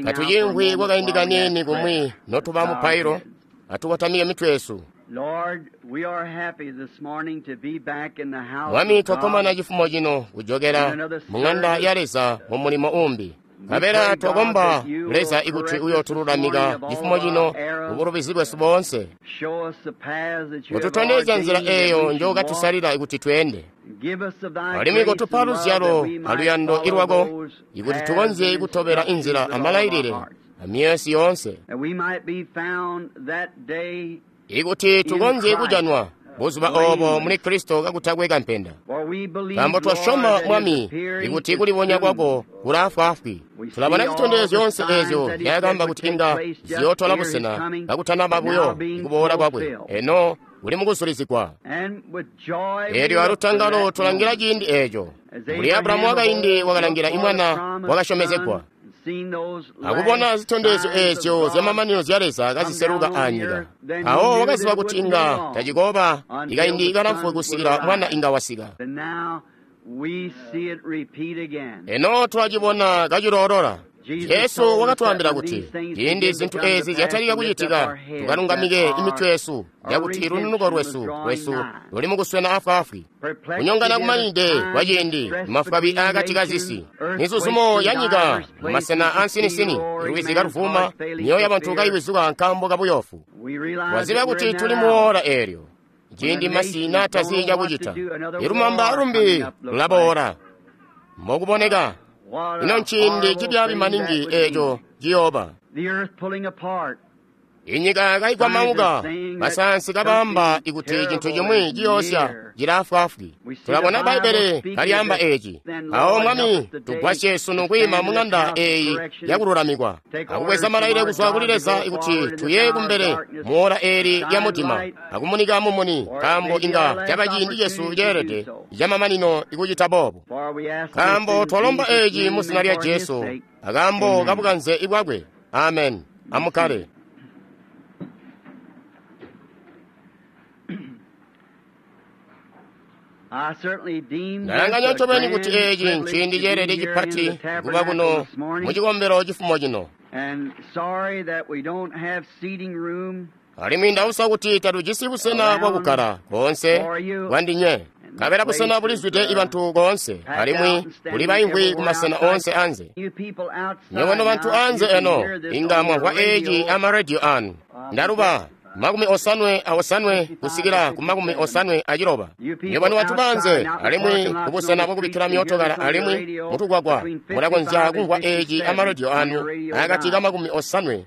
Katuciimvwi kwakaindi kaniini kumwi notuba mupailo, atukotamike mitwe yesu. Mwami, twakkomana cifumo cino kujokela mu ŋanda ya Leza mumulimo uumbi. Nkabela twakomba Leza ikuti uyootululamika cifumo cino mubulubizi bwesu boonse. Kotutondezya nzila eeyo njookatusalila ikuti tweende. Alimwi kotupa luzyalo aluyando ilwako ikuti tukonzye kutobela inzila amalailile amyoyo yesu yoonse. Ikuti tukonzye kujanwa buzuba oobo muli Kristo kakutakwe kampenda. Nkaambo twasyoma Mwami ikuti kulibonya kwako kulaafwaafwi. Tulabona zitondezyo zyoonse eezyo nzyaakaamba kuti inga ziyootola busena kakutanaba buyo ikuboola kwakwe. Eno kuli mukuzulizigwa. Eelyo alutangalo tulangila ciindi eeco. Mbuli Abulahamu wakaindi wakalangila imwana wakasyomezegwa. Akubona zitondezyo eezyo zyamamanino zya Leza kaziseluka anyika. Awo wakaziba kuti inga tacikooba ikaindi kalamfu kusikila mwana inga wasika. Eno tulacibona kaciloolola. Jesu wakatwaambila kuti ciindi zintu eezi zyatalika kucitika tukalungamike imitwe yesu yakuti lununuko lwesu luli mukuswena afwaafwi. Kunyongana kumanide kwa ciindi mafwabi aakati kazisi, mizuzumo ya nyika mumasena ansinisini, lwizi kaluvuma, myoyo yabantu kayiwizuka nkaambo kabuyoofu. Twaziba kuti tuli muwoola eelyo ciindi masi naatazi cakucita, ilumamba lumbi lulaboola. Mbokuboneka ino nciindi cibyaabi maningi eeco ciyooba. Inyika kaikwamauka, basayansi kabaamba ikuti cintu cimwi ciyoosya cilaafwaafwi. Tulabona Bbaibbele kalyaamba eeci. Awo Mwami, tugwasye sunu kwiima muŋanda eeyi yakululamikwa akubweza malailile kuzwa kuli Leza ikuti tuye kumbele muwola eeli lya mudima akumunika mumuni, nkaambo inga caba ciindi cesu ceelede camamanino ikucita boobo. Nkaambo twalomba eeci mu zina lya Jesu, akaambo kabukanze bwakwe. Amen. Amukkale. Ndalanganya ncobeni kuti eeci nciindi ceelede cipati kuba kuno mucikombelo cifumo cino. Alimwi ndausa kuti tatujisi busena bwakukkala koonse bwandinywe. Nkabela busena bulizwide ibantu koonse, alimwi kuli baimvwi kumasena oonse anze. Nywebo nobantu anze eno, inga mwamvwa eeci amarediyo anu. Ndaluba 58 kusikila ku 56. Nywebo nobantu banze, alimwi kubusena bwakubikkila myootokala alimwi mutugwagwa, mulakonzya kumvwa eeci amarediyo anu akati ka 58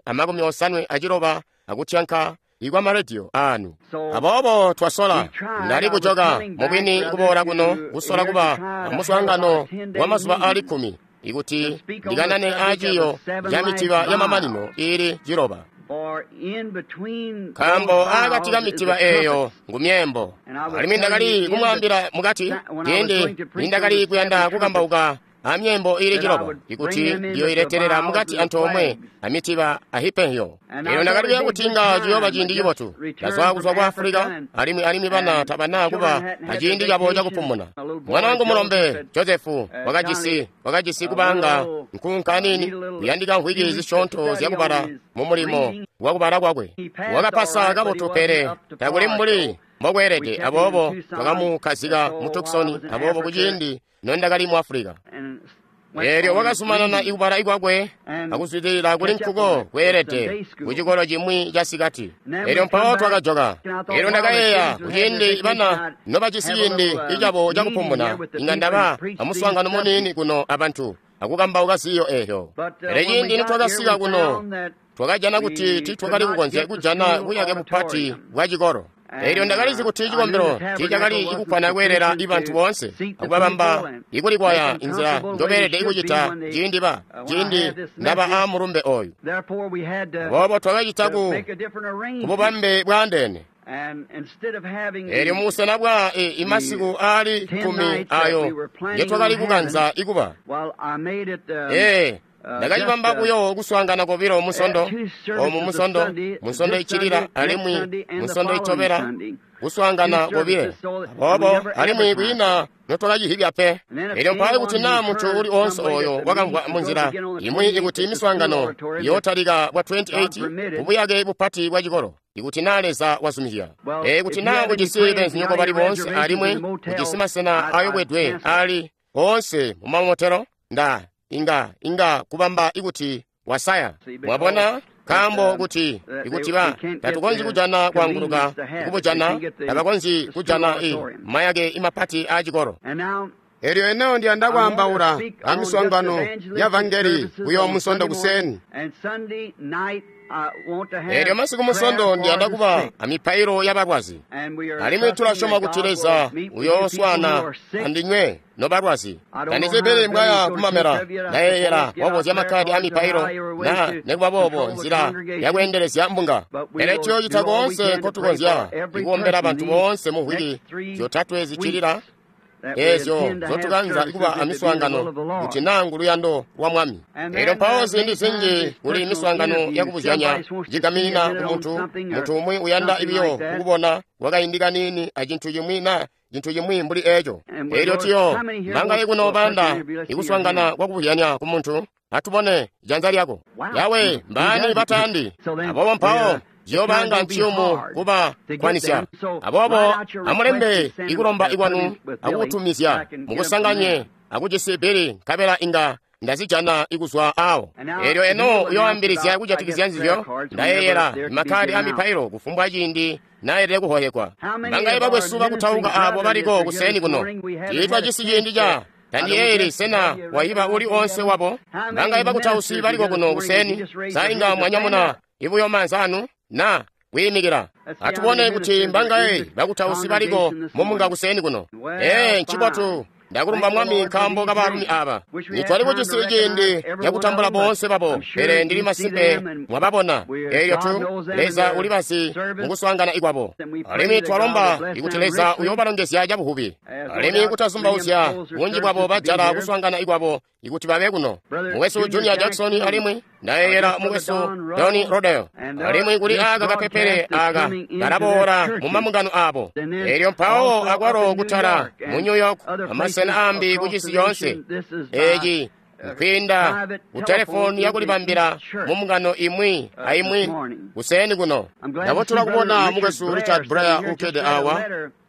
a 56 akutyanka ikwa marediyo anu. Aboobo twasola, ndali kujoka mubwini kuboola kuno kusola kuba amuswaangano wa mazuba aali 10 ikuti ndikanane aaciyo ca mitiba yamamanino iili 7. Nkaambo aakati ka mitiba eeyo ngu myeembo. Alimwi ndakali kumwaambila mukati ciindi nindakali kuyanda kukambauka amyeembo iili 7 ikuti ndiyoiletelela mukati antoomwe amitiba ahipenyo. Eelyo ndakali kuya kuti inga ciyooba ciindi cibotu. Ndazwa kuzwa ku Afulika, alimwi bana tabana kuba aciindi cabo cakupumuna. Mwana wangu mulombe Josefu wakajisi kubanga nkunka nini kuyandika mvwiki zisyoonto zyakubala mumulimo wakubala kwakwe. Wakapasa kabotu pele takuli mbuli mbokweelede, aboobo twakamukkazika mu Tucson. Aboobo kuciindi nondakali mu Afulika, eelyo wakazumanana ikubala ikwakwe akuzwidilila kuli nkuko kweelede kucikolo cimwi casikati. Eelyo mpawo twakajoka. Eelyo ndakayeeya kuciindi bana nobajisi ciindi icabo cakupumuna, inga ndaba amuswaangano muniini kuno abantu akukambauka ziyo eeyo. Pele ciindi nitwakasika kuno, twakajana kuti tiitwakali kukonzya kujana buyake bupati bwa cikolo. Eelyo ndakalizi kuti cikombelo tiicakali ikukkwana kweelela ibantu boonse akubabamba ikulikwaya inzila njobeelede ikucita ciindi ndaba aamulumbe ooyu. Aboobo twakacita ku bubambe bwaandeene. Eelyo mubusena bwa imasiku aali 10 ayo ngetwakali kukanza ikuba. Ndakacibamba buyo kuswaangana kobilo Musondo, omu Musondo, Musondo iccilila alimwi Musondo itobela, kuswaangana kobile. Aboobo alimwi kwiina notwakacihibya pe. Elyo mpawo kuti naa muntu uli oonse oyo wakamvwa munzila imwi ikuti miswaangano iyootalika bwa 28 kubuyake bupati bwa cikolo, ikuti naa Leza wazumizya. Kuti naa ujisi beenzinyoko bali boonse alimwi ujisi masena ayobwedwe ali oonse mumamotelo, nda inga kubamba ikuti wasaya. Mwabona? Nkaambo kuti ikuti ba tatukonzyi kujana kwaanguluka kubujana, tabakonzyi kujana mayake imapati aa cikolo. Elyo eno ndiyanda kwaambaula amiswaangano ya vangeli kuyo Musondo kuseni. Elyo masiku Musondo ndiyanda kuba amipailo yabalwazi, alimwi tulasyoma kuti Leza uyooswaana andinywe nobalwazi. Tandizibili mbwaya kumamela, ndayeeyela wabozya makkadi amipailo na nikuba boobo nzila yakweendelezya mbunga. Pele tuyoocita koonse nkotukonzya ikuombela bantu boonse mu mvwiki zyotatwe ziccilila eezyo nzotukanza kuba amiswaangano, kuti naa nguluyando lwa Mwami. Elyo mpawo ziindi zinji kuli miswaangano yakubuzyanya cigaminina kumuntu, muntu umwi uyanda biyo kukubona kwakaindi kaniini acintu cimwi na cintu cimwi mbuli eeco. Elyo tuyo mangaye kuno bayanda ikuswaangana kwakubuzyanya kumuntu, atubone janza lyako. Yawe, mbaani batayandi? Aboobo mpawo ziyobanga nciyumu kuba kwanisya. Aboobo amulembe ikulomba ikwanu akukutumizya mukusanganye akucisi bili, nkabela inga ndazijana ikuzwa awo. Elyo eno uyoambilizya kujatikizya nzizyo, ndayeeyela makkadi amipailo kufumbwa ciindi naelele kuhoyekwa. Bangaye bakwesu bakutauka abo baliko kuseni kuno. Tiitwajisi ciindi ca tandiyeeyeli sena wayiba uli onse wabo. Bangaye bakutausi baliko kuno kuseni, sa inga mwanyamuna ibuyo maanza anu na kuyimikila. Atubone kuti mbangaye bakutausi baliko mumunga kuseni kuno. Ncibotu. Ndakulumba Mwami nkaambo kabaalumi aba. Nitwali kujisi ciindi cakutambula boonse babo, pele ndili masimpe mwababona. Elyo tu Leza ulibazi mukuswaangana ikwabo. Alimwi twalomba ikuti Leza uyoobalongezya cabuhubi. Alimwi kutazumbauzya bunji bwabo bajala kuswaangana ikwabo ikuti babe kuno. Mukwesu Junior Jackson alimwi ndayeeyela mukwesu Tony Rodeo. Alimwi kuli aka kapepele aka kalaboola mu mambungano abo. Elyo mpawo akwalo kutala mu New York amasena ambi kucisi yoonse. Eci nkwiinda ku telefoni yakulibambila mu mbungano imwi aimwi kuseni kuno. Ndabotula kubona mukwesu Richard Blair ukkede awa.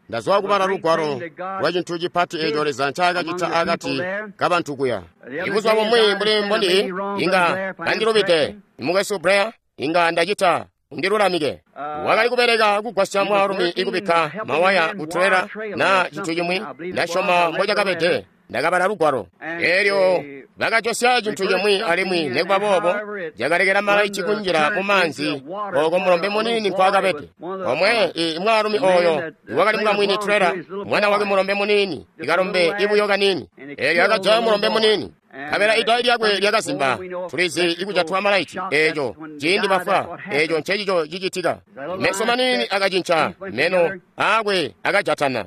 Ndazwa kubala lugwalo lwa cintu cipati eco Leza ncaakacita akati kabantu kuya. Ibuzuba bumwi mbuli mbondi inga kandilubide, mukwesu Blair inga ndacita undilulamike. Wakali kubeleka kugwasya mwaalumi ikubikka mawaya kutrela na cintu cimwi, ndasyoma mbocakabede. Ndakabala lugwalo elyo bakajosya cintu cimwi alimwi nikuba boobo cakalekela malaiti kunjila mu maanzi oko mulombe muniini nkwaakabede. Omwe mwaalumi oyo iwakali mukamwini trela, mwana wakwe mulombe muniini, ikalombe ibuyo kaniini, elyo akajaya mulombe muniini. Nkabela idayi lyakwe lyakazimba. Tulizi ikujatwa malaiti eeco ciindi bafwa, eeco ncecico cicitika. Meso maniini akacinca, meno aakwe akajatana.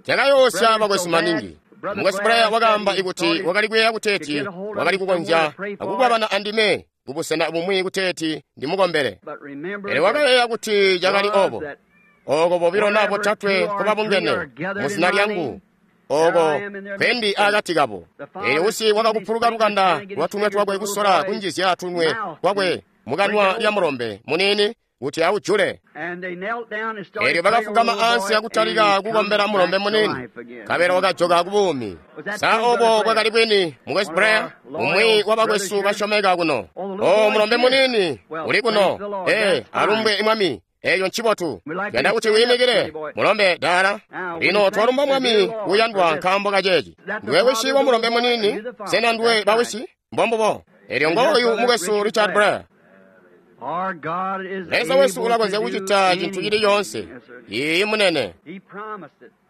Cakayoosya bakwesu maningi. Mukwesu Blair wakaamba ikuti wakali kuyeeya kuteeti wakali kukonzya akukwabana andime kubusena bumwi kuteeti ndimukombele. Pele wakayeeya kuti cakali obo. Oko bobilo na botatwe nkobabungene muzina lyangu, oko kwendi akati kabo. Elyo usi wakakupuluka lukanda lwa tunwe twakwe kusola kunjizya tunwe twakwe mukanwa lya mulombe muniini kuti aujule. Elyo bakafugama ansi akutalika kukombela mulombe muniini, nkabela wakajoka kubuumi. Sa obo bwakali bwini, mukwesu Blair, umwi wa bakwesu basyomeka kuno. O mulombe muniini uli kuno. Alumbwe Mwami. Eyo ncibotu. Yanda kuti wiimikile mulombe dala. Lino twalumba Mwami uyandwa nkaambo kaceeci. Ndiwe wisi wa mulombe muniini? Sena ndiwe bawisi? Mbombubo. Elyo ngooyu mukwesu Richard Blair. Leza wesu ulakonzya kucita cintu cili coonse. Iiyi munene.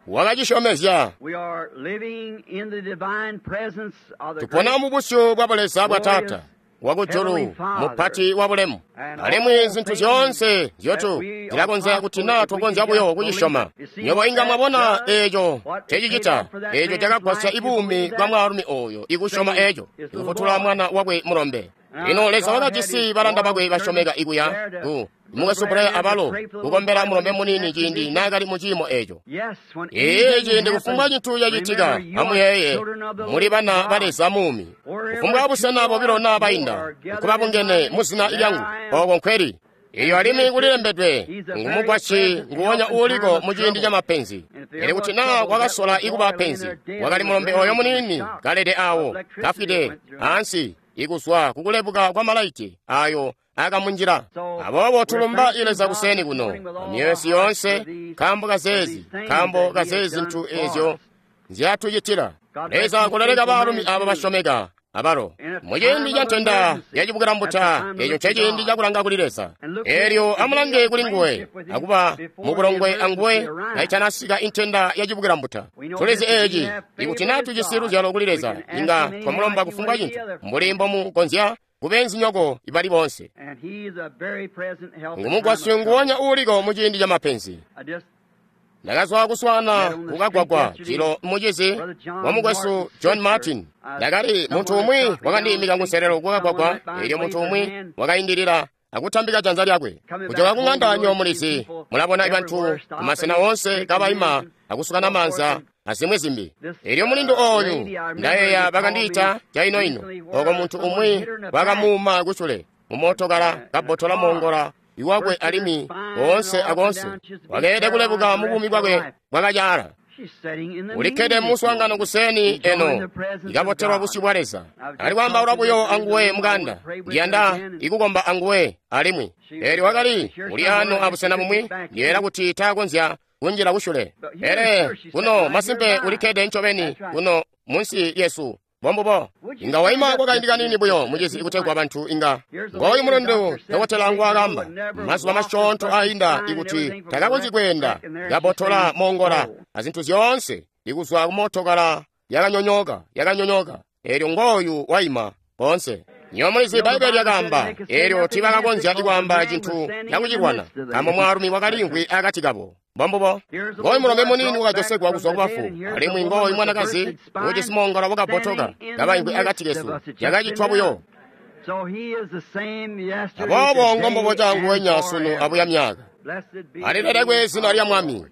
Wakacisyomezya. Tupona mu busyu bwa Buleza bwa Taata. wakujulu mupati wa bulemu. Alimwi zintu zyoonse zyotu zilakonzya kuti naa tukonzya buyo kucisyoma. Nywebo inga mwabona eeco ncecicita, eeco cakagwasya ibuumi bwa mwaalumi ooyo ikusyoma eeco, ikufutula mwana wakwe mulombe. Lino Leza wakajisi balanda bakwe basyomeka ikuya ku mukwesu Blair abalo kukombela mulombe muniini ciindi naakali mu ciimo eeco. Ee, ciindi kufumbwa cintu cacitika, amuyeeye, muli bana ba Leza muumi. Kufumbwa busena bobilo naa bainda, nkubabungene mu zina lyangu, ooko nkweli. Iyo alimwi kulilembedwe, ngumugwasyi nguwonya uuliko mu ciindi ca mapenzi. Pele kuti naa wakasola ikuba penzi, wakali mulombe oyo muniini kalede awo, kafwide ansi, ikuzwa kukulebuka kwa malaiti ayo akamunjila. Aboobo tulumba Leza kuseni kuno amyoyo yoonse nkaambo kazeezi zintu eezyo nzyatucitila. Leza kuleleka baalumi abo basyomeka abalo muciindi ca ntenda yacibukilambuta. Eeco nceciindi cakulanga kuli Leza. Eelyo amulange kuli nguwe akuba mubulongwe anguwe kaitanasika intenda yacibukilambuta. Tulizi eeci, ikuti naa tujisi luzyalo kuli Leza, inga twamulomba kufumbwa cintu mbuli mbomukonzya kubenzinyoko ibali boonse. Ngumugwasyi nguwonya uuliko muciindi ca mapenzi. Ndakazwa kuswana kukagwagwa jilo mucizi wa mukwesu John Martin. Ndakali muntu umwi wakandiimika kunselelo kukagwagwa, eelyo muntu umwi wakaindilila akutambika janza lyakwe. Kujoka kung'anda nyo mulizi, mulabona bantu kumasena oonse kabaima akusukana maanza azimwi zimbi. Eelyo mulindu ooyu ndayeeya bakandiita caino-ino, oko muntu umwi wakamuuma kucule mumootokala kabbotola moongola iwakwe alimwi oonse akoonse wakeelede kulebuka mu buumi bwakwe bwakacaala. Ulikkede muswaangano kuseni eno ikabotelwa busyu bwa Leza. Ali kwaambaula buyo anguwe mukanda, ndiyanda ikukomba anguwe alimwi. Eelyo wakali uli ano abusena bumwi, ndiyeera kuti taakonzya kunjila kusyule. Pele kuno masimpe ulikkede ncobeni kuno munsi lyesu. Bombubo inga waima kwakaindi kanini buyo mucizi ikutegwa bantu inga ngooyu mulindu dokotela ngwaakamba mazuba masyoonto ainda ikuti takakonzyi kweenda, kabotola moongola azintu zyoonse ikuzwa kumootokala yakanyonyoka. Eelyo ngooyu waima koonse. Nyo mulizi Bbaibeli lyakaamba, eelyo tiibakakonzya ikwaamba cintu cakucilwana, nkaambo mwaalumi wakaliimvwi akati kabo. Bombubo ngooyu mulombe muniini wakajosekwa kuzwa kubafu, alimwi ngooyu mwanakazi uujisi moongola wakabbotoka kabaimvwi akati kesu. Yakacitwa buyo. Aboobo ngombobo canguwenya sunu abuya myaka. Alilelekwe zina lya Mwami.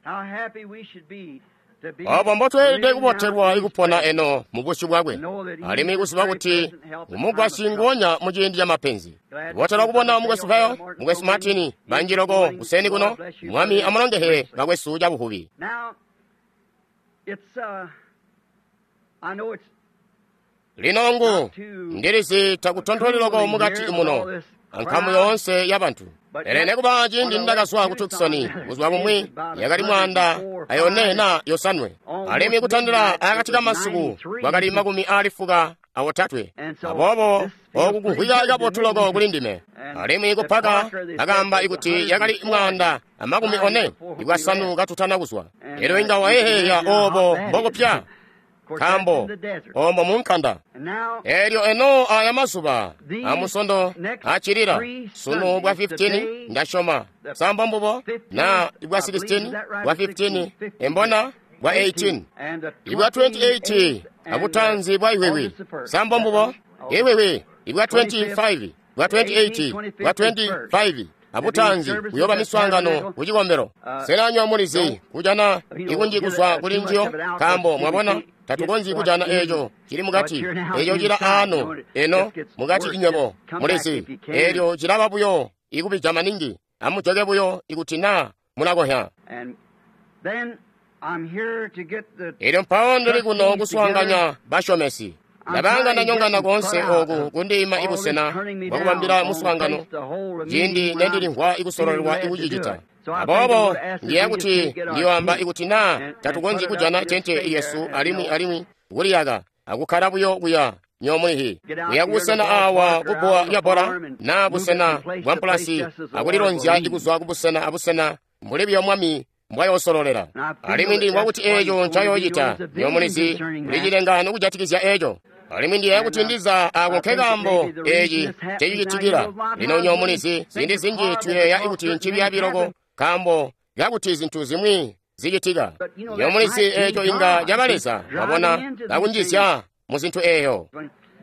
Obo mbotweelede kubotelwa ikupona eno mu busyu bwakwe, alimwi kuziba kuti umugwasyi nguwonya mu ciindi ca mapenzi. Kubotelwa kubona mukwesu Vayo, mukwesu Martin, banji loko kuseni kuno. Mwami amulongehe bakwesu cabuhubi. Lino ngu ndilizi takutontoli loko mukati muno ankamu yoonse ya bantu. Pele nekuba ciindi ndakazwa ku Tucson buzuba bumwi yakali 104 na 5, alimwi kutandila akati ka masiku kwakali 93. Aboobo oku kumvwika kabotu loko kuli ndime. Alimwi kupaka akaamba ikuti yakali 145 katutana kuzwa. Elyo inga wayeheya obo mbokupya, nkaambo ombo munkanda. Elyo eno aya mazuba amusondo acilila sunu bwa 15 ndasyoma samba mbubo na bwa 16 bwa 15 embona bwa 18 ibwa 28 abutanzi bwa iwewe samba mbubo iwewe ibwa 25 bwa 28 bwa 25 abutanzi kuyoba miswaangano kucikombelo. Sena mulizi kujana ikunji kuzwa kuli njiyo, nkaambo mwabona tatukonzyi kujana eeco cili mukati, eeco cila ano eno mukati inywebo mulizi. Eelyo cilaba buyo ikubija maningi. Amujoke buyo ikuti naa mulakohya. Elyo mpawo ndili kuno kuswaanganya basyomesi. Ndabanga ndanyongana koonse ooku kundiima ibusena bwakubambila muswaangano ciindi nendilimvwa ikusololelwa ikucicita. Aboobo ndiyeeya kuti ndiyoamba ikuti naa tatukonzyi kujana tente yesu alimwi kuliyaka akukkala buyo kuya nyomulihi kuya kubusena awa kubbuwa lya bbola naa busena bwa mpulasi akulilonzya ikuzwa kubusena abusena mbuli buyo Mwami mbwayoosololela. Alimwi ndilimvwa kuti eeco ncayoocita. Nyomulizi kuli cilengano kujatikizya eeco. Alimwi ndiyeeya kuti ndiza ako nkekaambo eci cecicitikila. Lino nyo mulizi, ziindi zinji tuyeeya kuti ncibyaabi loko nkaambo kakuti zintu zimwi zicitika. Nyo mulizi eco inga caba Leza, mwabona, kakunjizya mu zintu eyo.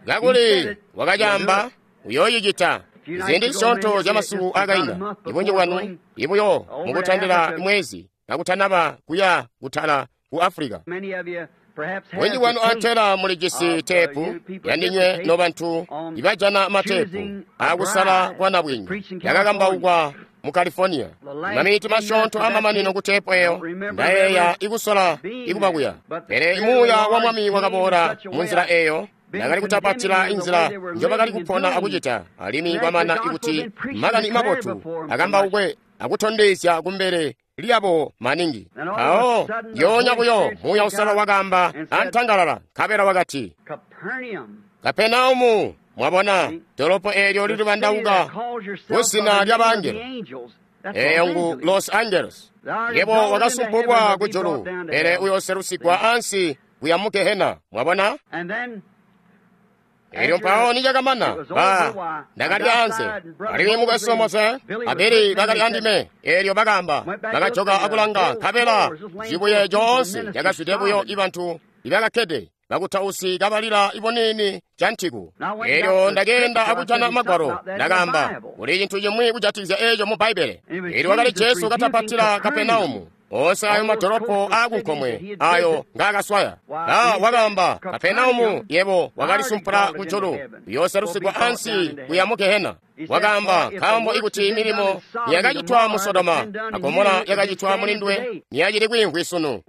Kakuli wakacaamba, uyoocicita. Ziindi zisyoonto zya masiku akainda, ibunji bwanu ibuyo mukutandila mwezi kakutanaba kuya kutala ku Africa. Bunji bwanu antela mulijisi teepu yandinywe nobantu ibajana mateepu akusala kwa nabwinga yakakambaukwa mu California. Maminiti masyoonto amamanino ku teepu eyo ndayeeya ikusola ikuba kuya. Pele muuya wa Mwami wakaboola mu nzila eyo. Ndakali kutapatila inzila njobakali kupona akucita, alimwi kwamana ikuti makani mabotu akambaukwe akutondezya kumbele lyabo maningi. Mpawo yoonya buyo Muuya Uusalala wakaamba antangalala, nkabela wakati, Kapenaumu, mwabona dolopo eelyo lilibandauka kuzina lya bangelo, eyo ngu Los Angeles. Yebo wakasumpulwa kujulu, pele uyooselusigwa ansi kuya mu Gehena, mwabona. Elyo mpawo nicakamana, ba ndakali anze, alimwi mukwesu Mose abili bakali andime. Elyo bakaamba, bakajoka akulanga, nkabela cibuye coonse cakazwide buyo ibantu ibakakkede bakutausi kabalila ibonini cantiku. Elyo ndakeenda akujana magwalo, ndakaamba, kuli cintu cimwi kujatikizya eco mu Bbaibbele. Elyo wakali Jesu katapatila Kapenaumu, onse ayo madolopo aakunkomwe ayo ngaakaswaya. Ba wakaamba, Kapenaumu, yebo wakalisumpula kujulu, uyooselusigwa ansi kuya mu Gehena. Wakaamba, nkaambo ikuti milimo yakacitwa mu Sodoma a Gomora yakacitwa mulinduwe, niyacili kwiimvwi sunu.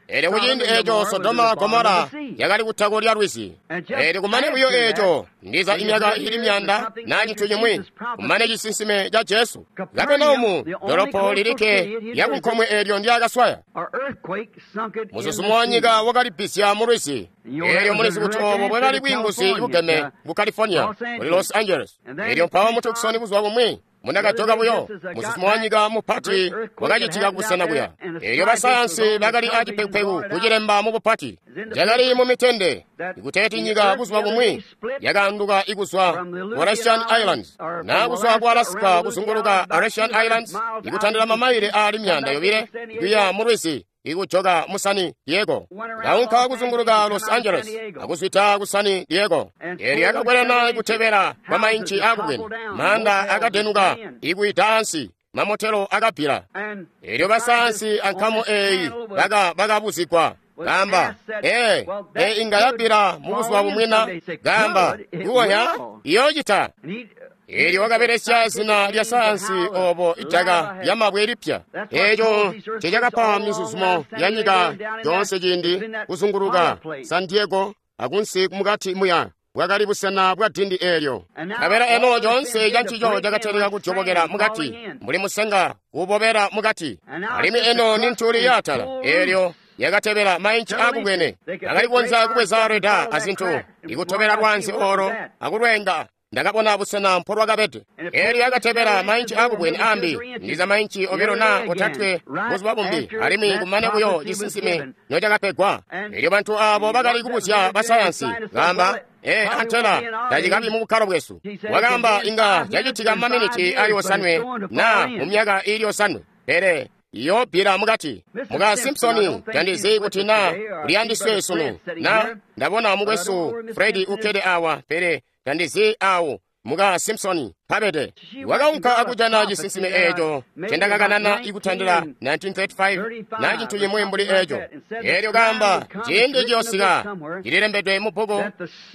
Elyo kuciindi eco Sodoma Gomora yakali kutako lya lwizi. Elyo kumane buyo eco ndiza imyaka ili myanda na cintu cimwi, kumane cisinsime ca Jesu. Kapenaumu, dolopo lilikke lyakunkomwe eelyo ndyakaswaya. Muzuzumo wa nyika wakalibbizya mu lwizi. Elyo mulizi kuti obo bwakali bwiinguzi bugeme ku California, kuli Los Angeles. Elyo mpawo mu Tucson buzuba bumwi, munakajoka buyo, muzuzumo wa nyika mupati wakacitika kubusena kuya. Elyo basayansi bakali acipekupeku kucilemba mu bupati. Cakali mu mitende, ikuteeti nyika buzuba bumwi yakaanduka ikuzwa ku Aleutian Islands, na kuzwa ku Alaska kuzunguluka Aleutian Islands, ikutandila mamaile aali 200 kuya mu lwizi, ikujoka mu San Diego. Kaunka kuzunguluka Los Angeles, akuzwita ku San Diego. Elyo yakakwelana kutebela kwa mainci akubwene, manda akadenuka ikuita ansi, mamotelo akabbila. Elyo basayansi ankamu eyi bakabuzigwa, gamba, inga yabbila mu buzuba bumwina, gamba, kuwonya, iyocita. Elyo wakabelesya zina lya sayansi obo idaka lyamabwe lipya. Eco cecakapa mizuzumo ya nyika yoonse ciindi kuzunguluka San Diego akunsi mukati muya bwakali busena bwa dindi eelyo. Nkabela eno coonse cancico cakatalika kudyobokela mukati mbuli musenga kuubobela mukati. Alimwi eno ni ntuli yaatala eelyo yakatebela mainci aakubwene. Bakali kukonzya kubweza reda azintu ikutobela lwanzi olo akulwenga. Ndakabona busena mpolwakabede. Elyo yakatebela mainci aakubwene ambi, ndiza mainci 2 na 3 buzuba bumbi, alimwi kumane buyo cisinsime nocakapegwa. Elyo bantu abo bakali kubuzya basayansi, gamba, antela tacikabi mu bukkalo bwesu. Wakaamba inga cacitika mu maminiti ali 7 na mu myaka ili 7, pele iyobbila mukati. Muka Simpsoni tandizi kuti na uliyandiswe sunu, na ndabona mukwesu Fredi ukkede awa, pele tandizi awo muka Simpsoni pabede. Wakaunka akujana cisinsime eco cendakakanana ikutandila 1935 na cintu cimwi mbuli eco. Elyo kaamba ciindi ciyosika cililembedwe mu bbuku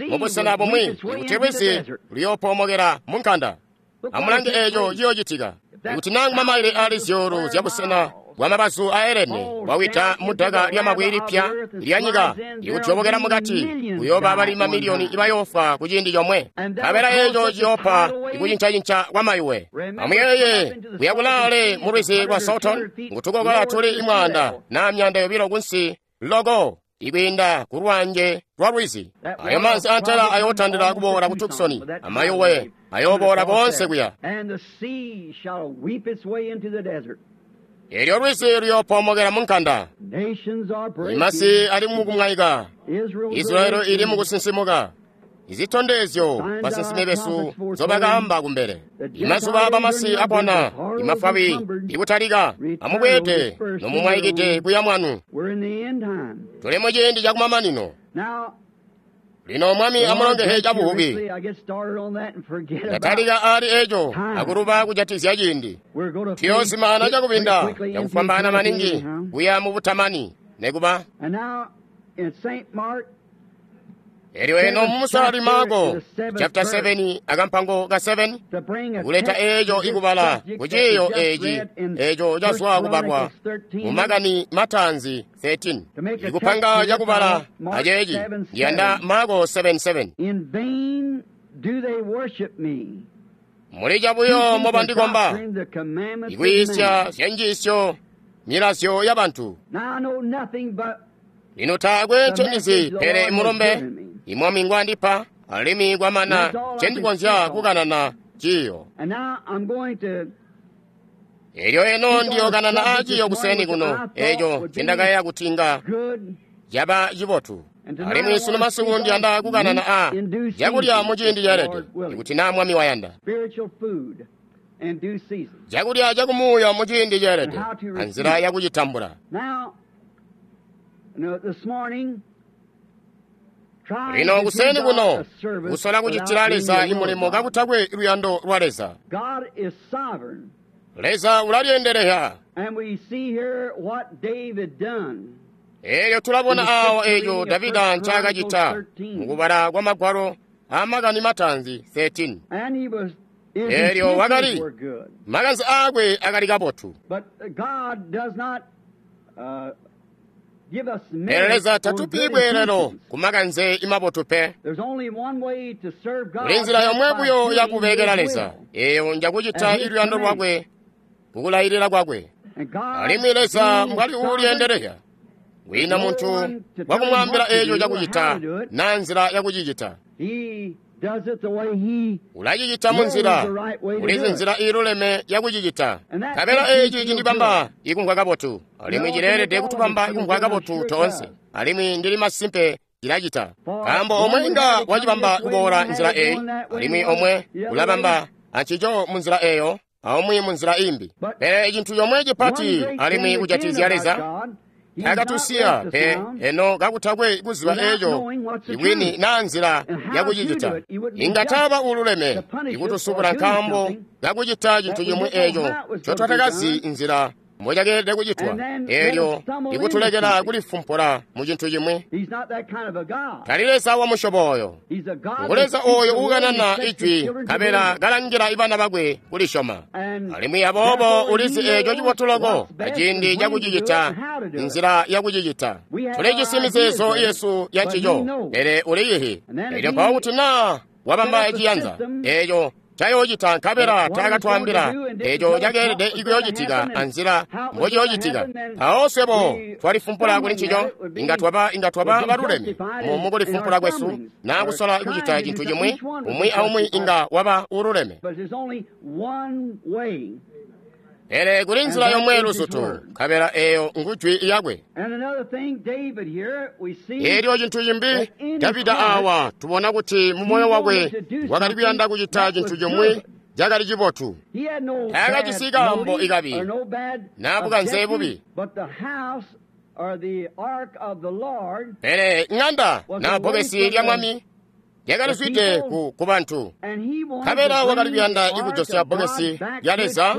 mubusena bumwi ikuti lwizi luyoopomokera mu nkanda. Amulange eco ciyocitika. Ikuti nangu mamaile ali zyuulu zya busena bwa mabazu a Elene bwawita mudaka lyamabwe lipya lya nyika ikudyobokela mukati, kuyooba bali mamiliyoni ibayoofwa ku ciindi comwe. Nkabela eco ciyoopa ikucincacinca kwa mayuwe. Amuyeeye kuya kulaale mu lwizi lwa Salton, ngutukokola tuli 100 na 200 kunsi loko ikwiinda ku lwanje lwa lwizi. Ayo manzi antela ayootandila kuboola ku Tucson, amayuwe ayooboola boonse kuya. Elyo lwizi luyoopomokela mu nkanda. Imasi ali mukumwaika. Israeli ili mukusinsimuka. Izitondezyo basinsimi besu nzobakaamba kumbele. Imazuba bamasi apona, imafwabi ikutalika. Amubweede nomumwaikide kuya mwanu. Tuli mu ciindi cakumamanino. Lino Mwami amulongehe cabuhubi. Ndatalika ali eco akuluba kujatizya ciindi. Tuyoozimana cakubinda cakufwambaana maningi kuya mu butamani nekuba. Elyo eno mumusalali Marko chapter 7 akampango ka 7 kuleta eco ikubala kuciyo eci eco cazwa kubalwa mu makani matanzi 13 ikupanga cakubala aceeci ndiyanda Marko 7:7. Muli cabuyo mobandikomba ikuyisya zyanjiisyo milazyo ya bantu. Lino taakwe ncendizi pele imulombe imwami ngwandipa alimwi kwamana ncendikonzya kukanana ciyo. Elyo eno ndiyokanana a ciyo kuseni kuno eco ncendakayeeya kuti nga caba cibotu. Alimwi sunu masiku ndiyanda kukanana a cakulya mu ciindi ceelede, ikuti naa Mwami wayanda. Cakulya cakumuuya mu ciindi ceelede anzila yakucitambula. Lino kuseni kuno kusola kucitila Leza imulimo kakutakwe luyando lwa Leza. Leza ulalyendelehya. Elyo tulabona awa eco Davida ncaakacita mukubala kwa magwalo amakani matanzi 13. Elyo wakali makanze aakwe akali kabotu. Pele Leza tatupi bweelelo ku makanze imabotu pe. Kuli nzila yomwe buyo yakubekela Leza, eyo njakucita iluyando lwakwe kukulayilila kwakwe. Alimwi Leza mbwali uulyendelehya, wina muntu wakumwaambila eco cakucita na nzila yakucicita. Ulacicita munzila, ulizi nzila iiluleme yakucicita. Nkabela eci cindibamba ikumvwa kabotu, alimwi cileelede kutubamba ikumvwa kabotu toonse, alimwi ndili masimpe cilacita. Nkaambo omwe inga wacibamba kuboola nzila eyi, alimwi omwe ulabamba ancico munzila eyo, aumwi munzila imbi. Pele cintu comwe cipati alimwi kujatizya Leza, takatusiya pe eno kakutakwe kuziba eco ibwini naa nzila yakucicita. Inga taba ululeme ikutusubula nkaambo kakucita cintu cimwi eco ncotwatakazi nzila mbocakeelede kucitwa, elyo ikutulekela kulifumpula mu cintu cimwi. Tali Leza wa musyobo oyo. Ngu Leza oyo uukanana ijwi nkabela kalangila ibana bakwe kulisyoma. Alimwi aboobo ulizi eco cibotu loko aciindi cakucicita, nzila yakucicita. Tulijisi mizeezo yesu ya ncico, pele uliyihi. Elyo mpawo kuti naa wabamba ciyanza eco cayoocita nkabela taakatwaambila eco cakeelede ikuyoocitika anzila mbociyoocitika. Mpawo swebo twalifumpula kuli ncico, inga twaba baluleme mu kulifumpula kwesu naa kusola kucita cintu cimwi, umwi aumwi inga waba ululeme. Pele kuli nzila yomwe luzutu, nkabela eyo ngujwi yakwe. Elyo cintu cimbi, Davida awa tubona kuti mu moyo wakwe wakali kuyanda kucita cintu cimwi cakali cibotu. Taakajisi kaambo ikabi naa bukanze bubi. Pele ŋanda naa bbokesi lya Mwami lyakalizwide ku bantu. Nkabela wakali kuyanda ikujosya bbokesi lya Leza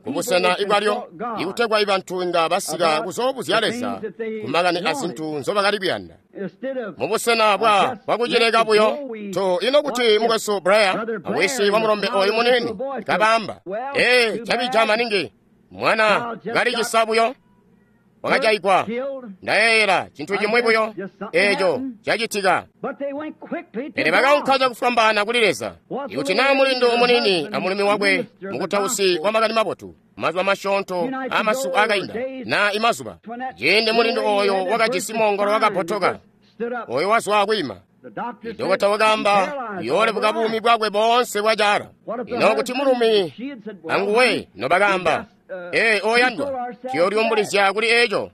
kubusena ibwalyo, ikutegwa ibantu inga basika kuzoobuzya Leza kumakani azintu nzobakali kuyanda. Mubusena bwakucileka buyo, to ino kuti mukwesu Blair awisi wa mulombe oyu munini kabaamba, ee, cabija maningi, mwana kalicisa buyo, wakajayigwa. Ndayeeyela cintu cimwi buyo eco cacitika. Pele bakaunka cakufwambaana kuli Leza. Ikuti naa mulindu omunini amulumi wakwe mukutausi wa makani mabotu, mazuba masyoonto amasiku akainda naa imazuba, ciindi mulindu oyo wakajisi moongolo wakapotoka, oyo wazwa kwiima. Dokota wakaamba uyoolebuka buumi bwakwe boonse bwacaala. Ino kuti mulumi anguwe nobakaamba, Ee, oyandwa, tuyolyumbulizya kuli eco.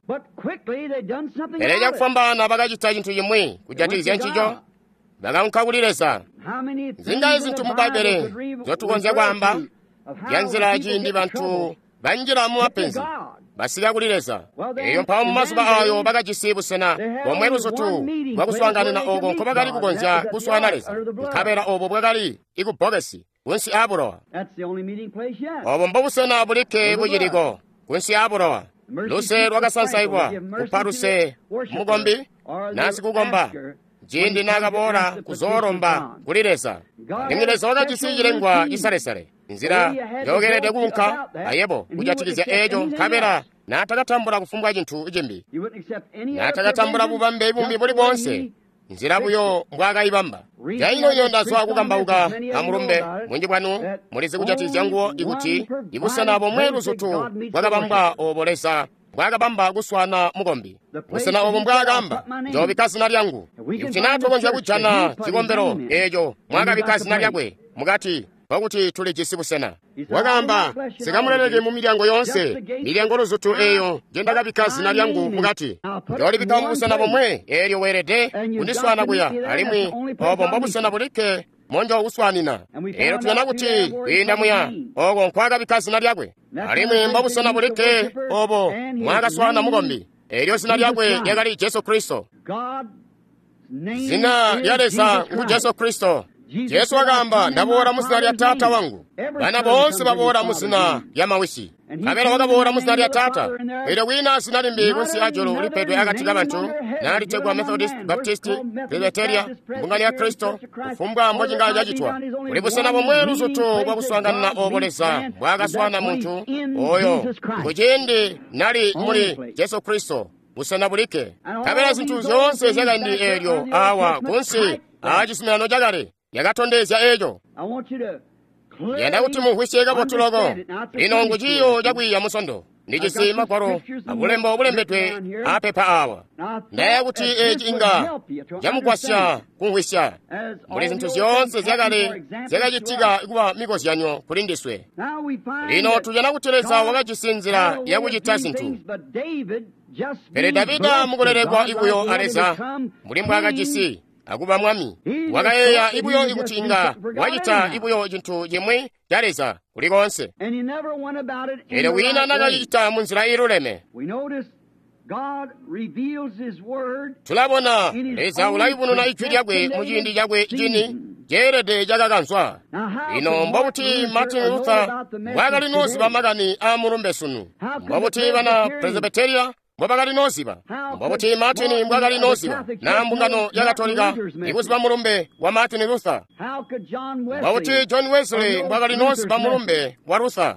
Pele cakufwambaana bakacita cintu cimwi kujatikizya ncico, bakaunka kuli Leza. Zingayi zintu mu Bbaibbele nzyotukonzya kwaamba zya nzila ciindi bantu banjila mu mapenzi basika kuli Leza. Eyo mpawo mu mazuba ayo bakajisi busena bomwe luzutu bwakuswaanganina oko nkobakali kukonzya kuswaana Leza, nkabela obo bwakali ikubbokesi kunsi aabulowa. Obo mbobusena bulikke buciliko kunsi aabulowa. Luse lwakasansailwa kupa luse mukombi nasikukomba ciindi naakaboola kuzoolomba kuli Leza. Alimwi Leza wakajisi cilengwa cisalesale, nzila njokelede kuunka ayebo kujatikizya eco, nkabela naatakatambula kufumbwa cintu cimbi, naatakatambula bubambe bumbi buli boonse, nzila buyo mbwaakayibamba. Caino-ino ndazwa kukambauka amulumbe munji bwanu mulizi kujatikizya nguwo ikuti ibusena bomwe luzutu bwakabambwa obo Leza mbwaakabamba kuswaana mukombi, busena obo mbwaakamba, njoobikka zina lyangu. Ikuti naa tukonzya kujana cikombelo eeco mwaakabikka zina lyakwe mukati, nkokuti tulijisi busena. Wakaamba, sikamuleleke mu milyango yoonse, milyango luzutu eeyo njendakabikka zina lyangu mukati, njoolibikka mubusena bomwe, eelyo weelede kundiswaana kuya, alimwi obo mbobusena bulikke monjookuswaanina. Eelyo tujana kuti kwiinda muya oko nkwaakabikka zina lyakwe, alimwi mbobusena bulikke obo mwaakaswaana mukombi, eelyo zina lyakwe lyakali Jesu Kristo. Zina lya Leza ngu Jesu Kristo. Jesu wakaamba, ndaboola mu zina lya Taata wangu. Bana boonse baboola mu zina lya mawisi. Nkabela wakaboola mu zina lya Taata. Eelyo kwiina zina limbi kunsi ajulu lipedwe akati kabantu, naalitegwa Methodist, Baptist, Presbyteria, Mbungano ya Kristo, kufumbwa mbocinga cacitwa. Kuli busena bomwe luzutu bwakuswaanganina obo Leza mbwaakaswaana muntu oyo kuciindi nali muli Jesu Kristo, busena bulikke. Nkabela zintu zyoonse zyakaindi eelyo awa kunsi aacizuminano cakale yakatondezya eco. Yanda kuti mumvwisye kabotu loko. Lino ngu ciiyo cakwiiya musondo. Ndijisi magwalo abulembo bulembedwe apepa awa. Ndaya kuti eci inga camugwasya kumvwisya mbuli zintu zyoonse zyakale zyakacitika kuba mikozyanyo kuli ndiswe. Lino tujana kuti Leza wakajisi nzila yakucita zintu. Pele Davida mukulelekwa ibuyo a Leza mbuli mbwaakajisi akuba mwami, wakayeeya ibuyo ikuti inga wacita ibuyo cintu cimwi ca Leza kuli koonse. Eelyo kwiina nakacicita munzila iiluleme. Tulabona Leza ulayubununa ijwi lyakwe muciindi cakwe cini ceelede cakakanzwa. Lino mbobuti Martin Luther mbwaakali nooziba makani aamulumbe sunu? Mbobuti bana Presbyteria mbobakali nooziba? Mbobuti Martin mbwaakali nooziba na mbungano ya Katolika ikuziba mulumbe wa Martin Luther? Mbobuti John Wesley mbwaakali nooziba mulumbe wa Luther?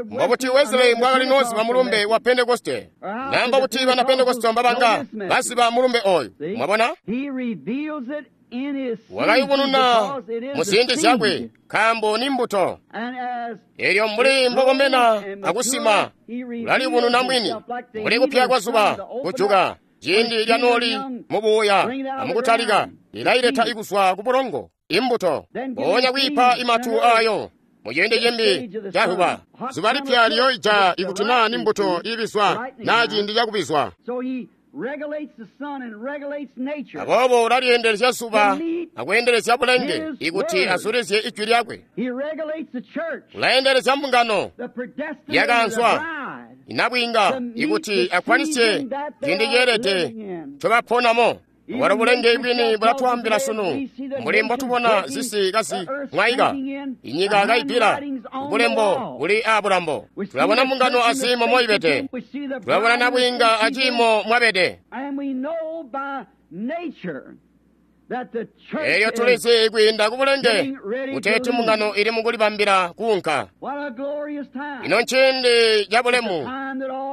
Mbobuti Wesley mbwaakali nooziba mulumbe wa Pentekoste? Na mbobuti bana Pentekoste mbabanga baziba mulumbe oyu? Mwabona? Wakayubununa mu ziindi zyakwe, nkaambo ni mbuto. Eelyo mbuli mbokomena akusima, ulaliyubununa mwini, mbuli kupya kwa zuba kujuka ciindi lyanooli mubuuya amukutalika, lilaileta ikuzwa ku bulongo imbuto, mpoonya kwiipa imatu ayo muciindi cimbi ca zuba. Zuba lipya liyoija ikuti naa ni mbuto iibizwa naa ciindi cakubizwa. Aboobo ulaliyeendelezya zuba akweendelezya bulenge ikuti azulizye ijwi lyakwe. Ulayendelezya mbungano yakaanzwa inabwinga ikuti akwanisye ciindi ceelede ncobaponamo. Bwalo bulenge bwini bulatwaambila sunu mbuli mbotubona zisi kazimwaika, inyika kaipila, bulembo buli aabulambo. Tulabona mbungano aziimo moibede, tulabona nabwiinga aciimo mwabede. Eelyo tulizi kwiinda ku bulenge kuteeti mbungano ili mukulibambila kuunka. Ino nciindi cabulemu,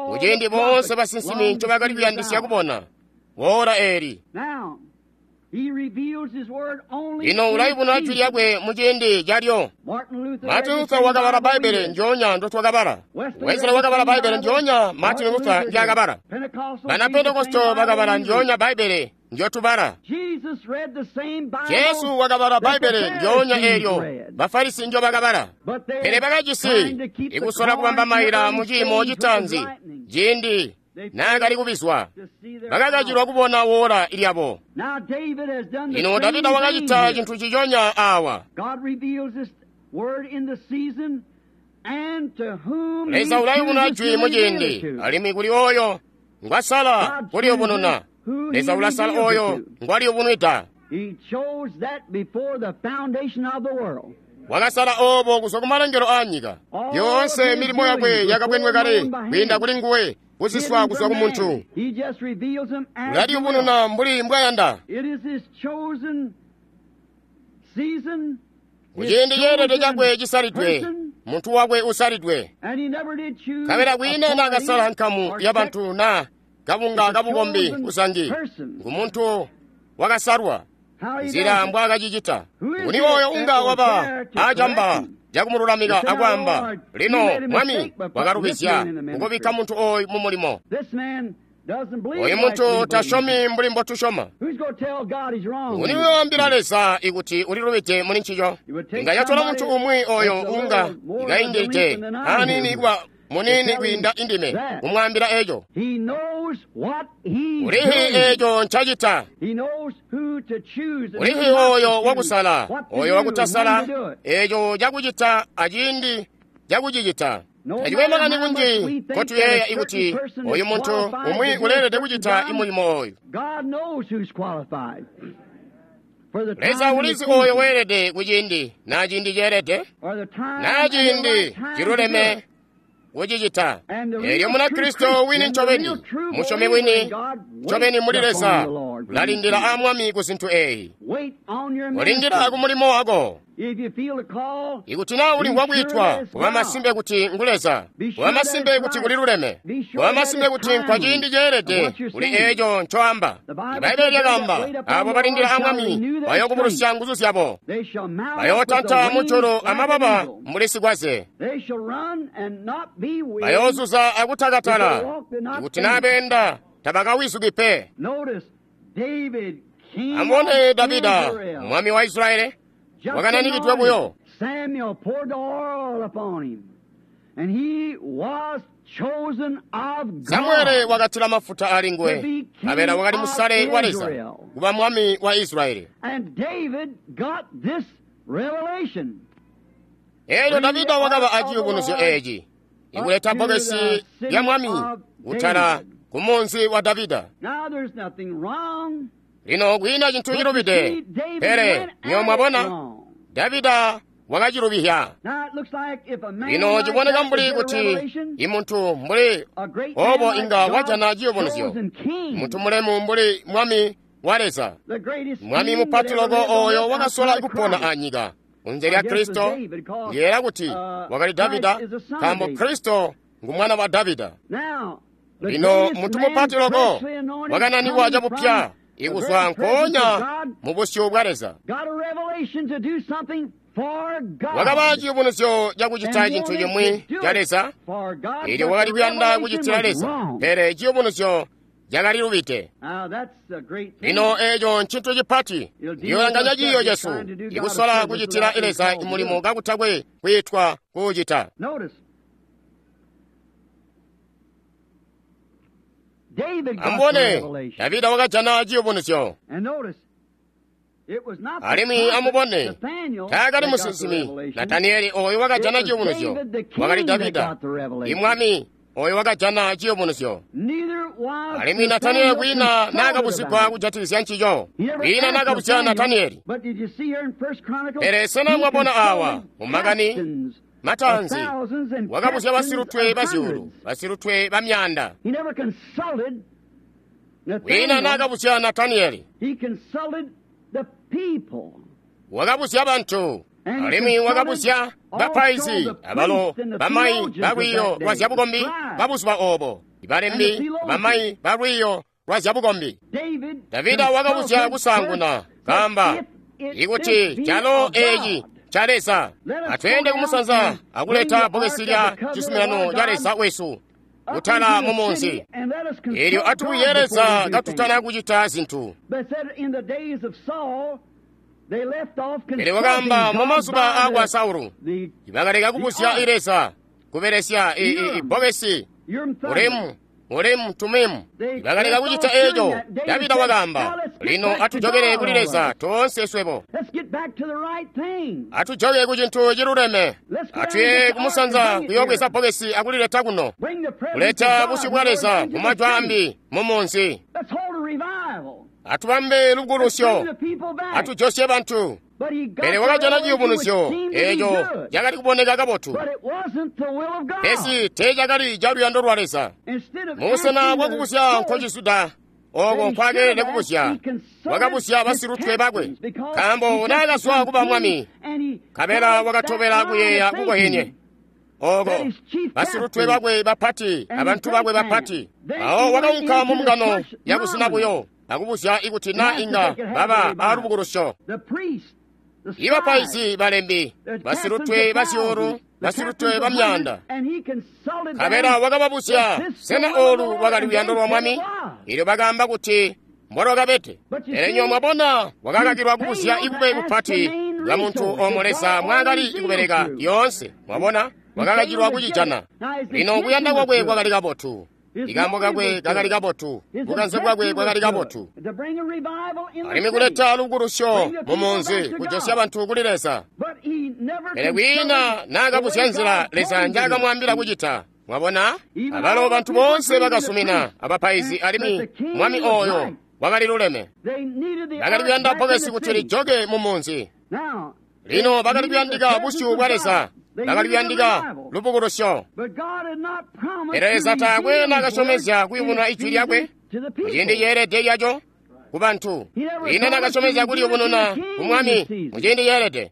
kuciindi boonse basinsimi ncobakali kuyandisya kubona wora eeli. Lino ulayubununa jwi lyakwe muciindi calyo. Martin Luther wakabala Bbaibbele njoonya ndotwakabala. Wesley wakabala Bbaibbele njoonya Martin Luther njaakabala. Bana Pentekosto bakabala njoonya Bbaibbele njotubala. Jesu wakabala Bbaibbele ndyoonya eelyo Bafarisi njobakabala, pele bakajisi ikusola kubamba maila mu ciimo citaanzi ciindi naakali kubizwa, bakakacilwa kubona woola lyabo. Lino Davida wakacita cintu ciconya awa. Leza ulayubununa jwi muciindi, alimwi kuli oyo ngwasala kuliyubununa. Leza ulasala oyo ngwaliyubunwida. Wakasala obo kuzwa kumalengelo aanyika. Yoonse milimo yakwe yakabwenwe kale kwiinda kuli nguwe, kusiswa kuzwa ku muntu. Ulaliyubununa mbuli mbwayanda. Kuciindi ceelede cakwe cisalidwe, muntu wakwe usalidwe. Nkabela kwiina naakasala nkamu ya bantu na kabunga kabukombi kusangi, ngu muntu wakasalwa. Nzila mbwaakacicita. Nguni oyo unga waba acamba cakumululamika akwaamba, lino Mwami wakalubizya kukubikka muntu oyu mu mulimo. Oyu muntu tasyomi mbuli mbotusyoma. Nguni uyoambila Leza ikuti ulilubide muli ncico? Inga yatola muntu umwi oyo unga ikaindilide aniini kuba munini kwiinda indime kumwaambila eco. Ulihi eco ncacita. Ulihi oyo wakusala, oyo wakutasala, eco cakucita aciindi cakucicita. Tacikwe makani kunji nkotuyeeya ikuti oyu muntu umwi uleelede kucita imulimo oyu. Leza ulizi oyo weelede kuciindi na ciindi ceelede, na ciindi ciluleme kucicita. Eelyo Munakristo wini ncobeni, musyomi wini ncobeni muli Leza, ulalindila a Mwami ku zintu eyi. Ulindila ku mulimo wako. Ikuti naa ulimvwa kwiitwa, kuba masimpe kuti ngu Leza, kuba masimpe kuti kuliluleme, kuba masimpe kuti nkwa ciindi ceelede kuli eeco ncoamba. Ibbaibbele lyakaamba, abo balindila a Mwami bayookubulusya nguzu zyabo, bayootanta mujulu amababa mbuli sikwaze, bayoozuza akutakatala, ikuti naa beenda tabakawizuki pe. Amubone Davida, mwami wa Israeli, wakananikidwe buyo. Samuele wakatila mafuta ali nguwe, nkabela wakali musale wa Leza kuba mwami wa Israeli. Eelyo Davida wakaba aciyubunuzyo eeci, ikuleta bbokesi lya mwami kutala ku munzi wa Davida. Lino kwiina cintu cilubide, pele nywebo mwabona, Davida wakacilubihya. Lino ciboneka mbuli kuti imuntu mbuli obo inga wajana ciyubunuzyo, muntu mulemu mbuli mwami wa Leza, mwami mupati loko oyo wakasola kupona anyika kunze lya Kristo. Ndiyeeya kuti wakali Davida, nkaambo Kristo ngu mwana wa Davida. Lino muntu mupati loko wakananikwa cabupya ikuzwa nkoonya mu busyu bwa Leza, wakaba ciyubunuzyo cakucita cintu cimwi ca Leza. Eelyo wakali kuyanda kucitila Leza, pele ciyubunuzyo cakalilubide. Lino eeco ncintu cipati. Ndiyolanganya ciiyo cesu ikusola kucitila Leza mulimo kakutakwe kwiitwa kuucita. Amubone, Davida wakajana ciyubunuzyo. Alimwi amubone, taakali musinsimi Nataniyeli oyo wakajana ciyubunuzyo, wakali Davida, imwami oyo wakajana ciyubunuzyo. Alimwi Nataniyeli kwiina naakabuzigwa kujatikizya ncico, kwiina naakabuzya Nataniyeli. Pele sena mwabona awa mumakani mataanzi, wakabuzya basilutwe bazyuulu, basilutwe ba myaanda. Kwiina naakabuzya Nataniyeli, wakabuzya bantu. Alimwi wakabuzya bapaizi abalo bamayi balwiiyo lwa zyabukombi babuzuba obo, ibalembi bamayi balwiiyo lwa zyabukombi. Davida wakabuzya kusaanguna, kaamba ikuti calo eeci ca Leza, atweende kumusanza akuleta bbokesi lya cizuminano ca Leza wesu, kutala mu munzi. Elyo atubuye Leza katutana kucita zintu. Pele wakaamba mu mazuba aakwa Saulu, bakaleka kubuzya Leza kubelesya ibbokesi Urimu Tumimu. Bakaleka kucita eco. Davida wakaamba, lino atujokele kuli Leza toonse swebo. Atujoke ku cintu ciluleme. Atuye kumusanza kuyoobweza bbokesi akulileta kuno. Kuleta busyu bwa Leza mu majwi ambi mu munzi. Atubambe lubukulusyo. Atujosye bantu. Pele wakajana ciyubunuzyo eco cakali kuboneka kabotu, pesi teecakali ca luyando lwa Leza. Mubusena bwakubuzya nkocisuda ooko nkwakeelede kubuzya, wakabuzya basilutwe bakwe, nkaambo naakazwa kuba mwami, nkabela wakatobela kuyeeya kukohenye ooko basilutwe bakwe bapati abantu bakwe bapati. Awo wakaunka mu mbungano yakuzina buyo akubuzya ikuti na inga baba aalubukulusyo. Ibapaizi balembi, basilutwe bazyuulu, basilutwe bamyaanda. Nkabela wakababuzya, sena oolu lwakali luyando lwa mwami? Elyo bakaamba kuti mbolwakabede. Pele nywebo mwabona, wakakakilwa kubuzya ibube bupati bwa muntu oomo Leza mwaakali kubeleka lyoonse. Mwabona, wakakakilwa kucijana. Lino kuyanda kwakwe kwakali kabotu. Ikaambo kakwe kakali kabotu, bukanze bwakwe bwakali kabotu, alimwi kuleta lubukulusyo mu munzi, kujosya bantu kuli Leza. Pele kwiina naakabuzya nzila Leza njaakamwaambila kucita. Mwabona, abalo bantu boonse bakasumina, abapaizi alimwi mwami ooyo wakali luleme. Bakali kuyanda bbokesi kuti lijoke mu munzi. Lino bakali kuyandika busyu bwa Leza, bakali kuyandika lubukulusyo. Pele Leza taakwe naakasyomezya kuyubununa ijwi lyakwe muciindi ceelede lyaco ku bantu. Kwiina naakasyomezya kuliyubununa ku mwami muciindi ceelede.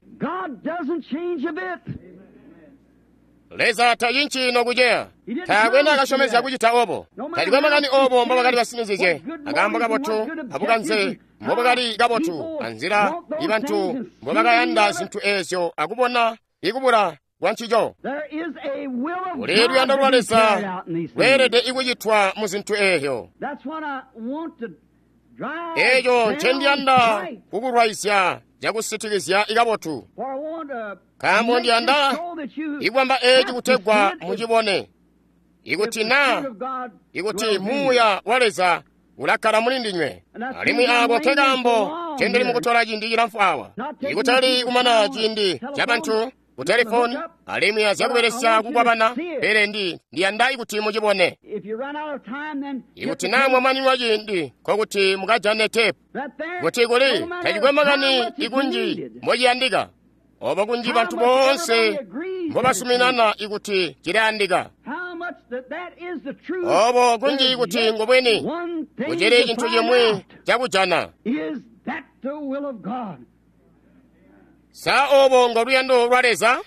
Leza tacinci nokuceya. Taakwe naakasyomezya kucita obo. Tacikwe makani obo mbobakali basinizizye, akaambo kabotu abukanze mbobakali kabotu, anzila ibantu mbobakayanda zintu eezyo akubona ikubula kwancico. Kuli luyando lwa Leza lweelede ikucitwa mu zintu eezyo. Eeco ncendiyanda kukulwaizya cakusitikizya ikabotu, nkaambo ndiyanda ikwamba eeci kutegwa mucibone, ikuti naa ikuti Muuya wa Leza ulakkala muli ndinywe. Alimwi aako nkekaambo ncendili mukutola ciindi cilamfu awa, ikutali kumana ciindi cabantu ku telefoni alimwi azyakubelesya kukwabana, pele ndiyanda ikuti mucibone. Ikuti naa mwamaniwa ciindi, nkokuti mukajane tepu. Kuti kuli tacikwe makani ikunji mbociyandika, obo kunji bantu boonse mbobasuminana ikuti cilayandika, obo kunji ikuti ngobweni kucili cintu cimwi cakujana. Sa obo ngo luyando lwa Leza?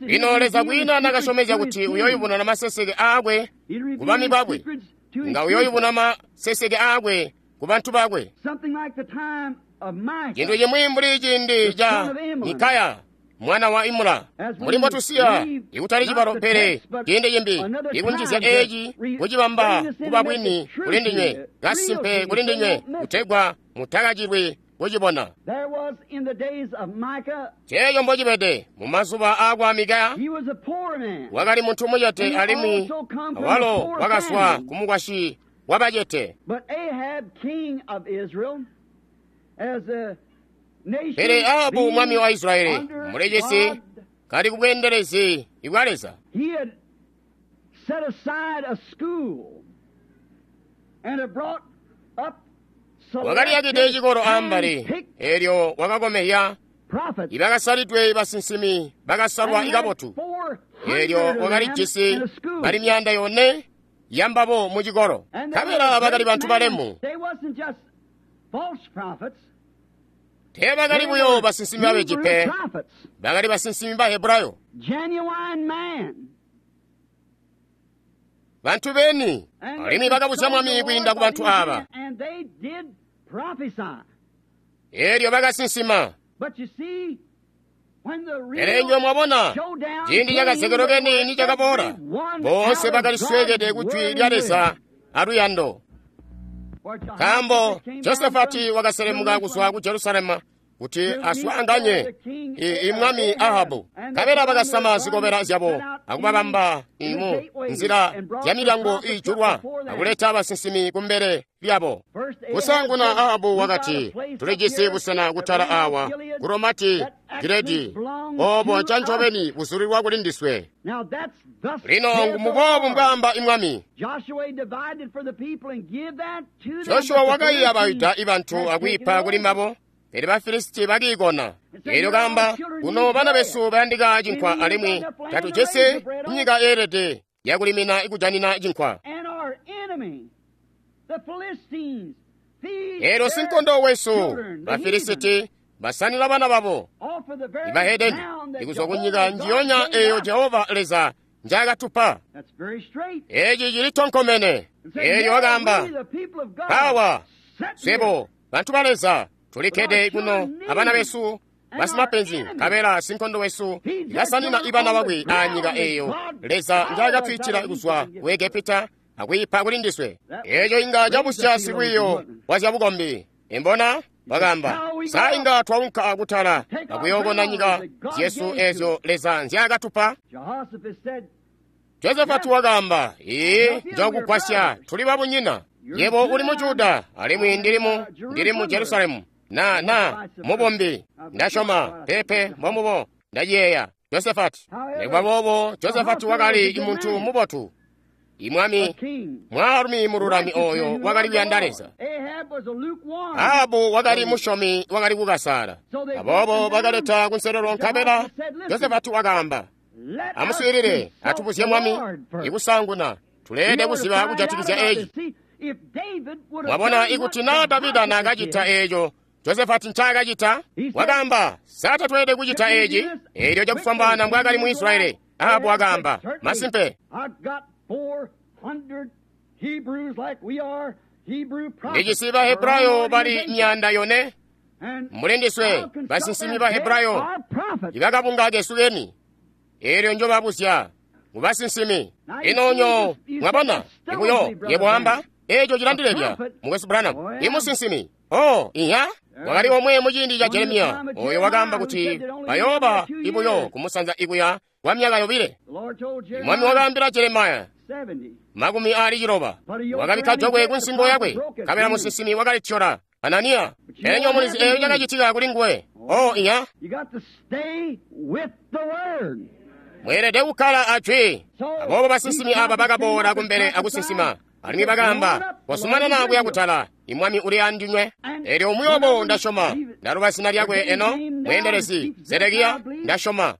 Lino Leza kwiina nakasyomezya kuti uyoyubununa maseseke aakwe ku bami bakwe, nga uyoyubuna maseseke aakwe ku bantu bakwe. Cintu cimwi mbuli ciindi ca Mikaya mwana wa Imula, mbuli mbotusiya ikutali cibalo pele ciindi cimbi, ikunjizya eeci kucibamba kuba bwini kuli ndinywe, kasimpe kuli ndinywe, kutegwa mutakacilwi kucibona. Ceeco mbocibede mu mazuba aakwa Mikaya, wakali muntu mucete alimwi awalo wakazwa ku mukwasyi wabacete. Pele Ahabu mwami wa Israyeli mulecisi kali kubweendelezi bwa Leza, wakaliyakide cikolo ambali, eelyo wakakomehya ibakasalidwe basinsimi bakasalwa ikabotu, eelyo wakalijisi bali 400 yambabo mu cikolo. Nkabela bakali bantu balemu. Teebakali buyo basinsimi babeji pe, bakali basinsimi ba Hebrayo, bantu beni, alimwi bakabuzya mwami kwiinda ku bantu aaba. Eelyo bakasinsima. Pele inywe mwabona, ciindi cakazekelo keni nicakaboola, boonse bakalisweekede ku Jwi lya Leza aluyando. Nkaambo Josafati wakaselemuka kuzwa ku Jerusalemu kuti aswaanganye imwami Ahabu, nkabela bakasama zikobela zyabo akubabamba mu nzila zyamilyango iijulwa akuleta basinsimi kumbele lyabo. Kusaanguna Ahabu wakati, tulijisi busena kutala awa ku Romati Giledi, oobo ncancobeni buzulilwa kuli ndiswe. Lino ngumuboobu mbwaamba imwami. Joshuwa wakayiya Bayuda ibantu akwiipa kuli mbabo, pele Bafilisiti bakiikona. Eelyo kaamba, kuno bana besu bayandika cinkwa alimwi tatujisi nyika yeelede yakulimina ikujanina cinkwa. Eelyo sinkondo wesu Bafilisiti basanila bana babo ibahedeni ikuzwa kunyika njiyonya eeyo Jehova Leza njaakatupa. Eeci cili tonkomene. Eelyo wakaamba, awa swebo bantu ba Leza tulikkede kuno abana besu basimapenzi, nkabela sinkondo wesu ikasanina ibana bakwe aanyika eeyo Leza njaakatwiitila kuzwa ku Egepita akwiipa kuli ndiswe. Eeco inga cabusya silwiiyo wa zyabukombi. Imbona wakaamba, sa inga twaunka kutala akuyookona nyika zyesu eezyo Leza nzyaakatupa? Josafati wakaamba, ii, njookugwasya, tuli babunyina. Yebo uli mu Juda alimwi ndili mu Jerusalemu. Na mubombi ndasyoma pepe mbomubo ndaciyeeya Josafati. Nikuba boobo Josafati wakali muntu mubotu, imwami mwaalumi mululami ooyo wakali kuyanda Leza. Ahabu wakali musyomi wakali kukasaala. Aboobo bakaleta kunselelo, nkabela Josafati wakaamba, amuswiilile atubuzye mwami ikusaanguna tuleede kuziba kujatikizya eeci. Mwabona, ikuti naa Davida naakacita eeco Josafati ncaakacita, wakaamba, sa tatweelede kucita eeci? Eelyo cakufwambaana mbwaakali mu Israyeli, Ahabu wakaamba, masimpe ndijisi Bahebrayo bali 400 mulindiswe, basinsimi Bahebrayo ibakabunga kesu keni. Eelyo njobabuzya mubasinsimi. Ino nyo mwabona ibuyo yebo wamba eeco cilandilebya mukwesu Branham imusinsimi. Oh, iya wakali omwe muciindi ca Jeremiya oyo wakaamba kuti bayooba ibuyo kumusanza ikuya kwa myaka 2. Mwami wakaambila Jeremiya 60 wakabikka jokwe kunsingo yakwe, nkabela musinsimi wakalityola Hananiya. Pele nyo mulizi eeyo cakacitika kuli nguwe. Oh, iya mweelede kukkala ajwi. Aboobo basinsimi aba bakaboola kumbele akusinsima, alimwi bakaamba, kosumanana kuya kutala, imwami uli andinywe. Eelyo umwi wabo ndasyoma, ndaluba zina lyakwe eno, mweendelezi Zedekiya, ndasyoma.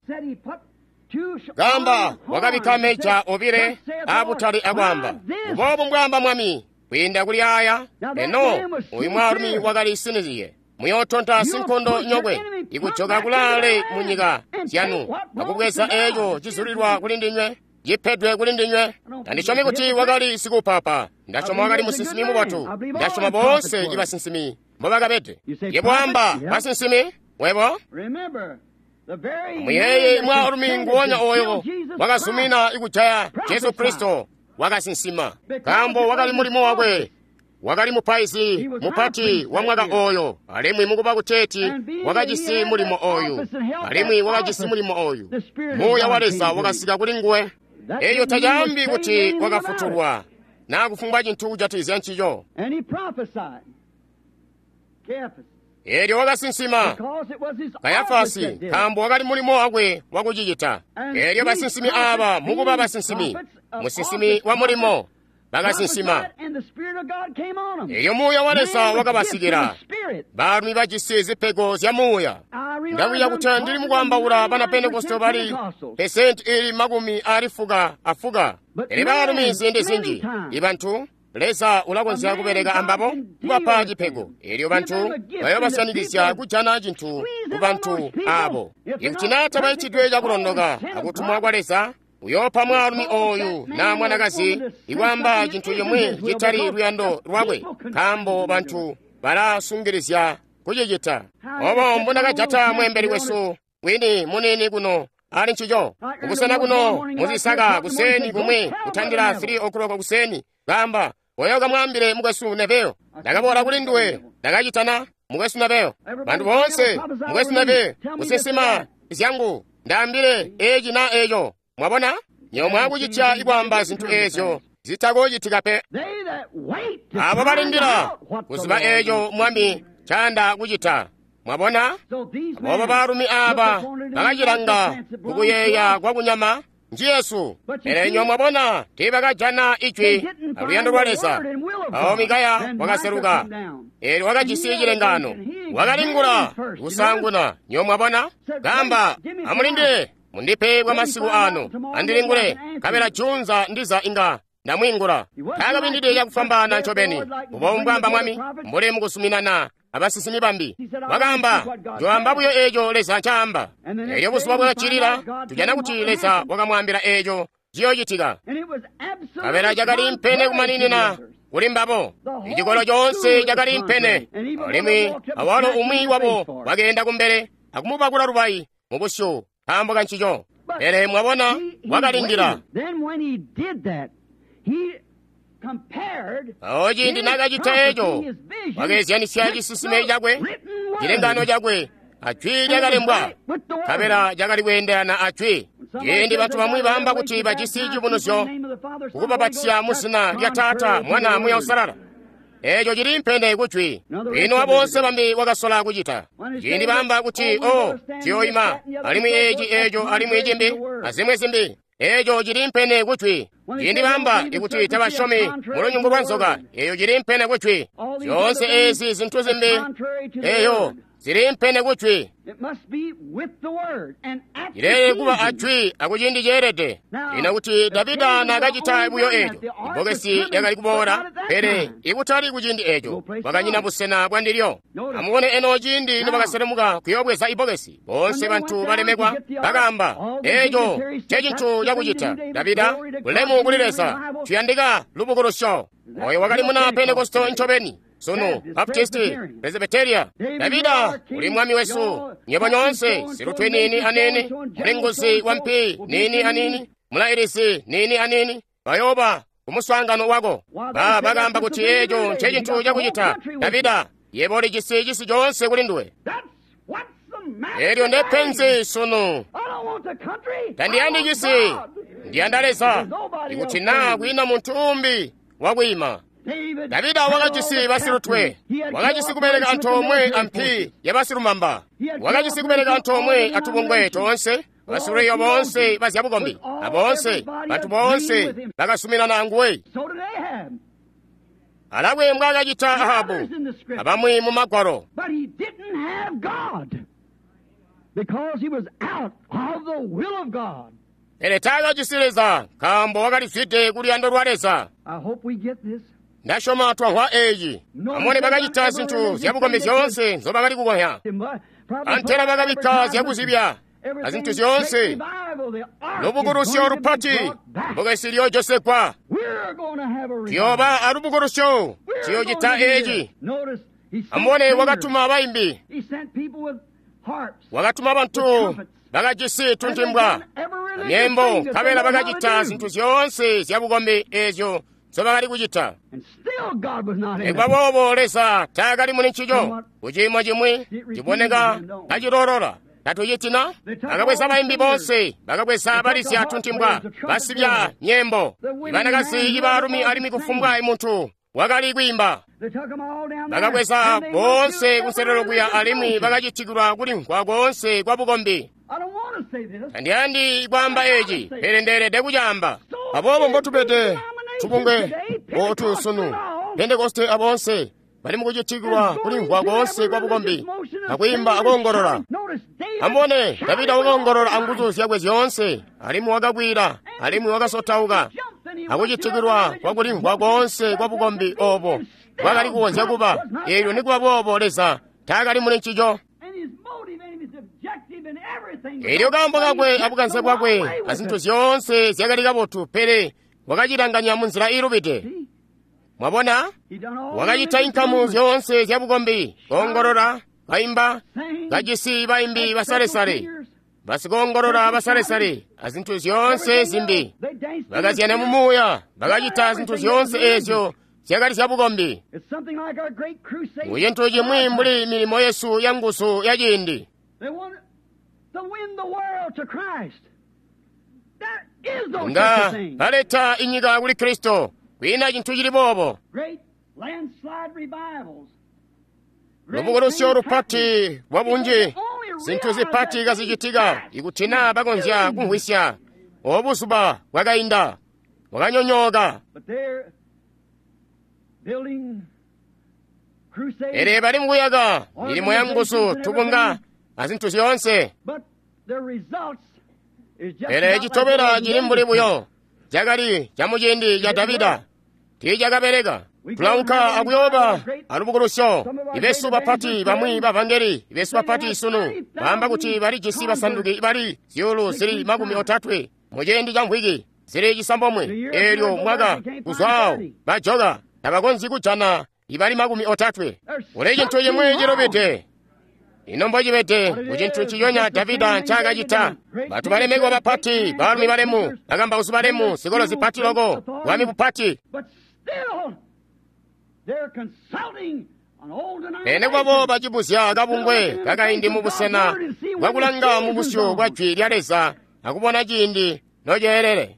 Kaamba wakabikka meja 2 aabutale akwaamba, uboobu mbwaamba mwami, kwiinda kuli aya. Eno uyu mwaalumi wakali siniziye. Muyootonta sinkondo nyokwe ikujoka kulaale mu nyika zyanu akubweza eeco cizulilwa kuli ndinywe, cipedwe kuli ndinywe. Tandisyomi kuti wakali sikupapa, ndasyoma wakali musinsimi mubotu, ndasyoma boonse ibasinsimi mbobakabede. Yebo wamba basinsimi webo? Muyeye mwaalumi nguwonya oyo wakazumina ikujaya Jesu Kristo wakasinsima, nkaambo wakali mulimo wakwe. Wakali mupaizi mupati wa mwaka oyo, alimwi mukuba kuteeti wakajisi mulimo oyu, alimwi wakajisi mulimo oyu. Muuya wa Leza wakasika kuli nguwe. Eeyo tacaambi kuti wakafutulwa naa kufumbwa cintu kujatikizya ncico. Eelyo wakasinsima Kayafasi, nkaambo wakali mulimo wakwe wakucicita. Eelyo basinsimi aaba mukuba basinsimi, musinsimi wa mulimo, bakasinsima. Eelyo Muuya wa Leza wakabasikila, baalumi bajisi zipego zya Muuya. Ndakwiya kuti ndili mukwaambaula bana Pentekoste bali pesenti ili 90. Pele baalumi ziindi zinji ibantu Leza ulakonzya kubeleka ambabo kubapa cipego. Eelyo bantu bayoobasyanikizya kujana cintu ku bantu aabo. Ikuti naa tabaitidwe cakulondoka akutumwa kwa Leza, uyoopa mwaalumi oyu naa mwanakazi ikwaamba cintu cimwi citali luyando lwakwe, nkaambo bantu balasungilizya kucicita. Obo mbundakajata mweembeli wesu wini munini kuno ali ncico kukusena kuno muzisaka kuseni kumwe kutandira 3 o'clock kuseni kamba oyo kamwambire mukwesu Neville ndakaboola kuli nduwe ndakachitana mukwesu Neville bantu bonse mukwesu Neville kusisima zyangu ndambire echi na echo mwabona nyomwe akuchitya ikwamba zinthu ezyo zitakochitika pe abo balindira kuziba echo mwami chanda kuchita mwabona abobo baalumi aba bakachilanga kukuyeya kwa kunyama nji Yesu pele nyo mwabona tiibakajana ijwi aluyando lwa Leza. Awo Mikaya wakaseluka eelyo wakajisi chilengano wakalingula kusanguna nyo mwabona kamba amulindire mundipe kwa masiku ano andilingule kabela junza ndiza inga ndamwingula takapindide chakufambana ncobeni ubombwamba mwami mbuli mukusuminana abasisimi bambi wakamba njoamba buyo echo Leza ncaamba. Elyo buzuba bwakacilila tujana kuti Leza wakamwambila echo ciyoocitika kabela cakali mpene kumaninina kuli mbabo. Icikolo conse cakali mpene alimwi awalo umwi wabo wakeenda kumbele akumubakula lubayi mu busyu nkaambo ka ncico. Pele mwabona wakalindila. Awo ciindi nakacita eco wakeezyanisya cisisime cakwe cilengano cakwe ajwi lyakalembwa kabela cakali kweendelana ajwi. Ciindi bantu bamwi baamba kuti bajisi cibunuzyo kukubapatisya mu zina lya Taata Mwana Muya Usalala eco cili mpene kujwi. Ino abonse bambi wakasola kucita ciindi baamba kuti o ciyoyima alimwi eci eco alimwi cimbi azimwi zimbi eco cili mpene kujwi. Ciindi baamba ikuti tabasyomi mu lunyungu lwa nzoka eyo cili mpene kujwi. Zyoonse ezi zinthu zimbi eyo zili mpene kujwi. Cilele kuba ajwi akuciindi ceelede. Ino kuti Davida nakacita buyo eco ibbokesi lyakali kuboola pele ikutali kuciindi eco kwakanyina busena bwa ndilyo. Amubone eno ciindi nobakaselemuka kuyoobweza ibbokesi bonse bantu balemekwa bakamba eco ncecintu cakucita Davida bulemu kuli Leza tuyandika lubukulusyo. Oyo wakali muna Pentekosto ncobeni sunu Baptisti Presbyteria. Davida uli mwami wesu nyebo nyonse silutwe nini anini mulinguzi wa mpi nini anini mulailisi nini anini bayoba kumuswaangano wako. Bakamba kuti eco ncecintu cakucita Davida yebo ulijisi cisi conse kuli nduwe. Elyo ndepenzi sunu tandiyandi cisi ndiyanda Leza ikuti naa kwiina muntu umbi wakwiima. Davida wakajisi basilutwe, wakajisi kubeleka antoomwe ampi yabasilumamba, wakajisi kubeleka antoomwe atubungwe toonse, basiluleyo boonse bazyabukombi, aboonse bantu boonse bakasuminana anguwe. Alakwe mbwaakacita Ahabu abamwi mu Magwalo. Pele taakajisi Leza nkaambo wakalizwide kuluyando lwa Leza. Ndasyoma twamvwa eeci. Amone bakacita zinthu zyabukombi zyoonse nzobakali kukonya. Antela bakabikka zyakuzibya azinthu zyoonse. Lubukulusyo lupati bbokesi lyojosekwa. Tuyooba alubukulusyo tuyoocita eeci. Amone wakatuma bayimbi. Wakatuma bantu bakajisi tuntimbwa amyembo nkabela bakacita zinthu zyoonse zyabukombi ezyo nzobakali kucita. Nikuba boobo Leza taakali muli ncico. Kuciimo cimwi ciboneka kacilolola tatucitina. Bakabweza bayimbi bonse, bakabweza balizya tuntimbwa, basibya nyembo, ibanakazi, ibaalumi alimwi kufumbwa imuntu wakali kwiimba. Bakabweza boonse kunselelo kuya alimwi bakacitikilwa kulimvwa koonse kwa bukombi. Tandiyandi kwaamba eci, pele ndeelede kucaamba. Aboobo mbotubede tubungwe otu sunu Pentekoste abonse bali mukucitikilwa kulimvwa koonse kwa bukombi akwiimba akoongolola. Amubone Davida wakoongolola anguzu zyakwe zyoonse alimwi wakakwila alimwi wakasotauka akucitikilwa kwa kulimvwa koonse kwa bukombi obo bwakali kukonzya kuba. Eelyo nikuba boobo Leza taakali muli ncico. Eelyo kaambo kakwe abukanze bwakwe azinthu zyoonse zyakali kabotu, pele wakacilanganya munzila iilubide. Mwabona, wakacita inkamu zyoonse zyabukombi, koongolola, kaimba, kajisi baimbi basalesale, Basikoongolola basalesale azintu zyoonse zimbi. Bakazyana mu muuya, bakacita zintu zyoonse eezyo zyakali zyabukombi. Mucintu cimwi mbuli milimo yesu ya nguzu ya ciindi. Nga baleta inyika kuli Kristo, kwiina cintu cili boobo. Lubukulusyo lupati lwa bunji, zintu zipati kazicitika, ikuti naa bakonzya kumvwisya. Obo buzuba bwakainda, bwakanyonyooka. Pele bali mukuyaka milimo ya nguzu, tubunga azintu zyoonse. Pele citobela cili mbuli buyo cakali camuciindi ca Davida, tiicakabeleka. Tulaunka akuyooba alubukulusyo. Ibesu bapati bamwi bavangeli, ibesu bapati sunu baamba kuti balijisi basanduki bali 30,000 muciindi ca mvwiki zili 9. Eelyo mwaka kuzwaawo bajoka tabakonzyi kujana ibali 30. Kuli cintu cimwi cilubide. Ino mbocibede kucintu nciconya Davida ncaakacita. Bantu balemekwa bapati, baalumi balemu, bakambausi balemu, zikolo zipati loko, bwami bupati. Pele kwabo bacibuzya kabungwe kakaindi mubusena bwakulanga mubusyu bwa jwi lya Leza akubona ciindi noceelele.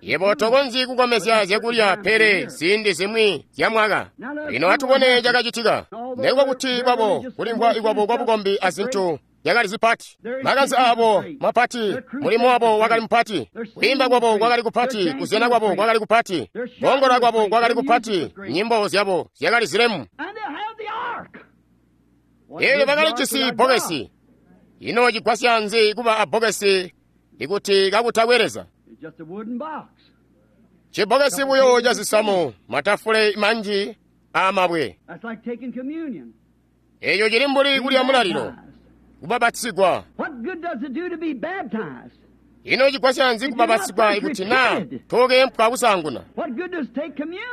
Yebo tokonzyi kukomezya zyakulya pele ziindi zimwi zya mwaka. Lino atubone cakacitika. Nekuba kuti kwabo kulimvwa ikwabo kwabukombi azintu zyakali zipati, makanze aabo mapati, mulimo wabo wakali mupati, kwiimba kwabo kwakali kupati, kuzyana kwabo kwakali kupati, koongola kwabo kwakali kupati, nyimbo zyabo zyakali zilemu. Eelyo bakalijisi bbokesi. Ino cigwasya nzi kuba abbokesi ikuti kakutakwe Leza? Cibbokesi buyo ca zisamu, matafule manji aamabwe. Eeco cili mbuli kulya mulalilo, kubabatsigwa. Ino cigwasya nzi kubabatsigwa ikuti naa tokeempwa kusaanguna?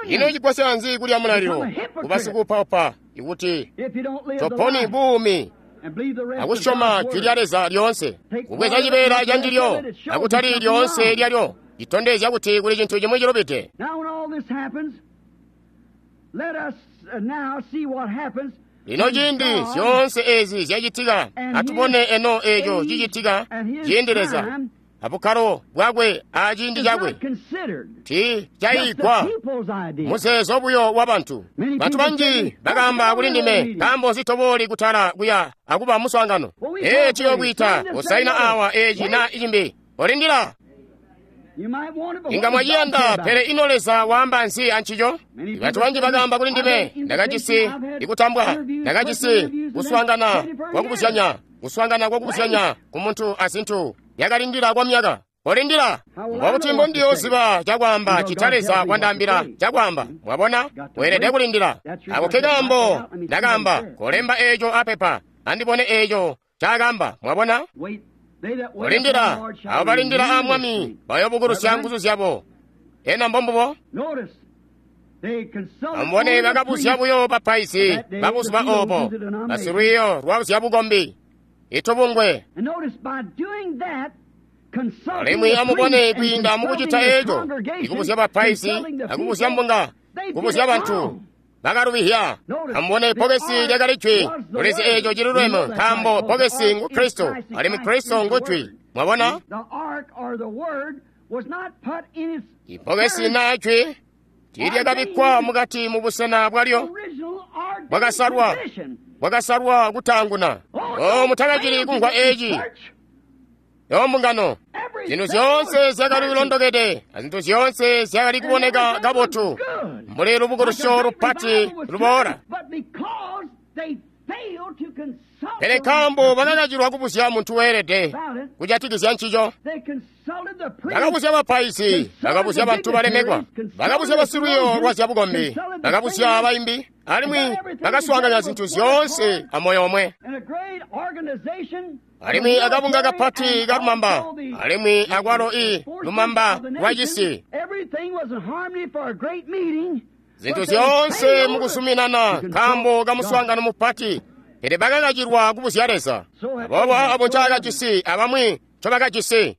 Ino cigwasya nzi kulya mulalilo kuba sikuupaupa ikuti toponi buumi akusyoma jwi lya Leza lyoonse, kubweza cibeela ca ndilyo akutali lyoonse lyalyo, citondezya kuti kuli cintu cimwi cilubide. Lino ciindi zyoonse ezi zyacitika, atubone eno eco cicitika ciindi Leza abukkalo bwakwe aciindi cakwe ti cayigwa muzeezo buyo wa bantu. Bantu banji bakaamba kuli ndime, nkaambo nzi tobooli kutala kuya akuba muswaangano? Ee, ciyokwiita kusaina awa eci na icimbi. Olindila, inga mwaciyanda, pele ino Leza waamba nzi ancico? Bantu banji bakaamba kuli ndime, ndakajisi ikutambwa, ndakajisi kuswaangana kwakubuzyanya, kuswaangana kwakubuzyanya ku muntu azintu yakalindila kwa myaka. Olindila, mbokuti mbondiyooziba cakwaamba cita Leza wandaambila cakwaamba. Mwabona, weelede kulindila. Ako ke kaambo ndakaamba, kolemba eeco apepa, andibone eeco cakaamba. Mwabona, olindila. Abo balindila a Mwami bayoobukulusya nguzu zyabo. Ena mbombubo? Amubone, bakabuzya buyo bapaizi babuzuba oobo, basilwiiyo lwa zyabukombi, itubungwe. Alimwi amubone, kwiinda mukucita eeco, ikubuzya bapaizi akubuzya mbunga, kubuzya bantu, bakalubihya. Amubone, bbokesi lyakali jwi. Tulizi eeco ciluleme, nkaambo bbokesi ngu Kristo, alimwi Kristo ngu jwi. Mwabona, ibbokesi naa jwi tiilyakabikkwa mukati mubusena bwalyo bwakasalwa, bwakasalwa kutaanguna. O, mutakacili kumvwa eeci, yo mbungano. Zintu zyoonse zyakali kulondokede, azintu zyoonse zyakali kuboneka kabotu, mbuli lubukulusyo lupati luboola. Pele nkaambo bakakacilwa kubuzya muntu weelede kujatikizya ncico, bakabuzya bapaizi, bakabuzya bantu balemekwa, bakabuzya basilwiiyo lwa zyabukombi, bakabuzya baimbi, alimwi bakaswaanganya zintu zyoonse amoyo omwe. Alimwi akabunga kapati kalumamba, alimwi akwalo i lumamba lwa cisi, zintu zyoonse mukuzuminana nkaambo kamuswaangano mupati. Pele bakakacilwa kubuzya Leza. Aboobo abo ncaakajisi abamwi ncobakajisi.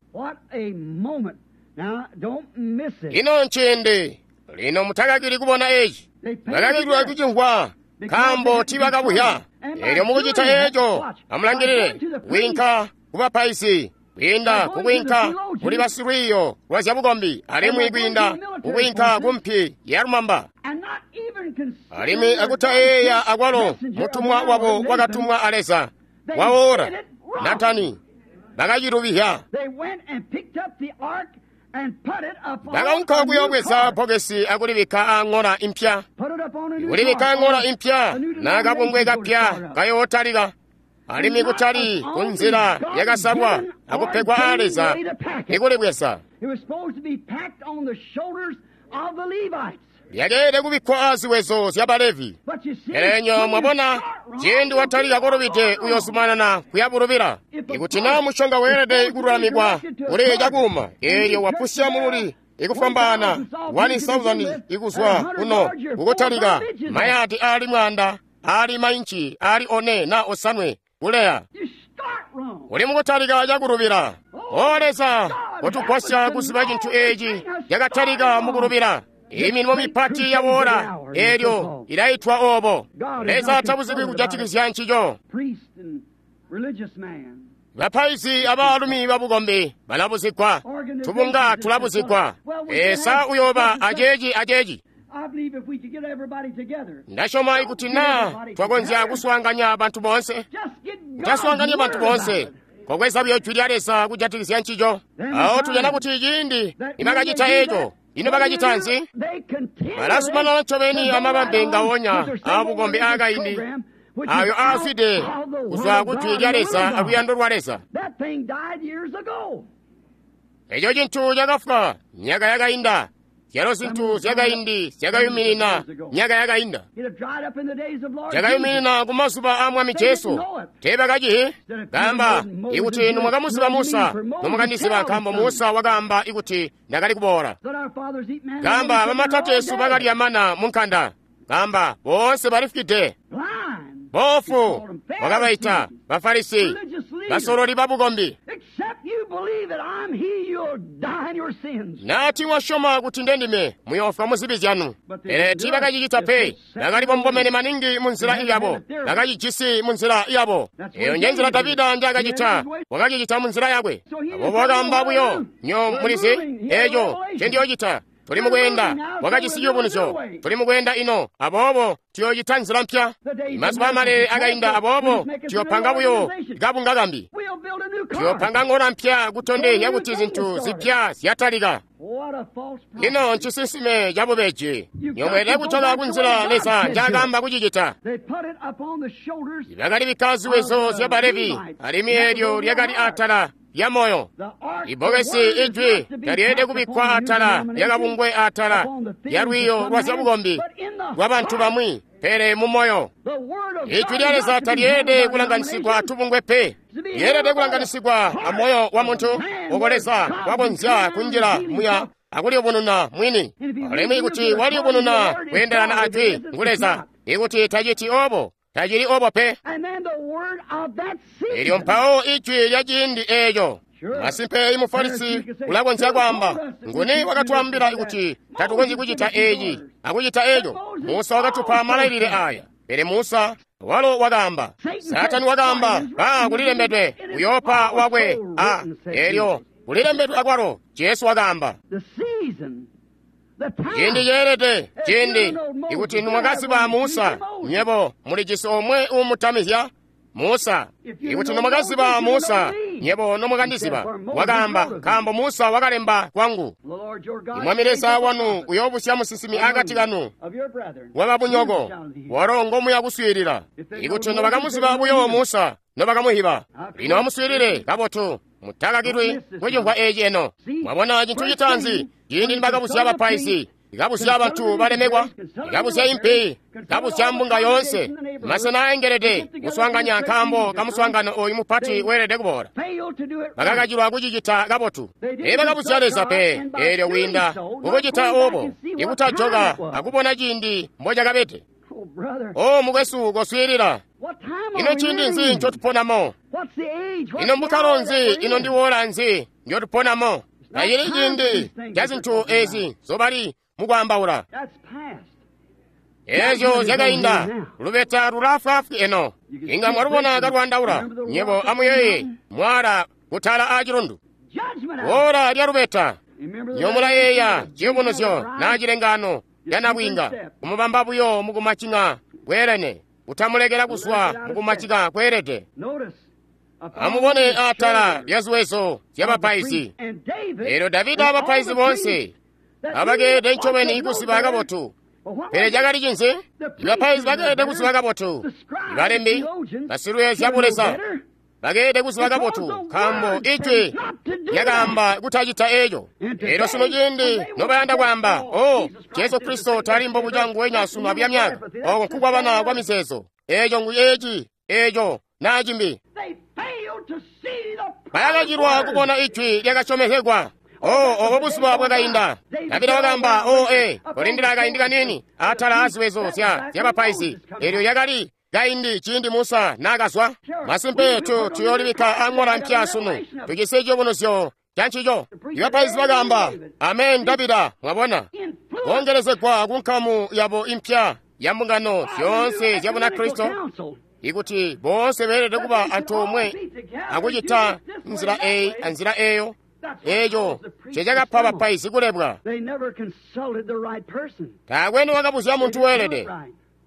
Ino nciindi. Lino mutakakili kubona eci. Bakakilwa kucimvwa, nkaambo tiibakabuhya. Elyo mukucita eco, amulangilile, kwiinka kubapaizi, kwiinda kukwiinka kuli basilwiiyo lwa zyabukombi, alimwi kwiinda kukwiinka kumpi ya lumamba. Alimwi akutayeeya akwalo mutumwa wabo wakatumwa a Leza waora Natani, bakacilubihya. Bakaunka kuyoobweza bbokesi akulibikka aaŋola impya, kulibikka aaŋola impya na kabungwe kapya kayootalika, alimwi kutali kunzila yakasalwa akupegwa aa Leza ikulibweza. Lyakeelede kubikkwa aaziwezo zya Balevi. Pele nyo mwabona, ciindi watalika kolubide uyoozumanana kuyabulubila. Ikuti naa mushonga weelede kululamikwa kuli cakuuma, eelyo wapusya mululi ikufwambaana 1,000 ikuzwa kuno kukutalika mayadi aali 100 aali mainci aali 4 na 5 kuleya. Uli mukutalika cakulubila. O Leza, kotugwasya kuziba cintu eeci cakatalika mukulubila. Imilimo mipati yaboola, eelyo ilaitwa obo. Leza tabuzikwi kujatikizya ncico. Bapaizi abaalumi babukombi balabuzigwa, tubunga tulabuzigwa. Esa uyooba aceeci aceeci. Ndasyoma ikuti naa twakonzya kuswaanganya bantu boonse, kutaswaanganya bantu boonse, kokweza buyo jwi lya Leza kujatikizya ncico. Awo tujana kuti ciindi nibakacita eco, ino bakacita nzi? Balazumanana ncobeni amabambe ngawonya aabukombi aakaindi, ayo aazwide kuzwa ku jwi lya Leza aluyando lwa Leza. Eco cintu cakafwa myaka yakainda. Zyalo zintu zyakaindi zyakayuminina myaka yakainda. Zyakayuminina ku mazuba a Mwami Jesu. Teebakacihi? Kaamba, ikuti nomwakamuziba Musa, nomwakandiziba, nkaambo Musa wakaamba ikuti ndakali kuboola. Kaamba, bamatateesu bakalya mana mu nkanda. Kaamba, boonse balifwide. Boofu wakabaita Bafarisi, basololi babukombi. Naati wasyoma kuti ndendime, muyoofwa muzibi zyanu. Pele tiibakacicita pe, bakali bombomene maningi munzila yabo, bakacijisi munzila yabo. Eyo njenzila Davida njaakacita, wakacicita munzila yakwe. Aboobo wakaamba buyo, nyo mulizi, eco ncendiyoocita. Tuli mukweenda, wakajisi ciyubunuzyo. Tuli mukweenda ino, aboobo tuyoocita nzila mpya. Mazuba amale akainda, aboobo tuyopanga buyo kabunga kambi. Tuyopanga ng'ola mpya kutondezya kuti zintu zipya zyatalika. Ino ncisinsime cabubeji. Nyomweelede kutola kunzila Leza njaakaamba kucicita. Bakalibikka ziwezo zya Balevi, alimwi eelyo lyakali atala lya moyo. Ibbokesi ijwi talyeelede kubikkwa atala lyakabungwe atala lya lwiiyo lwa zyabukombi lwa bantu bamwi, pele mu moyo. Ijwi lya Leza talyeelede kulanganisigwa tubungwe pe. Lyeelede kulanganisigwa amoyo wa muntu, oko Leza wakonzya kunjila muya akuliyubununa mwini. Alimwi kuti waliyubununa kweendelana ajwi ngu Leza, ikuti taciti obo, tacili obo pe. Elyo mpawo ijwi lya ciindi eeco. Masimpe imufarisi ulakonzya kwaamba, nguni wakatwaambila kuti tatukonzyi kucita eeci akucita eco? Musa wakatupa malailile aya. Pele Musa walo wakaamba, Satani wakaamba, ba kulilembedwe uyoopa wakwe a elyo kulilembedwe akwalo. Jesu wakaamba, ciindi ceelede, ciindi ikuti nimwakaziba Musa, nywebo mulijisi omwe uumutamizya Musa. Ikuti nomwakaziba Musa, nywebo nomwakandiziba. Wakaamba, nkaambo Musa wakalemba kwangu. Mwami Leza wanu uyoobusya musinsimi akati kanu wababunyoko, walo ngomuya kuswiilila. Ikuti nobakamuziba buyo Musa, nobakamuhiba. Lino amuswiilile kabotu, mutakakilwi kucimvwa eci eno. Mwabona cintu citaanzi, ciindi nibakabusya bapaizi, ikabusya bantu balemekwa, ikabusya impi, ikabusya mbunga yoonse, masena aengelede kuswaanganya nkaambo kamuswaangano oyu mupati weelede kuboola. Bakakacilwa kucicita kabotu. Teebakabusya Leza pe, eelyo kwiinda kukucita obo, ikutajoka akubona ciindi mbocakabede. O mukwesu, koswiilila. Ino ciindi nzi ncotuponamo? Ino mbukkalo nzi? Ino ndi woola nzi ndyotuponamo? Tacili ciindi ca zintu ezi nzobali mukwaambaula. Ezyo zyakainda, lubeta lulaafwaafwi eno. Inga mwalubona kalwandaula. Nyebo amuyeeye mwaala kutala aacilundu. Woola lya lubeta. Nyomulayeeya ciyubunuzyo naa cilengaano lya nabwiinga, kumubamba buyo mukumacing'a kweelene, kutamulekela kuzwa mukumacika kweelede. Amubone atala lya ziwezo zyabapaizi. Eelyo Davida abapaizi boonse abakeelede ncobeni kuziba kabotu. Pele cakali cinzi? Ibapaizi bakeelede kuziba kabotu. Ibalembi, basilweezya zyabuleza bakeelede kuziba kabotu, nkaambo ijwi lyakaamba kutacita eco. Eelyo sunu ciindi nobayanda kwaamba, "Oh, Jesu Kristo tali mbobuca nguwenya sunu abuya myaka," oko nkukwabana kwa mizeezo. Eco ngu eci, eco naa cimbi. Bayakacilwa kubona ijwi lyakasyomezegwa. Oh, obo buzuba bwakainda. Davida wakaamba, "Oh, kolindila akaindi kanini atala aziwezo zyabapaizi." Eelyo yakali kaindi ciindi Musa naakazwa. Masimpe tuyoolibikka aŋola mpya sunu. Tujisi ciyubunuzyo ca ncico. Ibapaizi bakaamba, "Amen, Davida." Mwabona, koongelezegwa ku nkamu yabo impya ya mbungano zyoonse zya Bunakristo, ikuti boonse beelede kuba antoomwe akucita nzila eyi anzila eyo. Eco ncecakapa bapaizi kulebwa. Taakwe niwakabuzya muntu weelede.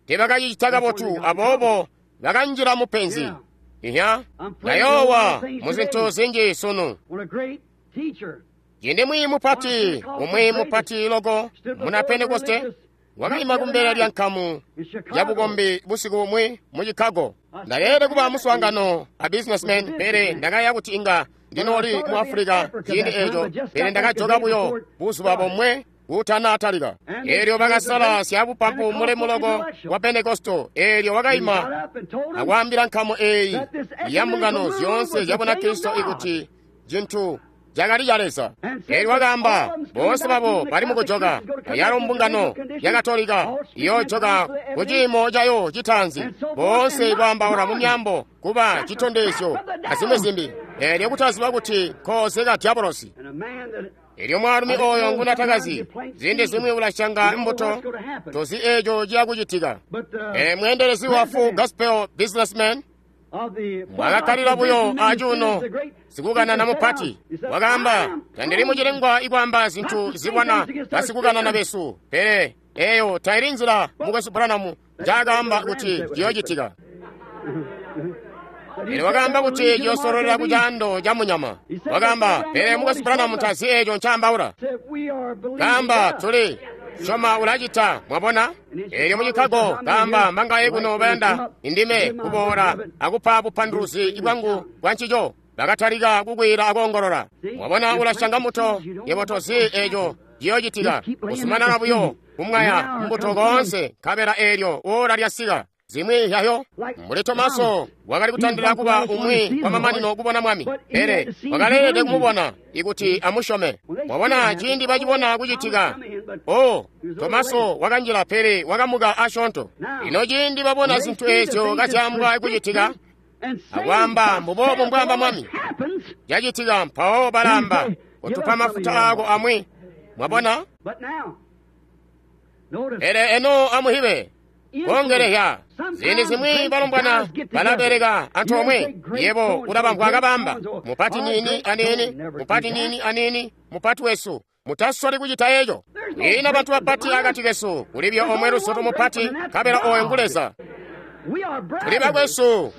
Teebakacicita kabotu, aboobo bakanjila mupenzi. Iya, ndayoowa mu zintu zinji sunu. Ciindi mwiiyi mupati, umwi mupati loko muna Pentekoste, wakaima kumbele lya nkamu ya bukombi busiku bumwi mu Chicago. Ndakeelede kuba muswaangano a businessman, pele ndakaya kuti inga ndinooli mu Africa ciindi eco, pele ndakajoka buyo buzuba bomwe kutanatalika. Eelyo bakasala syabupampu mulemu loko wa Pentekosto. Eelyo wakaima akwaambila nkamu eyi ya mbungano zyoonse zya Bunakristo ikuti cintu cakali ca Leza. Eelyo wakaamba, boonse babo bali mukujoka, ayalo mbungano ya Katolika iyoojoka ku ciimo cayo citaanzi, boonse kwaambaula mu myaambo kuba citondezyo azimwi zimbi. Eelyo kutaziba kuti nkooze ka diabolosi. Eelyo mwaalumi oyo ngunatakazi, ziindi zimwi ulasyanga mbuto, tozi eco ciya kucitika. Mweendelezi wa Full Gospel Businessman mwakakkalila buyo acuuno, sikukanana mupati wakaamba, "Tandili mucilengwa ikwaamba zintu zibwana basikukanana besu, pele eyo taili nzila mukwesu Branham njaakaamba kuti ciyoocitika." Pele wakaamba kuti ciyoosololela ku caando ca munyama. Wakaamba, "Pele mukwesu Branham tazi eco ncaambaula." Kaamba, "Tuli syoma ulacita." Mwabona? Eelyo mu Chicago kaamba, "Mbangaye kuno bayanda indime kuboola akupa bupanduluzi bwangu bwa ncico?" Bakatalika kukwiila akoongolola. Mwabona, ulasyanga mbuto, yebo tozi eco ciyoocitika. Kuzumanana buyo kumwaya mbuto koonse, nkabela eelyo woola lyasika. Zimwi yayo mbuli Tomaso wakali kutandila kuba umwi wamamanino kubona Mwami, pele wakaleelede kumubona ikuti amusyome. Mwabona, ciindi bacibona kucitika, oh, Tomaso wakanjila, pele wakamuka asyoonto. Ino ciindi babona zintu ezyo kazyaambwa kucitika, akwaamba mbuboobu mbwaamba Mwami, cacitika, mpawo balaamba, "Kotupa mafuta aako amwi." Mwabona? Pele eno amuhibe koongelehya. Ziindi zimwi balombwana balabeleka antoomwe. Yebo ulabamvwa kabamba, "Mupati nini anini, mupati nini anini, mupati wesu." Mutasoli kucita eco. Kwiina bantu bapati akati kesu, kulibyo omwe lusoto mupati, nkabela oyo ngu Leza. Tuli bakwesu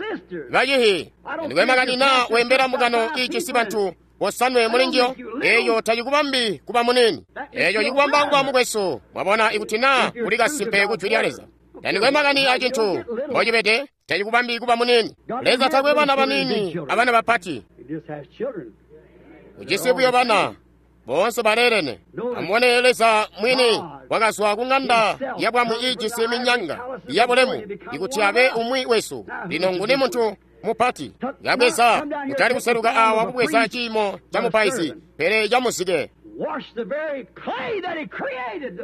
bacihi. Ndikwe makani naa wembela mbungano ijisi bantu bosanwe muli njiyo, eyo tacikubambi kuba munini. Eco cikubamba kuba mukwesu. Mwabona, ikuti naa kuli kasimpe ku jwi lya Leza. Tandikwe makani acintu mbocibede, tacikubambi kuba munini. Leza takwe bana banini abana bapati. Ujisi buyo bana boonse baleelene. Amubone, Leza mwini wakazwa ku ng'anda yabwami iijisi minyanga yabulemu ikuti abe umwi wesu. Lino nguni muntu mupati? Yabweza kutali kuseluka awa kubweza ciimo ca mupaizi, pele ca muzike.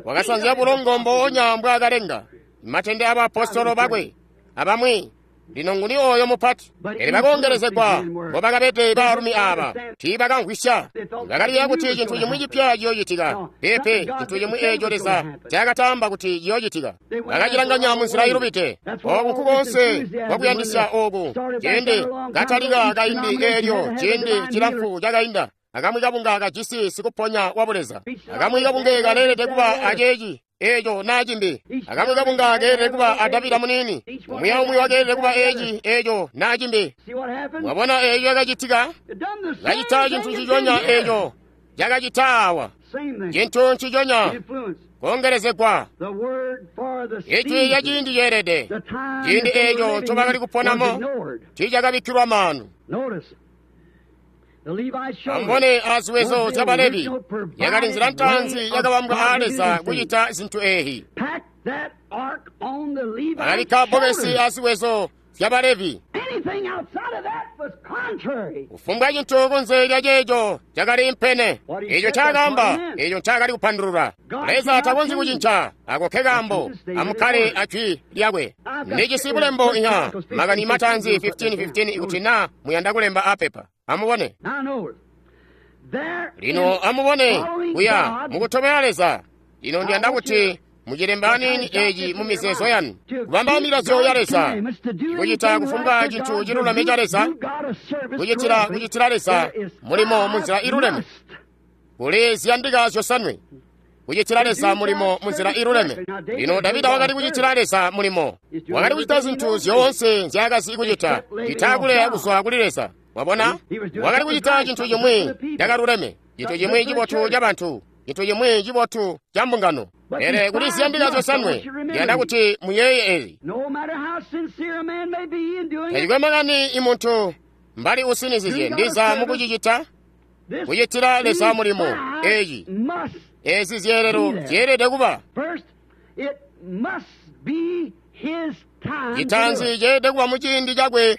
Wakasanzya bulongo mboonya mbwaakalenga matende abaapostolo bakwe abamwi. Lino nguni oyo mupati? Pele bakoongelezegwa mbobakabede baalumi aaba, tiibakamvwisya. Bakaliyeeya kuti cintu cimwi cipya ciyoocitika. Peepe, cintu cimwi eeco Leza ncaakataamba kuti ciyoocitika. Bakacilanganya munzila ilubide. Ooku nkukoonse kwakuyandisya ooku ciindi katalika kaindi eelyo ciindi cilamfu cakainda. Akamwi kabunga kajisi sikuponya wa Buleza. Akamwi kabunge kaleelede kuba aceeci, eeco naa cimbi. Akamwi kabunga keelede kuba a Davida muniini. Umwi aumwi wakeelede kuba eeci, eeco naa cimbi. Mwabona eeco cakacitika? Kacita cintu nciconya eeco cakacita awa. Cintu nciconya, koongelezegwa. Ijwi lya ciindi ceelede, ciindi eeco ncobakali kuponamo tiicakabikkilwa maanu. Amubone aziwezo zya Balevi, yakali nzila ntaanzi yakabambwa aa Leza kucita zintu eehi. Bakabikka bbokesi aziwezo zya Balevi. Kufumbwa cintu kunze lya ceeco cakali impene. Eeco ncaakaamba, eeco ncaakali kupandulula. Leza takonzyi kucinca, ako ke kaambo. Amukkale ajwi lyakwe. Ndijisi bulembo inya, makani mataanzi 15:15 ikuti naa muyanda kulemba apepa. Amubone. Lino amubone kuya mukutobela Leza. Lino ndiyanda kuti mucilemba aniini eeci mu mizeezo yanu, kubamba milazyo ya Leza, kucita kufumbwa cintu ciluleme ca Leza, kucitila kucitila Leza mulimo munzila iluleme. Kuli ziyandika zyosanwe kucitila Leza mulimo munzila iluleme. Lino Davida wakali kucitila Leza mulimo, wakali kucita zintu zyoonse nzyaakazi kucita, citakuleya kuzwa kuli Leza. Wabona, wakali kucita cintu cimwi cakaluleme, cintu cimwi cibotu ca bantu, cintu cimwi cibotu ca mbungano. Pele kuli ziyandika zyosanwe, ndiyanda kuti muyeeye eezi. Tacikwe makani imuntu mbali usinizizye ndiza mukucicita, kucitila Leza mulimo eeci, eezi zyeelelo zyeelede kuba. Citaanzi ceelede kuba muciindi cakwe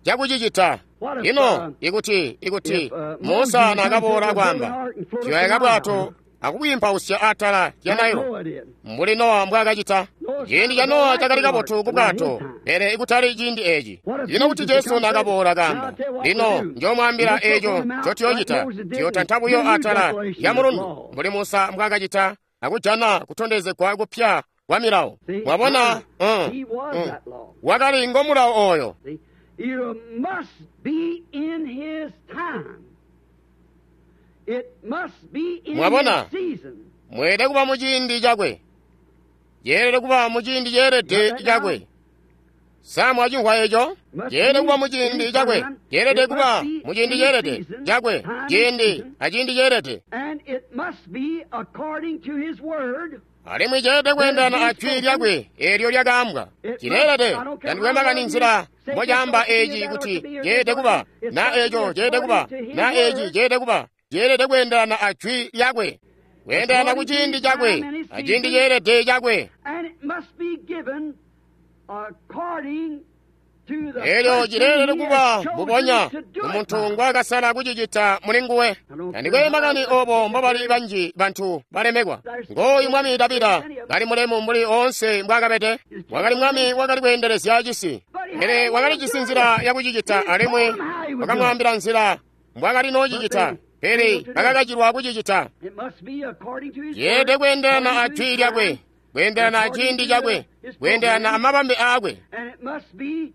cakucicita. Ino ikuti ikuti Musa naakaboola kwaamba tuyaka bwato akubwiimpausya atala lya Nailo mbuli Nowa mbwaakacita. Ciindi ca Nowa cakali kabotu ku bwato, pele ikutali ciindi eeci. Ino kuti Jesu naakaboola kaamba, lino njoomwaambila eeco ncotuyoocita, tuyootanta buyo atala lya mulundu mbuli Musa mbwaakacita akujana kutondezegwa kupya kwa milawo. Mwabona, wakali ngo mulawo ooyo. You must be in his time. It must be in Mwabona, his season. mweelede kuba mu ciindi cakwe. Yeelede kuba mu ciindi ceelede cakwe. Sa mwacimvwa eco? Yeelede kuba mu ciindi cakwe. Yeelede kuba mu ciindi ceelede cakwe. Ciindi aciindi ceelede. And it must be according to his word. Alimwi ceelede kweendana a jwi lyakwe eelyo lyakaambwa. Cileelede tandikwe makani nzila mbocaamba eeci kuti ceelede kuba na eeco ceelede kuba na eeci ceelede kuba ceelede kweendelana a jwi lyakwe, kweendelana ku ciindi cakwe aciindi ceelede cakwe. And it must be given according to the Eelyo person cileelede he kuba has chosen mbubonya to do it umuntu by. ngwaakasala kucicita muli nguwe. Tandikwe makani obo mbobali banji bantu balemekwa. Ngooyu mwami Davida kali mulemu mbuli oonse mbwaakabede. Wakali mwami wakali kweendelezya cisi, pele wakalijisi nzila yakucicita alimwi wakamwaambila nzila mbwaakali noocicita, pele bakakacilwa kucicita. It must be according to his Yeelede word, kweendelana a according to jwi his lyakwe, time, kweendelana a ciindi cakwe, kweendelana amabambe aakwe. and it must be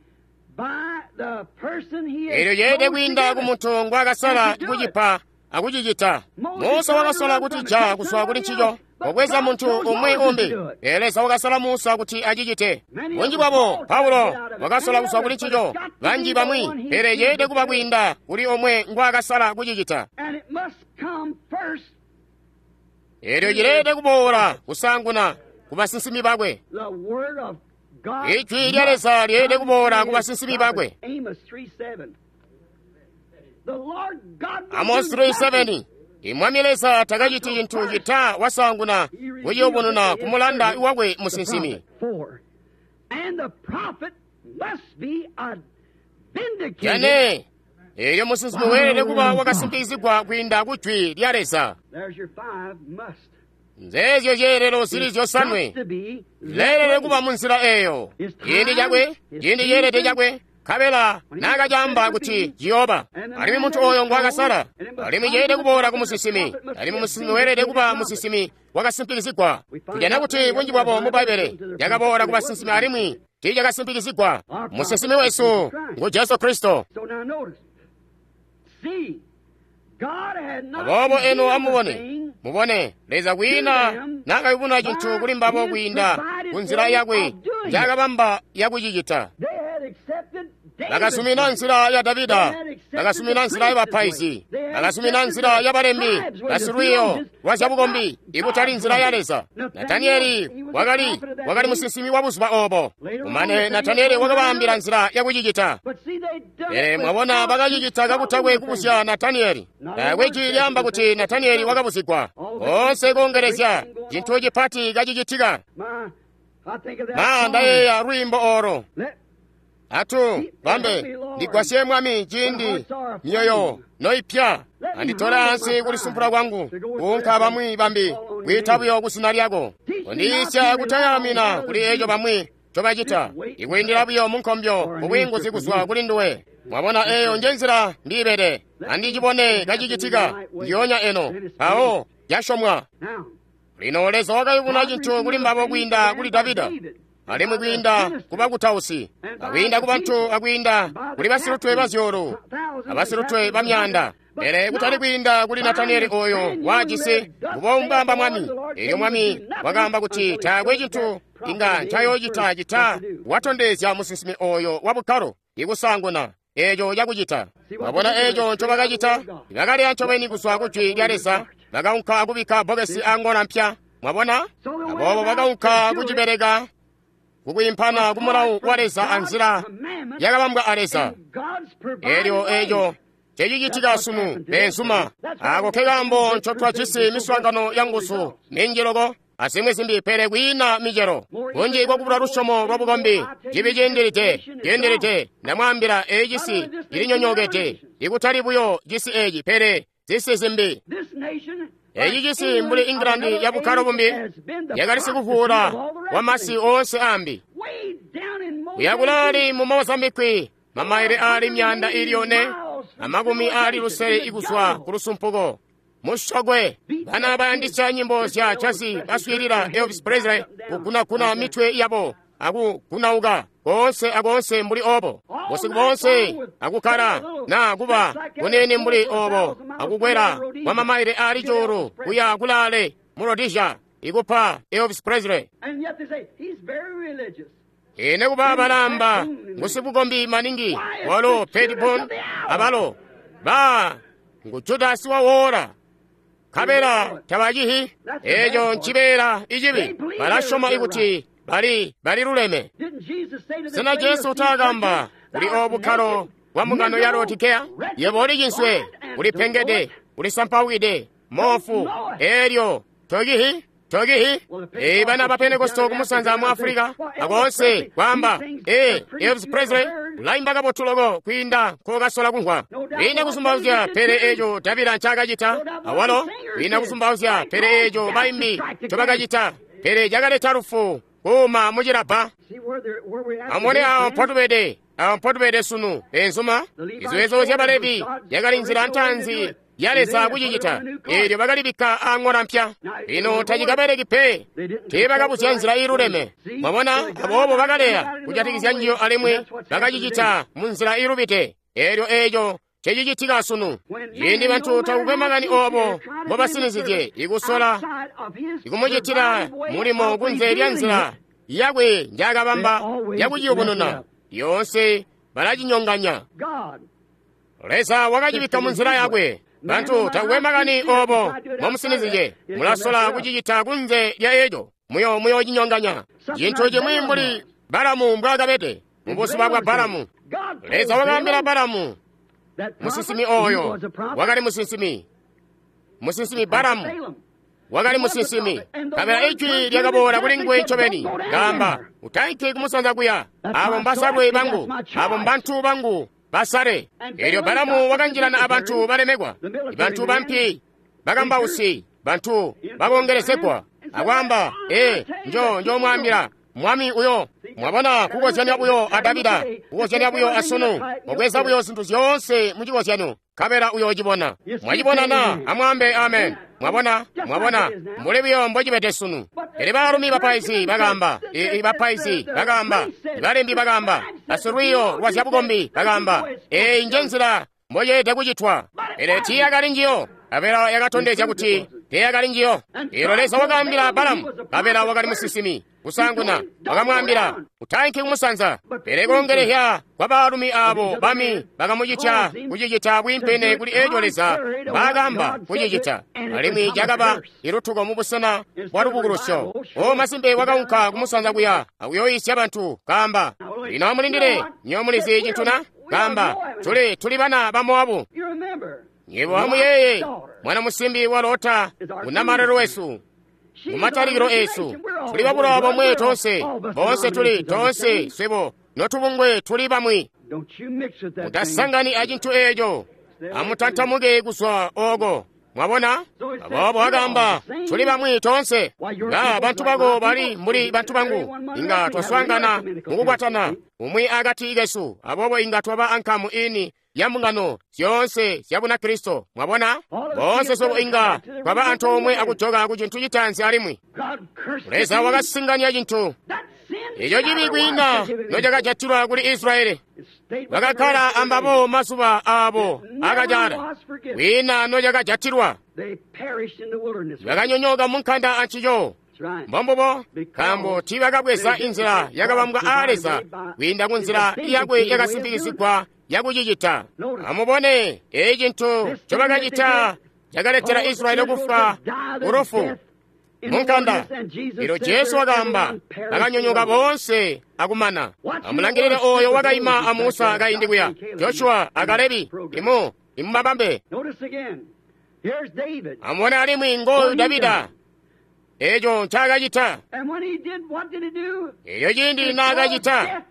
by the person he has Eelyo ceelede chosen to kwiinda give ku it. muntu ngwaakasala kucipa akucicita. Musa wakasola kutija kuzwa kuli ncico, wabweza muntu umwi umbi. Pele Leza wakasala Musa kuti acicite. Bunji bwabo Paulo wakasola kuzwa kuli ncico, banji bamwi, pele ceelede kuba kwiinda kuli omwe ngwaakasala kucicita. And it must come first Eelyo cileelede kuboola kusaanguna ku basinsimi bakwe. the word of God. Ijwi lya Leza lyeelede must kuboola come ku to his basinsimi prophet. bakwe. Amos 3:7. The Lord God will Amos do nothing. 3:7 Imwami Leza takaciti cintu cita wasaanguna He revealed kuciyubununa it to ku his mulanda servant, wakwe the musinsimi. prophet. 4. And the prophet must be a vindicated Jane eelyo musinsimi weelede kuba wakasimpikizigwa kwiinda ku jwi lya Leza. There's your five must. Nzeezyo zyeelelo zili zyosanwe leelele kuba mu nzila eyo. Ciindi cakwe, ciindi ceelede cakwe, nkabela naakacaamba kuti ciyooba. Alimwi muntu oyo ngwakasala, alimwi ceelede kuboola ku musinsimi, alimwi musinsimi weelede kuba musinsimi wakasimpikizigwa. Tujana kuti bunji bwabo mu Bbaibbele yakaboola ku basinsimi alimwi tiicakasimpikizigwa. Musinsimi wesu ngu Jesu Kristo. Aboobo eno amubone, mubone Leza kwiina naakayubununa cintu kuli mbabo kwiinda ku nzila yakwe njaakabamba yakucicita. Bakasumina nzila ya Davida, bakasumina nzila ya bapaizi, bakasumina nzila ya balembi basilwiiyo lwa zyabukombi, ikutali nzila ya Leza. Nataniyeli wakali musinsimi wa buzuba obo. Kumane Nataniyeli wakabaambila nzila yakucicita. Pele mwabona bakacicita kakutakwe kubuzya Nataniyeli. Taakwe jwi lyaamba kuti Nataniyeli wakabuzigwa. Koonse koongelezya cintu cipati kacicitika. Ma ndayeeya lwiimbo olo. Atu bambe ndigwasye Mwami ciindi myoyo noipya. Anditole ansi kulisumpula kwangu, kuunka bamwi bambi kwiita buyo kuzina lyako. Kondiisya kutayaamina kuli eco bamwi ncobacita, ikwiindila buyo munkombyo mubwiinguzi kuzwa kuli nduwe. Mwabona eyo nje nzila ndiibede. Andicibone kacicitika ndiyoonya eno, mpawo yasyomwa. Lino Leza wakayubuna cintu kuli mbabo kwiinda kuli Davida, alimwi kwiinda ku bakutausi, akwiinda ku bantu, akwiinda kuli basilutwe bazyuulu abasilutwe ba myaanda, pele kutali kwiinda kuli Nataniyeli oyo wajisi ngubombamba Mwami. Elyo Mwami wakaamba kuti taakwe cintu inga ncayoocita cita watondezya musinsimi oyo wa bukkalo ikusaanguna eco cakucita. Mwabona eco ncobakacita? Bakaleya ncobeni kuzwa ku jwi lya Leza, bakaunka akubikka bbokesi angola mpya. Mwabona? Aboobo bakaunka kucibeleka kukwiimpana ku mulawu wa Leza anzila yakabambwa a Leza. Elyo eco cecicitika sunu, beenzuma. Ako ke kaambo ncotwajisi miswaangano ya nguzu minji loko azimwi zimbi, pele kwiina micelo. Bunji bwakubula lusyomo lwa bukombi, cibi ciindilide, ciindilide. Ndamwaambila, eeci cisi cilinyonyookede, ikutali buyo cisi eci, pele zisi zimbi. Eeci cisi mbuli England ya bukkalo bumbi yakali sikuvuula wa masi oonse ambi. Kuya kulaali mu Mozambique, mamaile aali 460 ikuzwa ku lusumpuko. Mushogwe bana bayandisya nyimbo zya jazz baswiilila Elvis Presley kugunaguna mitwe yabo akugunauka koonse akoonse mbuli obo busiku boonse akukkala na kuba kunene mbuli obo akukwela kwa mamaile aali 1,000 kuya kulaale mu Rhodesia ikupa Elvis Presley. Ine kuba balamba ngusibukombi maningi walo Petitbon abalo ba ngu Judasi wawola kabela tabacihi. Eco ncibeela icibi. Balasyoma ikuti bali luleme. Sena Jesu taakamba kuli obukkalo bwa mbungano ya Laodikeya? Yebo uli cinswe, ulipengede, ulisampawide, moofu, elyo tokihi tokihi. Ee, bana ba Pentekosto kumusanza mu Afulika akoonse kwaamba, ee, Elvis Presley ulaimba kabotu loko kwiinda nkokasola kumvwa. Kwiinda kusumbauzya, pele eco Davida ncaakacita awalo. Kwiinda kusumbauzya, pele eco baimbi ncobakacita, pele cakaleta lufu kuuma mucilabba. Amubone awo mpotubede, awo mpotubede sunu, beenzuma. Iziwezo zya Balevi yakali nzila ntaanzi ya Leza kucicita, eelyo bakalibikka ang'ola mpya. Lino tacikabeleki pe, teebakabuzya nzila iiluleme. Mwabona, aboobo bakaleya kujatikizya njiyo alimwi bakacicita mu nzila iilubide. Eelyo eeco cecicitika sunu. Ciindi bantu takukwe makani obo mbobasinizizye ikusola ikumucitila mulimo kunze lya nzila yakwe njaakabamba yakuciyubununa, yoonse balacinyonganya. Leza wakacibikka mu nzila yakwe. Bantu takukwe makani obo mbomusinizizye, mulasola kucicita kunze lya eco, muyoocinyonganya. Cintu cimwi mbuli Balamu mbwaakabede mu buzuba bwa Balamu. Leza wakaambila Balamu, musinsimi oyo wakali musinsimi, musinsimi Balamu wakali musinsimi. Kabela ijwi lyakaboola kuli nguwe ncobeni, kaamba, utainki kumusanza kuya, abo mbasalwe bangu, abo mbantu bangu basale. Elyo Balamu wakanjilana abantu balemekwa, bantu bampi, bakambausi, bantu bakongelezegwa. Akwaamba, ee, njo mwaambila. Mwami uyo, mwabona kukozyanya buyo a Davida, kukozyanya buyo a sunu, mubweza buyo zintu zyoonse mu cikozyanyo, nkabela uyoocibona. Mwacibona na? Amwaambe amen. Mwabona, mwabona, mbuli buyo mbocibede sunu. Pele baalumi bapaizi bakaamba, bapaizi bakaamba, balembi bakaamba, basilwiiyo lwa zyabukombi bakaamba, eeyi nje nzila mboyeelede kucitwa. Pele tiiyakali njiyo. Nkabela yakatondezya kuti teeyakali njiyo. Eelyo Leza wakaambila Balamu, nkabela wakali musinsimi. Kusaanguna wakamwaambila, utainki kumusanza. Pele kulongelehya kwa baalumi aabo bami bakamucitya kucicita bwiimpene kuli eeco Leza mbaakamba kucicita, alimwi cakaba ilutuko mubusena bwa lubukulusyo. O masimpe wakaunka kumusanza kuya akuyooyisya bantu kaamba, lino amulindile, nywebo mulizi cintu na? Kaamba, tuli bana ba Mowabu. Nywebo amuyeeye mwana musimbi wa Lota unamalelo wesu. Mumatalikilo esu tuli babulowa bomwe tonse, bonse tuli tonse swebo notubungwe tuli bamwi. Mutasangani acintu eeco, amutantamuke kuzwa oko. Mwabona? Aboobo wakaamba, tuli bamwi tonse. Nga bantu bako bali mbuli bantu bangu, inga twaswaangana mukukwatana umwi akati kesu, aboobo inga twaba ankamu ini ya mbungano zyoonse zya Bunakristo. Mwabona? Boonse swebo inga twaba antoomwe akujoka ku cintu citaanzi alimwi. Leza wakasinganya cintu eco cibi kwiina nocakajatilwa kuli Israyeli. Bakakkala ambabo mazuba aabo akacaala, kwiina nocakajatilwa. Bakanyonyooka munkanda ancico. Mbombubo, nkaambo tiibakabweza inzila yakabambwa aa Leza kwiinda ku nzila yakwe yakasimpikizigwa yakucicita. Amubone, eeci cintu ncobakacita cakaletela Israyeli kufwa kulufu munkanda. Elyo Jesu wakaamba, bakanyonyooka boonse akumana. Amulangilile oyo wakaima a Musa kaindi kuya, Joshua a Kalebi, imubabambe. Amubone alimwi ngooyu Davida, eeco ncaakacita. Elyo ciindi naakacita,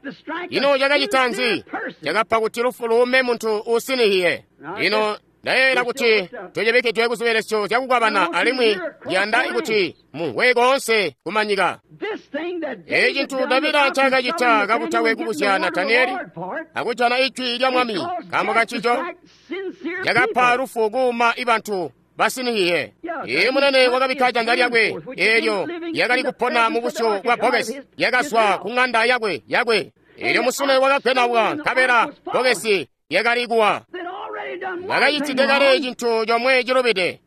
ino cakacita nzi? Cakapa kuti lufu luume muntu uusinihiye. Lino ndayeeyela kuti tucibikidwe ku zibelesyo zyakukwabana alimwi ndiyanda kuti mumvwe koonse kumanyika. Eeci cintu Davida ncaakacita kakutakwe kubuzya Nataniyeli akujana ijwi lya Mwami nkaambo kancico, cakapa lufu kuuma ibantu basinihiye. Iye munene wakabikka janza lyakwe eelyo lyakali kupona mu busyu bwa bbokesi lyakazwa ku ŋanda yakwe. Eelyo musune wakagwenauka nkabela bbokesi lyakali kuwa. Bakacitide kale cintu comwe cilubide,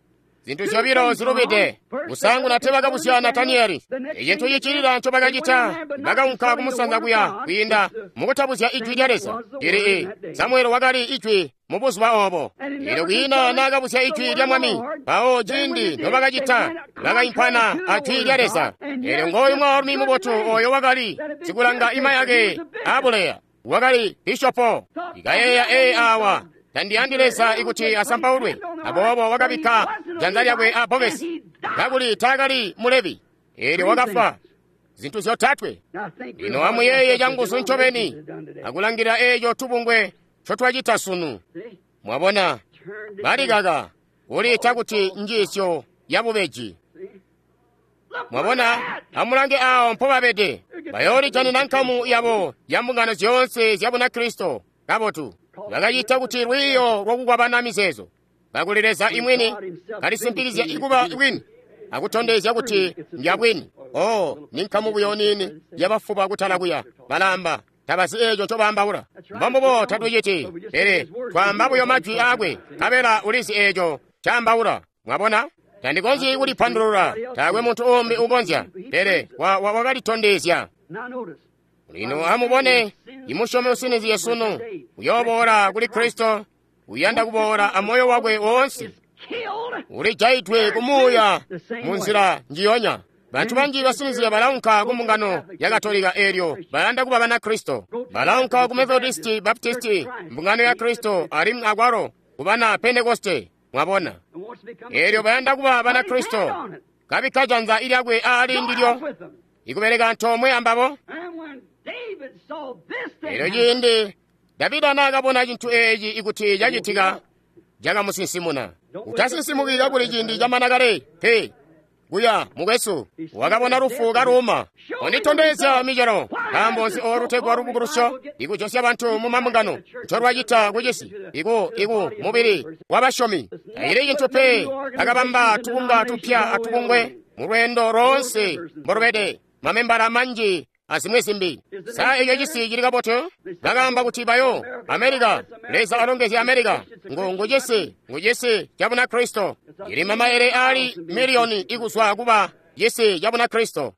zintu zyobilo zilubide. Kusaanguna teebakabuzya Nataniyeli. Icintu cicilila ncobakacita, bakaunka kumusanza kuya kwiinda mukutabuzya ijwi lya Leza. Lili Samueli wakali ijwi mu buzuba oobo. Eelyo kwiina naakabuzya ijwi lya Mwami, mpawo ciindi nobakacita, bakaimpana a jwi lya Leza. Eelyo ngooyu mwaalumi mubotu ooyo wakali sikulanga ima yake aabuleya, wakali bishopo. Ikayeeya ee aawa, tandiyandi Leza ikuti asampaulwe. Aboobo wakabikka janza lyakwe a bbokesi, kakuli taakali Mulevi. Eelyo wakafwa. Zintu zyotatwe. Lino amuyeeye canguzu ncobeni akulangilila eeco tubungwe ncotwacita sunu. Mwabona, balikaka kuliita kuti njiisyo yabubeji. Mwabona, amulange aawo mpobabede. Bayoolijanina nkamu yabo ya mbungano zyoonse zya Bunakristo. Kabotu. Bakacita kuti lwiiyo lwakukwabana mizeezo, kakuli Leza imwini kalisimpikizya ikuba bwini akutondezya kuti ndyabwini. Oh, ni nkamu buyo niini yabafuba kutala kuya balaamba tabazi eeco ncobaambaula. Mbombubo tatuciti, pele twaamba buyo majwi aakwe, nkabela ulizi eeco ncaambaula. Mwabona? Tandikonzyi kulipandulula, taakwe muntu uumbi ukonzya, pele wakalitondezya. Lino amubone, imusyomi usinizye sunu uyooboola kuli Kristo, uyanda kuboola amoyo wakwe woonse, ulijaidwe kumuuya munzila njiyonya. Bantu banji basinizye balaunka ku mbungano ya Katolika eelyo bayanda kuba Banakristo. Balaunka ku Methodisti, Baptisti, mbungano ya Kristo alimwi akwalo ku bana Pentekoste. Mwabona, eelyo bayanda kuba Banakristo, kabikka janza lyakwe aali ndilyo ikubeleka antoomwe ambabo. Eelyo ciindi Davida naakabona cintu eeci ikuti cacitika, cakamusinsimuna. Utasinsimukila kuli ciindi camana kale, pe. kuya mukwesu. Wakabona lufu kaluuma. Unditondezya micelo. Nkaambo nzi olu lutegwa lubukulusyo ikujosya bantu mu mambungano ncolwacita kucisi iku mubili wabasyomi. Tacili cintu pe akabamba tubunga tupya atubungwe mu lweendo loonse mbolubede mamembala manji azimwi zimbi. Sa eco cisi cili kabotu? Bakaamba kuti bayo Amerika, Leza alongezye Amerika. Ngu cisi ca Bunakristo. Cili mamaele ali miliyoni ikuzwa kuba cisi ca Bunakristo.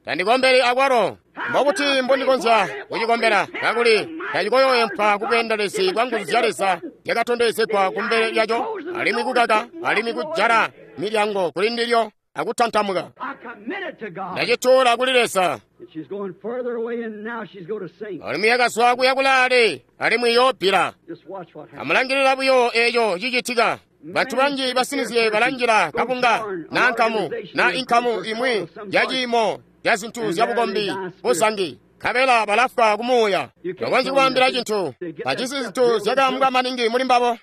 Tandikombeli akwalo. Mbobuti mbondikonzya kucikombela kakuli tacikoyoempwa kubweendelezi bwa nguzu zya Leza zyakatondezegwa kumbele lyaco, alimwi kukaka, alimwi kujala milyango kuli ndilyo akutantamuka. Ndacituula kuli Leza. Alimwi yakazwa kuya kulaale, alimwi yoobbila. Amulangilila buyo eco cicitika. Bantu banji basinizye balanjila kabunga na nkamu na inkamu imwi ya ciimo ya zintu zya bukombi buzangi, nkabela balafwa kumuuya. Tokonzyi kubaambila cintu. Bajisi zintu zyakaambwa maningi muli mbabo.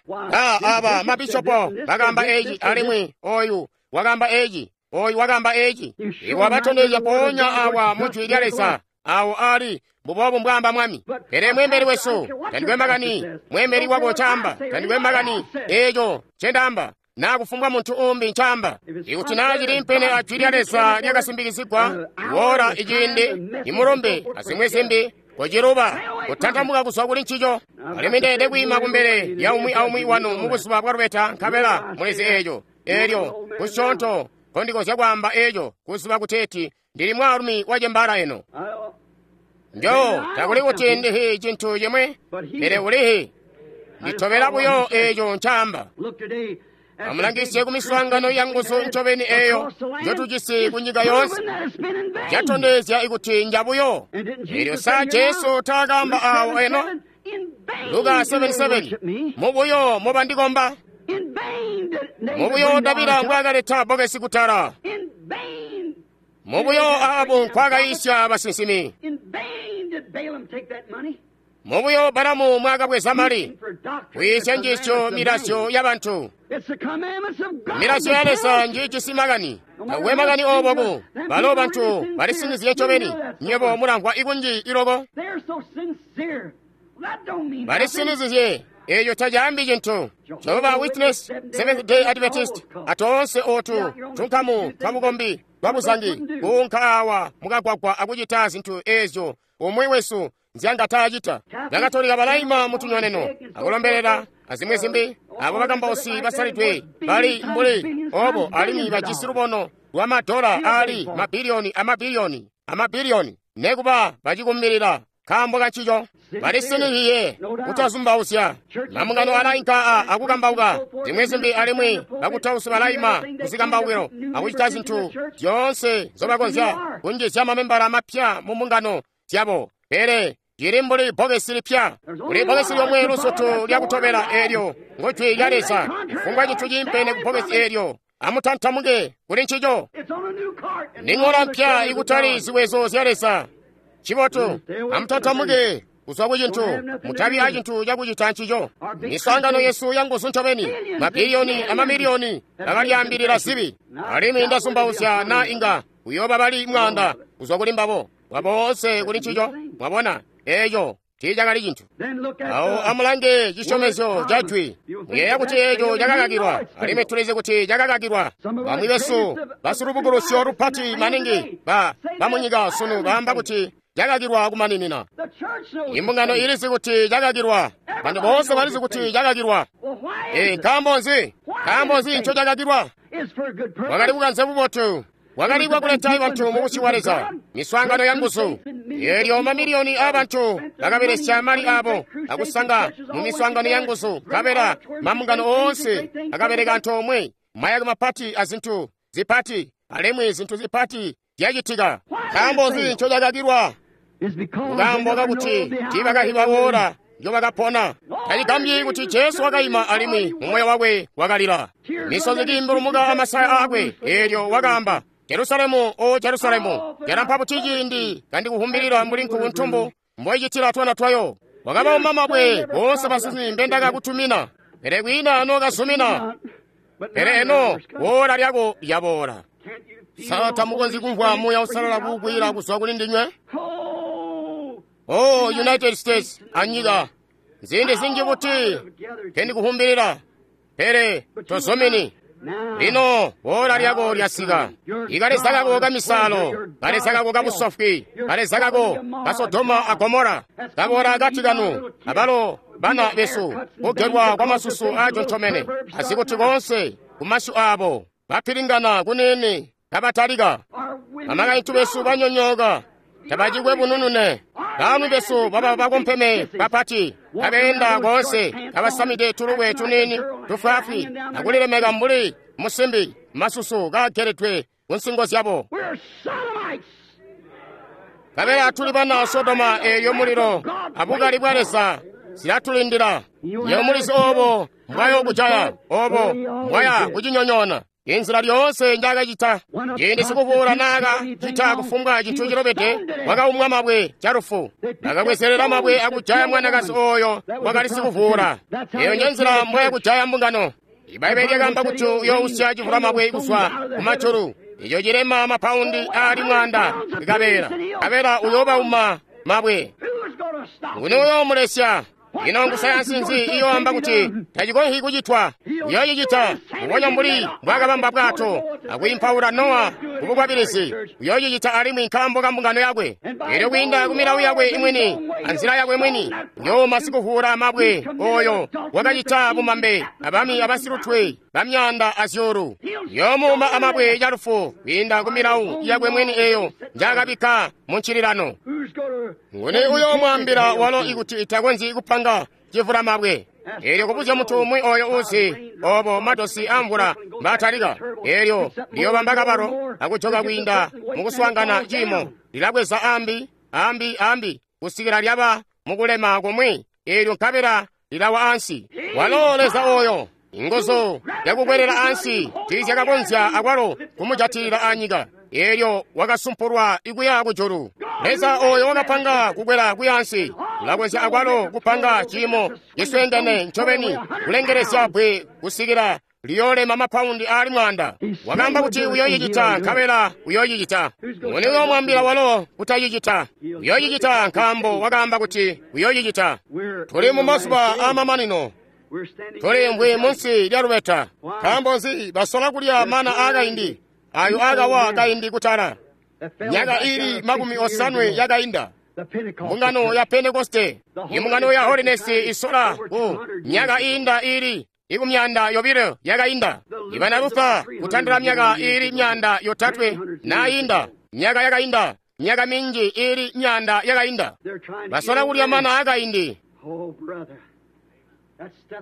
Aba mabishopo bakaamba eci, alimwi oyu wakaamba eci, oyu wakaamba eci. Iwabatondezya mpoonya awa mu Jwi lya Leza, awo ali mbuboobu mbwaamba Mwami. Pele mweembeli wesu tandikwe makani mweembeli wako ncaamba, tandikwe makani eco ncendaamba, naa kufumbwa muntu umbi ncaamba. Ikuti naa cili mpene a Jwi lya Leza lyakasimbikizigwa, iwoola iciindi, imulumbe azimwi zimbi, kociluba kutantamuka kuzwa kuli ncico. Alimwi ndeede kwiima kumbele lya umwi aumwi wanu mu buzuba bwa lubeta, nkabela mulizi eco. Eelyo kusyoonto nkondikonzya kwaamba eco, kuziba kuteeti ndili mwaalumi wacembala eno. Njo takuli kuti ndihi cintu cimwi, pele ulihi. Nditobela buyo eco ncaamba. Amulangisye ku miswaangano ya nguzu ncobeni eyo njotujisi ku nyika yoonse. Catondezya ikuti njabuyo. Eelyo sa Jesu taakaamba awo eno? Luka 7:7 Mubuyo mubandikomba. Mubuyo Davida mbwaakaleta bbokesi kutala. Mubuyo Ahabu nkwaakayisya basinsimi. Mubuyo Balamu mwakabweza mali kuyisya njiisyo milazyo ya bantu. Milazyo ya Leza njiijisi makani. Takwe makani ooboku. Balo bantu balisinizye ncobeni. Nywebo mulamvwa ikunji iloko. Balisinizizye. Eco tacaambi cintu. Jehovah Witness, Seventh Day Adventist, atoonse otu tunkamu twabukombi bwabuzangi kuunka awa mukagwagwa akucita zintu ezyo umwi wesu nzyanga taacita. Bakatolika balaima mutunyoneno akulombelela azimwi zimbi. Abo bakambausi basalidwe bali mbuli obo, alimwi bajisi lubono lwa madola ali mabiliyoni amabiliyoni amabiliyoni, nekuba bacikumbilila nkaambo kancico. Balisinihiye kutazumbauzya. Mambungano alainka akukambauka zimwi zimbi, alimwi bakutausi balaima kuzikambaukilo akucita zintu zyoonse nzobakonzya kunjizya mamembala mapya mu mbungano zyabo. Pele cili mbuli bbokesi lipya. Kuli bbokesi lyomwe lusutu lyakutobela, eelyo ngo Jwi lya Leza. Kufumbwa cintu ciimpene ku bbokesi eelyo, amutantamuke kuli ncico. Ni ŋola mpya ikutali ziwezo zya Leza. Cibotu, amutantamuke kuzwa ku cintu, mutabi a cintu cakucita ncico. Miswaangano yesu ya nguzu ncobeni, mabiliyoni amamiliyoni bakalyaambilila zibi. Alimwi ndazumbauzya naa inga kuyooba bali mwaanda kuzwa kuli mbabo, waboonse kuli ncico. Mwabona, eco tiicakali cintu. Awo amulange cisyomezyo ca Jwi. Muyeeya kuti eco cakakakilwa, alimwi tulizi kuti cakakakilwa. Bamwi besu basulubukulusyo lupati maningi bamunyika sunu baamba kuti cakakilwa kumaninina. Imbungano ilizi kuti cakakilwa. Bantu boonse balizi kuti cakakilwa. Nkaambo nzi? Nkaambo nzi nco cakakilwa? Wakali bukanze bubotu. Wakali bwakuleta bantu mu busyu bwa Leza, miswaangano ya nguzu. Eelyo mamiliyoni aabantu bakabelesya mali aabo akusanga mu miswaangano ya nguzu, nkabela mambungano oonse akabeleka antoomwe, mayake mapati azintu zipati, alimwi zintu zipati zyacitika. Nkaambo nzi nco cakakilwa? Nkaambo kakuti tiibakahiba woola njobakapona. Tacigambyi kuti Jesu wakaima alimwi mumoyo wakwe wakalila, misozi kiimbulumuka amasaya aakwe. Eelyo wakaamba, Jerusalemu, o Jerusalemu, calampa buti ciindi kandikuhumbilila mbuli nkuku mboicitila twana twayo. Wakabauma mabwe boonse basinsimi mbendakakutumina, pele kwiina nookazumina. Pele eno woola lyako lyaboola. Sa tamukonzyi kumvwa Muuya Uusalala kukwila kuzwa kuli ndinywe? Oh, United States anyika, nziindi zinji buti kendikuhumbilira, pele tozomini. Lino woola lyako lyasika. Ikaleza kako kamisalo, kaleza kako kabusofwi, kaleza kako ka Sodoma a Gomora kaboola akati kanu, abalo bana besu kugerwa kwa masusu ajonchomene, azikuti konse kumasyu abo bapilingana kunene kabatalika. Amakaintu besu banyonyoka, tabacikwe bununune. Bamwi besu baba bakompeme bapati, kabeenda konse kabasamide tulukwe tunini tufwaafwi akulilemeka mbuli musimbi, masusu kageledwe ku nsingo zyabo. Kabela tuli bana Sodoma eyo mulilo abukali bwa Leza zilatulindila. Yo mulizi obo mbwayo kujaya, obo mbwaya kucinyonyoona. Inzila lyoonse njakacita ciindi sikuvuula naakacita kufumbwa cintu cilobede, wakaumwa mabwe calufu. Bakabwezelela mabwe akujaya mwanakazi oyo wakali sikuvuula. Eyo njenzila mbwaya kujaya mbungano. Ibaibbele lyakaamba kuti uyousya civula mabwe kuzwa kumajulu, ico cilema mapaundi ali 100 kabela kabela uyobauma mabwe. Nguni uyoomulesya? Ino ngusayansi nzi iyoamba kuti tacikonzyi kucitwa? Uyoocicita mbubonya mbuli mbwaakabamba bwato akwiimpaula Nowa kubukwabilizi. Uyoocicita alimwi nkaambo ka mbungano yakwe. Elyo kwiinda ku milawo yakwe imwini anzila yakwe mwini, uyooma sikuvuula mabwe oyo wakacita bumambe abami abasilutwe bamyanda azyuulu. Uyoomuuma amabwe calufu kwiinda ku milawo yakwe mwini eyo njaakabikka mu ncililano. Nguni uyoomwaambila walo ikuti itakonzyi kupanga civula mabwe? Elyo kubuzya muntu umwi oyo uzi obo matosi amvula mbatalika, elyo liyobamba kabalo akujoka kwiinda mukuswaangana ciimo, lilabweza ambi ambi ambi kusikila lyaba mukulema kumwi, elyo nkabela lilawa ansi. Walo Leza oyo inguzu yakukwelela ansi tiizyakakonzya akwalo kumujatilila anyika, elyo wakasumpulwa ikuya kujulu. Leza oyo wakapanga kukwela kuya ansi ulakonzya akwalo kupanga ciimo cisweengene ncobeni kulengelezya bwe kusikila liyoolema mapaundi ali 100. Wakaamba kuti uyoocicita, nkabela uyoocicita. Nguni uyoomwaambila walo kutacicita? Uyoocicita nkaambo wakaamba kuti uyoocicita. Tuli mu mazuba aamamanino. Tuliimvwi munsi lya lubeta. Nkaambo nzi basola kulya mana aakaindi ayo aakawa kaindi kutala myaka ili 80 yakainda? Mbungano ya Pentekoste, imbungano ya Holiness isola ku myaka iinda ili 200 yakainda. Ibana Lufa kutandila myaka ili 300 nainda, myaka yakainda, myaka minji ili 100 yakainda. Basola kulya mana aakaindi.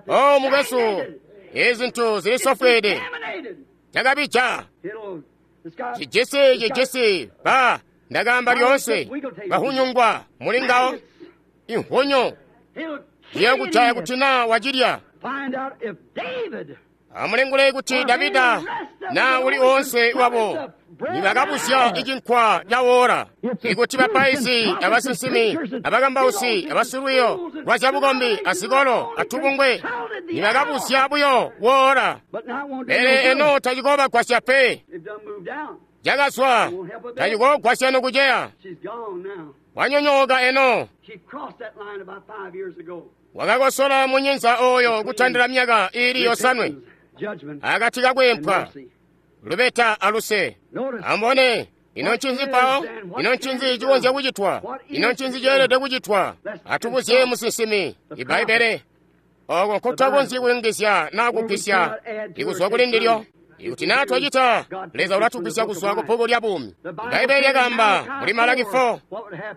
Oh, mukwesu, ezi zintu zilisofweede. Cakabija. Cijisi ba ndakaamba lyoonse bahunyungwa muli ngawo inhunyu ziyakujaya kuti na wacilya. Amulingule kuti Davida na uli onse wabo nibakabuzya icinkwa cawola, ikuti bapaizi abasinsimi abakambausi abasilwiyo lwa zyabukombi azikolo atubungwe nibakabuzya buyo wola. Pele eno tacikoobagwasya pe. Cakazwa tacikoogwasya nokuceya. Wanyonyooka eno. Wakakosola munyinza oyo kutandila myaka ili 7 akati kakwempwa lubeta aluse. Ambone ino ncinzi mpawo? Ino ncinzi cikonzya kucitwa? Ino ncinzi ceelede kucitwa? Atubuzye musinsimi Ibaibbele oko nkutakonzyi kuyungizya naa kugwisya ikuzwa kuli ndilyo. Ikuti naa twacita, Leza ulatugwisya kuzwa ku bbuku lya buumi. Ibaibbele lyakaamba muli Malaki 4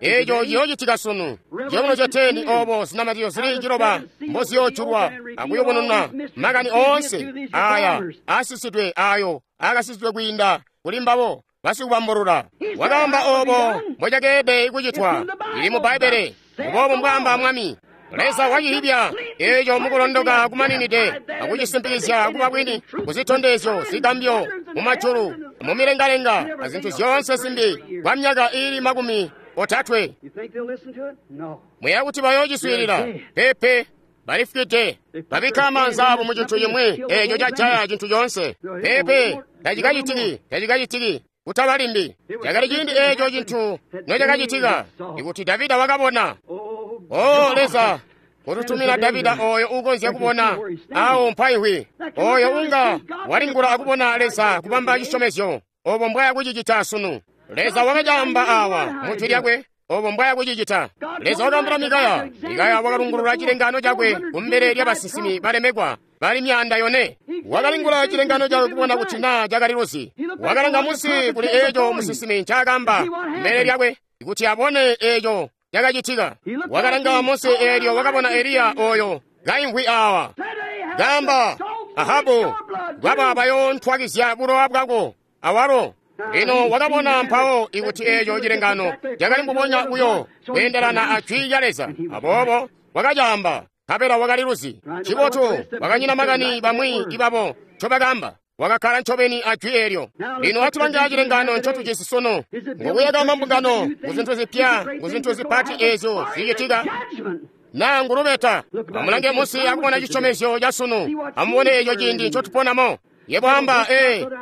eeco ciyoocitika sunu. Ciyobuno ca 10 obo zinamatizyo zili 9 mboziyoojulwa akuyubununa makani oonse aya aasisidwe ayo aakasisidwe kwiinda kuli mbabo basikubambulula. Wakaamba obo mbocakeelede kucitwa. Ili mu Bbaibbele, mboobo mbwaamba Mwami. Leza wacihibya eeco mukulondoka kumaninide akucisimpikizya kuba bwini kuzitondezyo zigambyo mumajulu mumilengalenga azintu zyoonse zimbi kwa myaka ili 30. Muya kuti bayoociswiilila? Pepe, Bali fwide. Babikka maanza abo mu cintu cimwi eco cajaya cintu coonse. Peepe, tacikacitiki, tacikacitiki. Kutaba limbi. Cakali ciindi eco cintu nocakacitika, ikuti Davida wakabona. O Leza, kututumina Davida oyo ukonzya kubona awo mpaihwi, oyo unga walingula akubona Leza kubamba cisyomezyo, obo mbwaya kucicita sunu. Leza wakacaamba awa mu jwi lyakwe, obo mbwaya kucicita. Leza wakaambila Mikaya. Mikaya wakalungulula cilengano cakwe kumbele lya basinsimi balemekwa bali 400. Wakalingula cilengano cakwe kubona kuti naa cakali luzi. Wakalanga munsi kuli eco musinsimi ncaakamba kumbele lyakwe kuti abone eco cakacitika. Wakalanga munsi eelyo wakabona Eliya oyo kaimvwi awa. Gamba, Ahabu, bwaba bayontwakizya bulowa bwako awalo. Lino wakabona mpawo ikuti eco cilengano cakali mbubonya buyo kweendelana a jwi lya Leza. Aboobo wakacaamba, nkabela wakali luzi. Cibotu, wakanyina makani bamwi ibabo ncobakaamba. Wakakkala ncobeni a jwi eelyo. Lino atulange cilengano ncotujisi sunu. Ngukuyaka mambungano kuzintu zipya, kuzintu zipati eezyo zicitika, naa ngulubeta. Amulange munsi akubona cisyomezyo ca sunu. Amubone eco ciindi ncotuponamo. Yebo amba,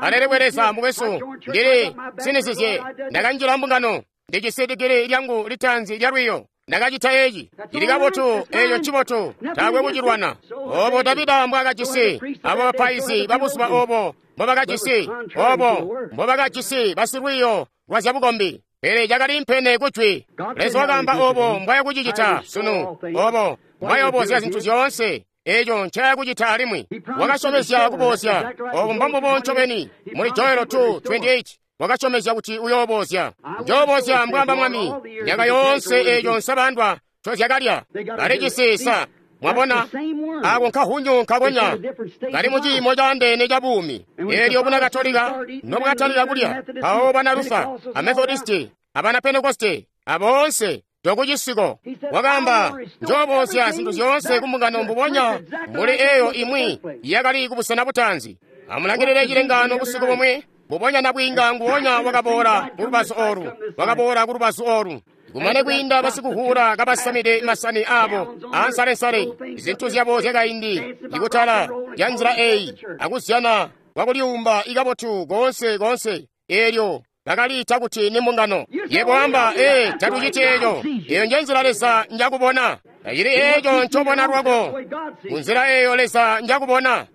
alelekwe Leza mukwesu, ndili sinizizye, ndakanjila mbungano, ndijisi digili lyangu litaanzi lya lwiyo, ndakacita eci, cili kabotu, eco ncibotu, taakwe kucilwana. Obo Davida mbwakajisi, abo bapaizi babuzuba obo mbobakajisi, obo mbobakajisi basilwiyo lwa zyabukombi. Pele cakali mpene kujwi. Leza wakaamba obo mbwaya kucicita sunu, obo mbwayoobozya zintu zyoonse. Eco ncaya kucita alimwi. Wakasyomezya kuboozya. Obo mbombubo ncobeni. Muli Joelo 2:28 wakasyomezya kuti uyoobozya. Njoobozya mbwaamba Mwami. Myaka yoonse eco nsabandwa ncozyakalya. Balijisi sa. Mwabona? Ako nkahunyu nkakonya. Kali mu ciimo caandeene ca buumi. Eelyo buna Katolika nobwakatalika kulya, mpawo bana Lufa, a Methodisti, abana Pentekoste, aboonse tokucisiko. Wakaamba, njoobozya zintu zyoonse kumbungano mbubonya mbuli eyo imwi yakali kubusena butaanzi. Amulangilile cilengano busiku bumwi, mbubonya nabwiinga nguwonya wakaboola kulubazu olu, wakaboola kulubazu olu. Kumane kwiinda basikuhura kabasamide masani abo ansalensale, zintu zyabo zyakaindi, ikutala lya nzila eyi, akuzyana kwakulyumba ikabotu koonse koonse, eelyo bakaliita kuti ni mbungano. Yebo amba, tatuciti eco. Eyo nje nzila Leza njakubona. Tacili eco ncobona lwako. Kunzila eyo Leza njakubona.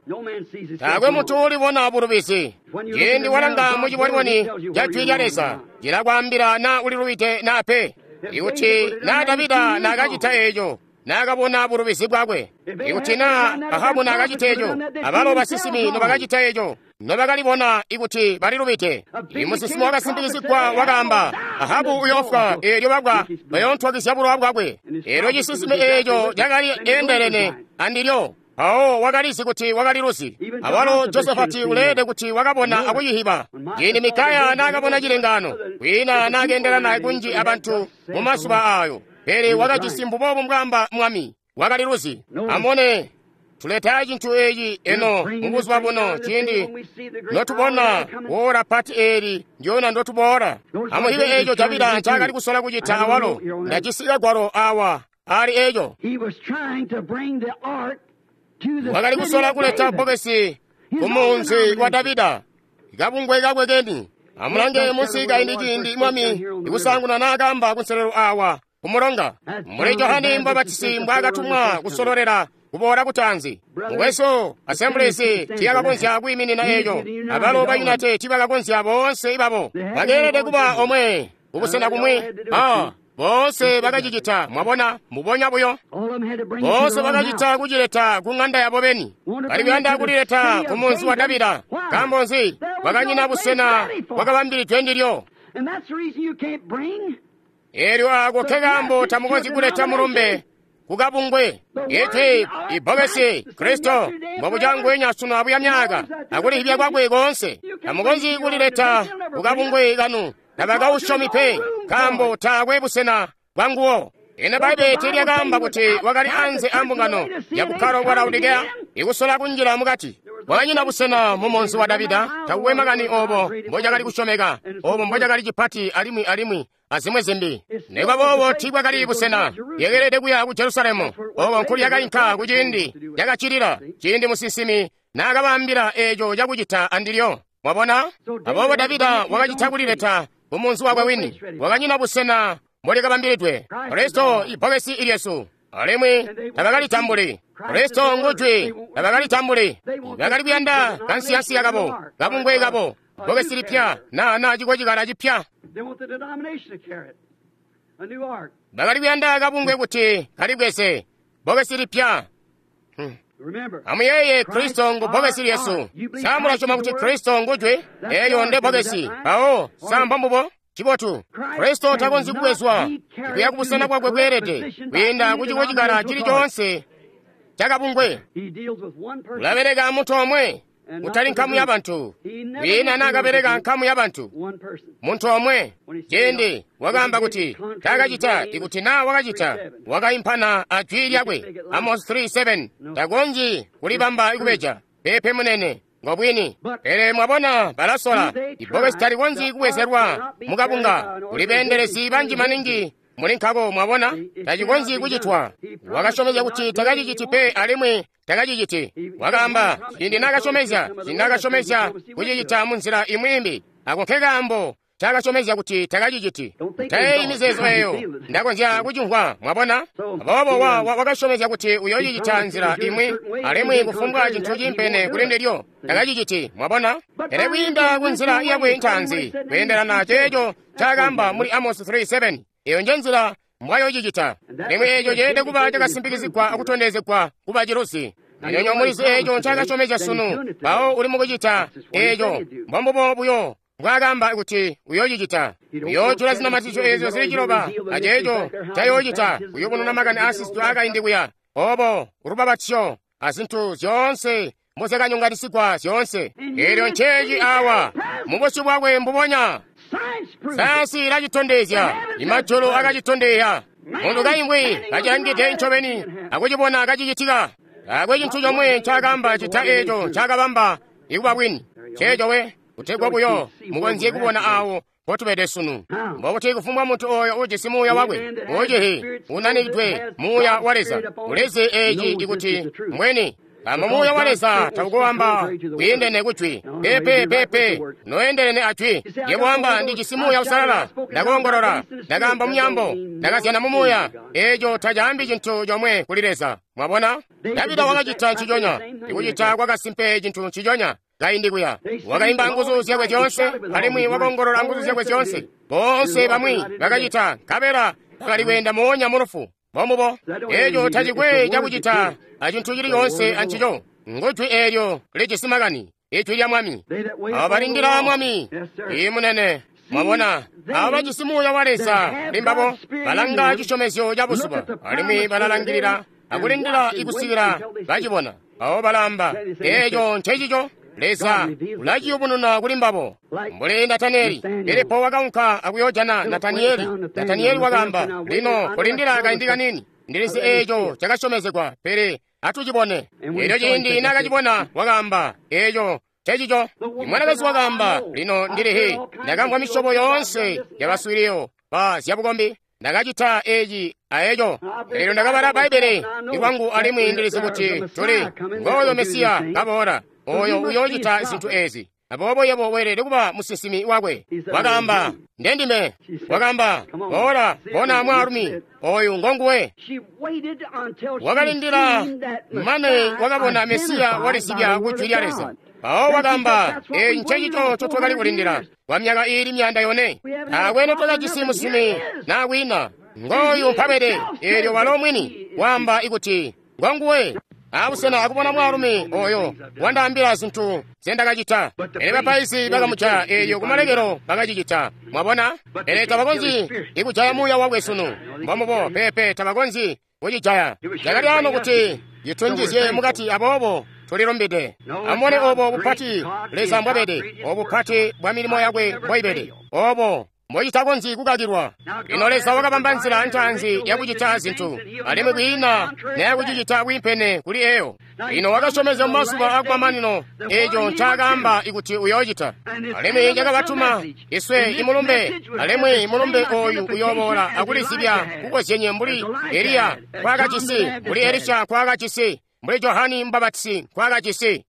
Taakwe muntu ulibona bulubizi. Ciindi walanga mu ciboniboni ca jwi lya Leza, cilakwaambila naa ulilubide naa pe. Ikuti naa Davida naakacita eco, naakabona bulubizi bwakwe. Ikuti naa Ahabu naakacita eco, abalo basinsimi nobakacita eco, nobakalibona ikuti balilubide. Imusinsimi wakasimpikizigwa wakaamba, Ahabu uyoofwa, eelyo babwa bayoontwakizya bulowa bwakwe. Eelyo cisinsimi eeco cakali eendelene andilyo. Mpawo wakalizi kuti wakali luzi. Awalo Josafati uleede kuti wakabona akucihiba. Ciindi Mikaya naakabona cilengano, kwiina naakeendelana kunji abantu mu mazuba aayo. Pele wakajisi mbubobu mbwaamba Mwami, wakali luzi. Amone, tuleta cintu eci eno mubuzuba buno ciindi notubona wora pati eeli ndyona ndotuboola. Amuhibe eco Davida ncaakali kusola kucita awalo. Ndajisi kagwalo awa ali eco. Wakali kusola kuleta bbokesi ku munzi wa Davida, kabungwe kakwe keni. Amulange munsi kaindi ciindi Mwami ikusaanguna naakamba kunselelo awa kumulonga, muli Johane Mbabatisi mbwaakatumwa kusololera kuboola kutaanzi. Mukwesu, Assemblies tiyakakonzya kwiiminina eco, abalo ba United tibakakonzya boonse ibabo. Bakeelede kuba omwe kubusena kumwi. Boonse bakacicita, mwabona, mbubonya buyo. Boonse bakacita kucileta ku ng'anda yabo beni. Bali kuyanda kulileta ku munzi wa Davida. Nkaambo nzi? Bakanyina busena bwakabambilidwe ndilyo. Eelyo ako kekaambo tamukonzyi kuleta mulumbe kukabungwe. Iti ibbokesi Kristo mbobucangwenya sunu abuya myaka akulihibya kwakwe koonse. Tamukonzyi kulileta kukabungwe kanu. Tabakausyomi pe, nkaambo taakwe busena bwanguwo. Ino Bbaibbele tiilyakaamba kuti wakali anze ambungano ya bukkalo bwa Laodikeya ikusola kunjila mukati? Kwakanyina busena mu munzi wa Davida. Takukwe makani obo mbocakali kusyomeka, obo mbocakali cipati alimwi azimwi zimbi. Nikuba boobo tiibwakali busena. Yekelede kuya ku Jerusalemu, oko nkulyakainka kuciindi cakaccilila, ciindi musinsimi naakabaambila eeco cakucita andilyo. Mwabona? Aboobo Davida wakacita kulileta ku munzi wakwe wini. Wakanyina busena mbolikabambilidwe. Kristo ibbokesi ilyesu, alimwi tabakalitambuli. Kristo ngujwi, tabakalitambuli. Bakali kuyanda kansiyansiya kabo, kabungwe kabo, bbokesi lipya na cikocikala cipya. Bakali kuyanda kabungwe kuti kalibweze bbokesi lipya. Amuyeeye, Kristo ngu bbokesi lyesu. Sa mulasyoma kuti Kristo ngujwi? Eeyo nde bbokesi. Mpawo sa mbombubo? Cibotu. Kristo takonzyi kubwezwa kuya kubusena bwakwe bweelede kwiinda ku cikocikala cili coonse cakabungwe. Ulabeleka muntu omwe, kutali nkamu ya bantu. Kwiina naakabeleka nkamu ya bantu, muntu omwe. Ciindi wakaamba kuti taakacita, ikuti naa wakacita, wakaimpana a jwi lyakwe. Amos 3:7. Takonzyi kulibamba kubeja. Peepe munene, ngobwini. Pele mwabona balasola. Ibbokesi talikonzyi kubwezelwa mukabunga. Kuli beendelezi banji maningi muli nkako, mwabona, tacikonzyi kucitwa. Wakasyomezya kuti takaciciti pe, alimwi takaciciti. Wakaamba ciindi naakasyomezya kucicita munzila imwi imbi. Ako nkekaambo ncaakasyomezya kuti takaciciti. Tayeeyi mizeezo eeyo, ndakonzya kucimvwa, mwabona. Aboobo wakasyomezya kuti uyoocicita nzila imwi, alimwi kufumbwa cintu ciimpene kuli ndilyo takaciciti, mwabona. Pele kwiinda ku nzila yakwe ntaanzi, kweendelana ceeco ncaakaamba muli Amos 3:7, eyo nje nzila mbwayoocicita. Alimwi eeco ceelede kuba cakasimpikizigwa akutondezegwa kuba ciluzi. Nyonyo mulizi eeco ncaakasyomezya sunu, mpawo uli mukucita eeco. Mbombubo buyo mbwaakaamba kuti uyoocicita. Uyoojula zinamatizyo eezyo zili ciloba, aceeco ncayoocita kuyubununa makani aasisidwe aakaindi kuya, obo lubapatizyo azintu zyoonse mbozyakanyonganisigwa zyoonse. Eelyo nceeci awa mubusyu bwakwe mbubonya. Sayansi ilacitondezya, imajulu akacitondezya. Muntu kaimvwi kacilangide ncobeni akucibona kacicitika. Taakwe cintu comwe ncaakaamba cita eeco ncaakabamba ikuba bwini. Ceeco we, kutegwa buyo mukonzye kubona awo mpotubede sunu. Mbokuti kufumbwa muntu oyo ujisi muuya wakwe ucihi unanikidwe muuya wa Leza ulizi eeci ikuti mbweni. Nkaambo muuya wa Leza taukoamba kwiindene kujwi. Pepe pepe noendelene ajwi. Yebo wamba ndijisi muuya usalala, ndakoongolola, ndakaamba mumyaambo, ndakazyana mu muuya. Eeco tacaambi cintu comwe kuli Leza. Mwabona? Davida wakacita nciconya, ikucita kwakasimpe cintu nciconya. Kaindi kuya wakaimba nguzu zyakwe zyoonse, alimwi wakoongolola nguzu zyakwe zyoonse. Boonse bamwi bakacita, nkabela bakali kweenda moonya mu lufu. Mbombubo. Eeco tacikwe cakucita acintu cili coonse ancico. Ngujwi eelyo lijisi makani, ijwi lya Mwami. Abo balindila Mwami. Ii munene. Mwabona, abo bajisi muuya wa Leza limbabo balanga cisyomezyo ca buzuba, alimwi balalangilila akulindila ikusikila bacibona. Abo balaamba, eeco ncecico. Leza ulaciyubununa kuli mbabo. Mbuli Nataniyeli, Filipo wakaunka akuyoojana Nataniyeli. Nataniyeli wakaamba, lino kulindila kaindi kanini, ndilizi eeco cakasyomezegwa, pele atucibone. Eelyo ciindi naakacibona wakaamba, eeco ncecico. Imwanakazi wakaamba, lino ndilihi, ndakamvwa misyobo yoonse yabaswiiliyo ba zyabukombi. Ndakacita eeci aeco. Eelyo ndakabala Bbaibbele ikwangu alimwi ndilizi kuti tuli ngooyo Mesiya kaboola, oyo uyoocita zintu eezi. Aboobo yebo weelede kuba musinsimi wakwe. Wakaamba, ndendime. Wakaamba, boola, bona mwaalumi oyu ngonguwe. Wakalindila mane wakabona Mesiya walizibya ku jwi lya Leza. Mpawo wakaamba, eeci ncecico ncotwakali kulindila kwa myaka iili 400. Taakwe notwakajisi musinsimi naa kwina. Ngooyu mpabede. Eelyo walo mwini waamba ikuti ngonguwe. Abusena akubona mwaalumi oyo wandaambila zintu nzendakacita. Pele bapaizi bakamujaya, eelyo kumalekelo bakacicita. Mwabona? Pele tabakonzyi ikujaya muuya wakwe sunu. Mbombubo. Peepe, tabakonzyi kucijaya. Cakali ano kuti citunjizye mukati, aboobo tulilumbide. Amubone obo bupati Leza mbwabede, obo bupati bwa milimo yakwe mbwaibede. Obo mbocitakonzyi kukakilwa. Lino Leza wakabamba nzila ntaanzi yakucita zintu, alimwi kwiina nayakucicita bwiimpene kuli eyo. Lino wakasyomezya mu mazuba akumamanino eco ncaakaamba ikuti uyoocita, alimwi cakabatuma iswe imulumbe, alimwi mulumbe oyu uyooboola akulizibya kukozyenye mbuli Eliya nkwaakajisi, mbuli Elisha nkwaakajisi, mbuli Johani Mubapatizi nkwaakajisi.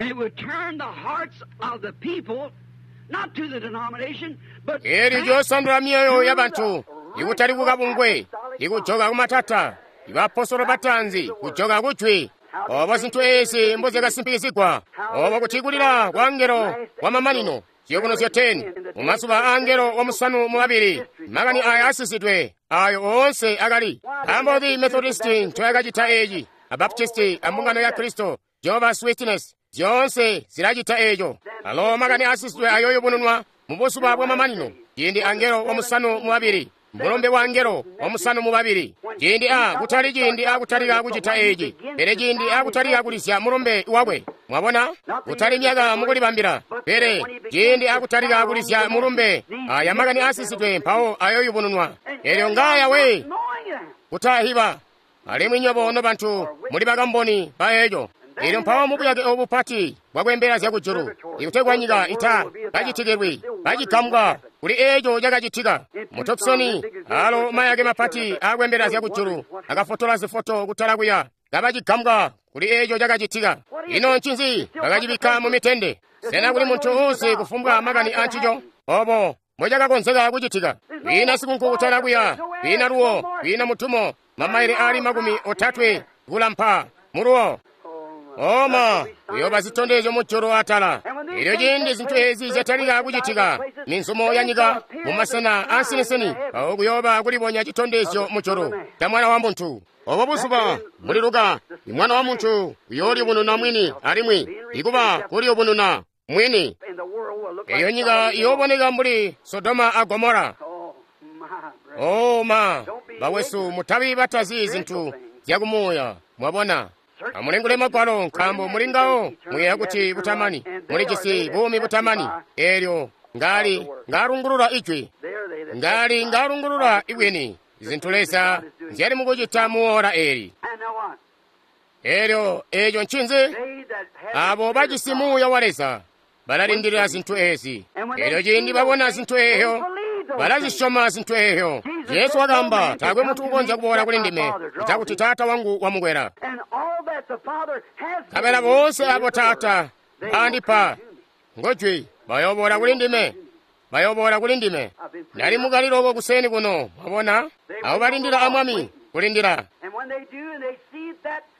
Eelyo liyoosandula myoyo yabantu, ikutali kukabungwe, ikujoka kumatata, ibaapostolo bataanzi kujoka kujwi. Obo zintu eezi mbozyakasimpikizigwa, obo kuti kulila kwa angelo wamamanino, ziyobunuzyo 10, mumazuba a angelo wamusanu mubabili, makani aya asisidwe, ayo oonse akali. Nkaambo nzi Methodisti ncoyakacita eeci, a Baptisti a mbungano ya Kristo, Jehovah's Witness, zyoonse zilacita eeco. Alo makani asisidwe ayoyubununwa mu buzuba bwamamanino, ciindi angelo wamusanu mubabili, mulumbe wa angelo wamusanu mubabili, ciindi a kutali ciindi akutalika kucita eeci, pele ciindi akutalika kulizya mulumbe wakwe. Mwabona, kutali myaka mukulibambila, pele ciindi akutalika kulizya mulumbe, aya makani asisidwe mpawo ayoyubununwa. Elyo ngaya we kutahiba, alimwi nywebo nobantu muli bakamboni ba eco. Elyo mpawo mubuyake obu bupati bwakwembela zyakujulu, ikutegwa nyika ita kacitikilwi kacigambwa kuli eco cakacitika. Mu Tucson, alo mayake mapati akwembela zyakujulu akafotola zifoto kutala kuya, kabacigambwa kuli eco cakacitika. Ino ncinzi bakacibikka mu mitende? Sena kuli muntu uuzi kufumbwa makani ancico? Obo mbocakakonzeka kucitika. Kwiina sikunku kutala kuya, kwiina luwo, kwiina mutumo, mamaile aali 30 kulampa muluwo. Oma kuyoba zitondezyo mujulu atala. Elyo ciindi zintu ezi zyatalika kucitika, minzumo ya nyika mu masena ansinisini, awo kuyoba kulibonya citondezyo mujulu ca Mwana wa Muntu. Obo buzuba muli Luka, Mwana wa Muntu uyooliyubununa mwini alimwi ikuba kuliyubununa mwini. Eyo nyika iyooboneka mbuli Sodoma a Gomora. Oma, bakwesu, mutabi batazi zintu zyakumuuya, mwabona. Amulingule magwalo, nkaambo muli ngawo muyeeya kuti butamani, mulijisi buumi butamani. Eelyo ngali ngalungulula ijwi, ngali ngalungulula ibwini zintu Leza nzyali mukucita muora eli. Eelyo eco ncinzi? Abo bajisi muuya wa Leza balalindilila zintu ezi. Eelyo ciindi babona zintu eyo, balazisyoma zintu eyo. Yesu wakaamba, taakwe muntu ukonzya kuboola kuli ndime ccita Taata wangu wamukwela. Nkabela boonse abo Taata andipa ngojwi bayoboola kuli ndime, bayoboola kuli ndime. Ndali mukaliloko kuseni kuno, mwabona, abo balindila a Mwami kulindila.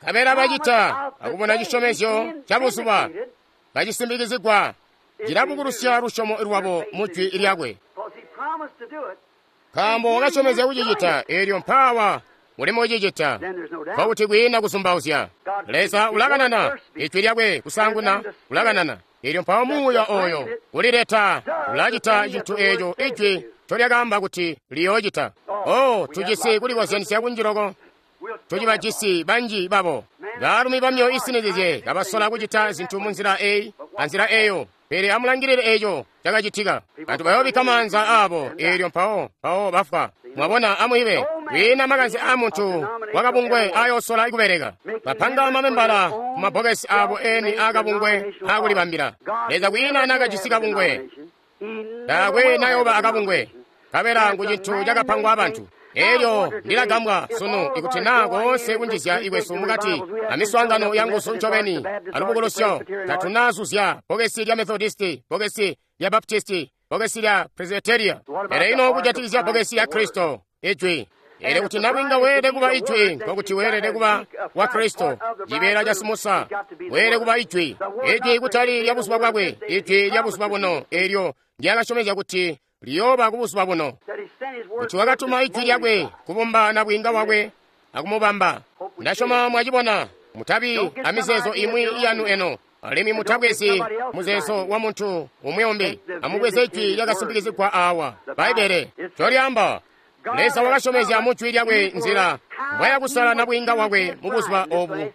Nkabela bacita akubona cisyomezyo ca buzuba kacisimbikizigwa, cilabukulusya lusyomo lwabo mu jwi lyakwe. Nkaambo wakasyomezya kucicita, eelyo mpaawa mulimo ucicita, nkokuti kwiina kuzumbauzya. Leza ulakanana ijwi lyakwe kusaanguna, ulakanana. Eelyo mpawo muuya oyo kulileta ulacita cintu eeco ijwi ncolyakaamba kuti liyoocita. Oh, tujisi kulikozyanisya kunji loko, tucibajisi banji babo baalumi bamyoyo isinizizye kabasola kucita zintu munzila eyi anzila eyo, pele amulangilile eco cakacitika. Bantu bayoobikka maanza aabo, eelyo mpawo bafwa. Mwabona, amwibe kwiina makanze a muntu wakabungwe ayoosola kubeleka. Bapanga mamembala ku mabbokesi abo eni akabungwe akulibambila. Leza kwiina nakajisi kabungwe, taakwe nayoba akabungwe, nkabela ngu cintu cakapangwa abantu. Elyo ndilagambwa sunu ikuti naa koonse kunjizya ikwesu mukati amiswaangano yanguzu ncobeni alubukulusyo, tatunazuzya bbokesi lya Methodisti, bbokesi lya Baptisti, bbokesi lya Presbyteria. Pele ino kujatikizya bbokesi lya Kristo, ijwi. Elyo kuti nabwinga weelede kuba ijwi, nkokuti weelede kuba wa Kristo, cibeela ca Simusa, weelede kuba ijwi. Ijwi kutali lya buzuba bwakwe, ijwi lya buzuba buno, elyo ndyakasyomezya kuti liyooba kubuzuba buno. Kuti wakatuma ijwi lyakwe kubumba nabwinga wakwe akumubamba. Ndasyoma mwacibona, mutabi amizeezo imwi yanu eno, alimwi mutabwezi muzeezo wa muntu umwi umbi. Amubweze ijwi lyakasimpikizigwa awa, Bbaibbele ncolyaamba. Leza wakasyomezya mu jwi lyakwe nzila mbwayakusala nabwinga wakwe mu buzuba obu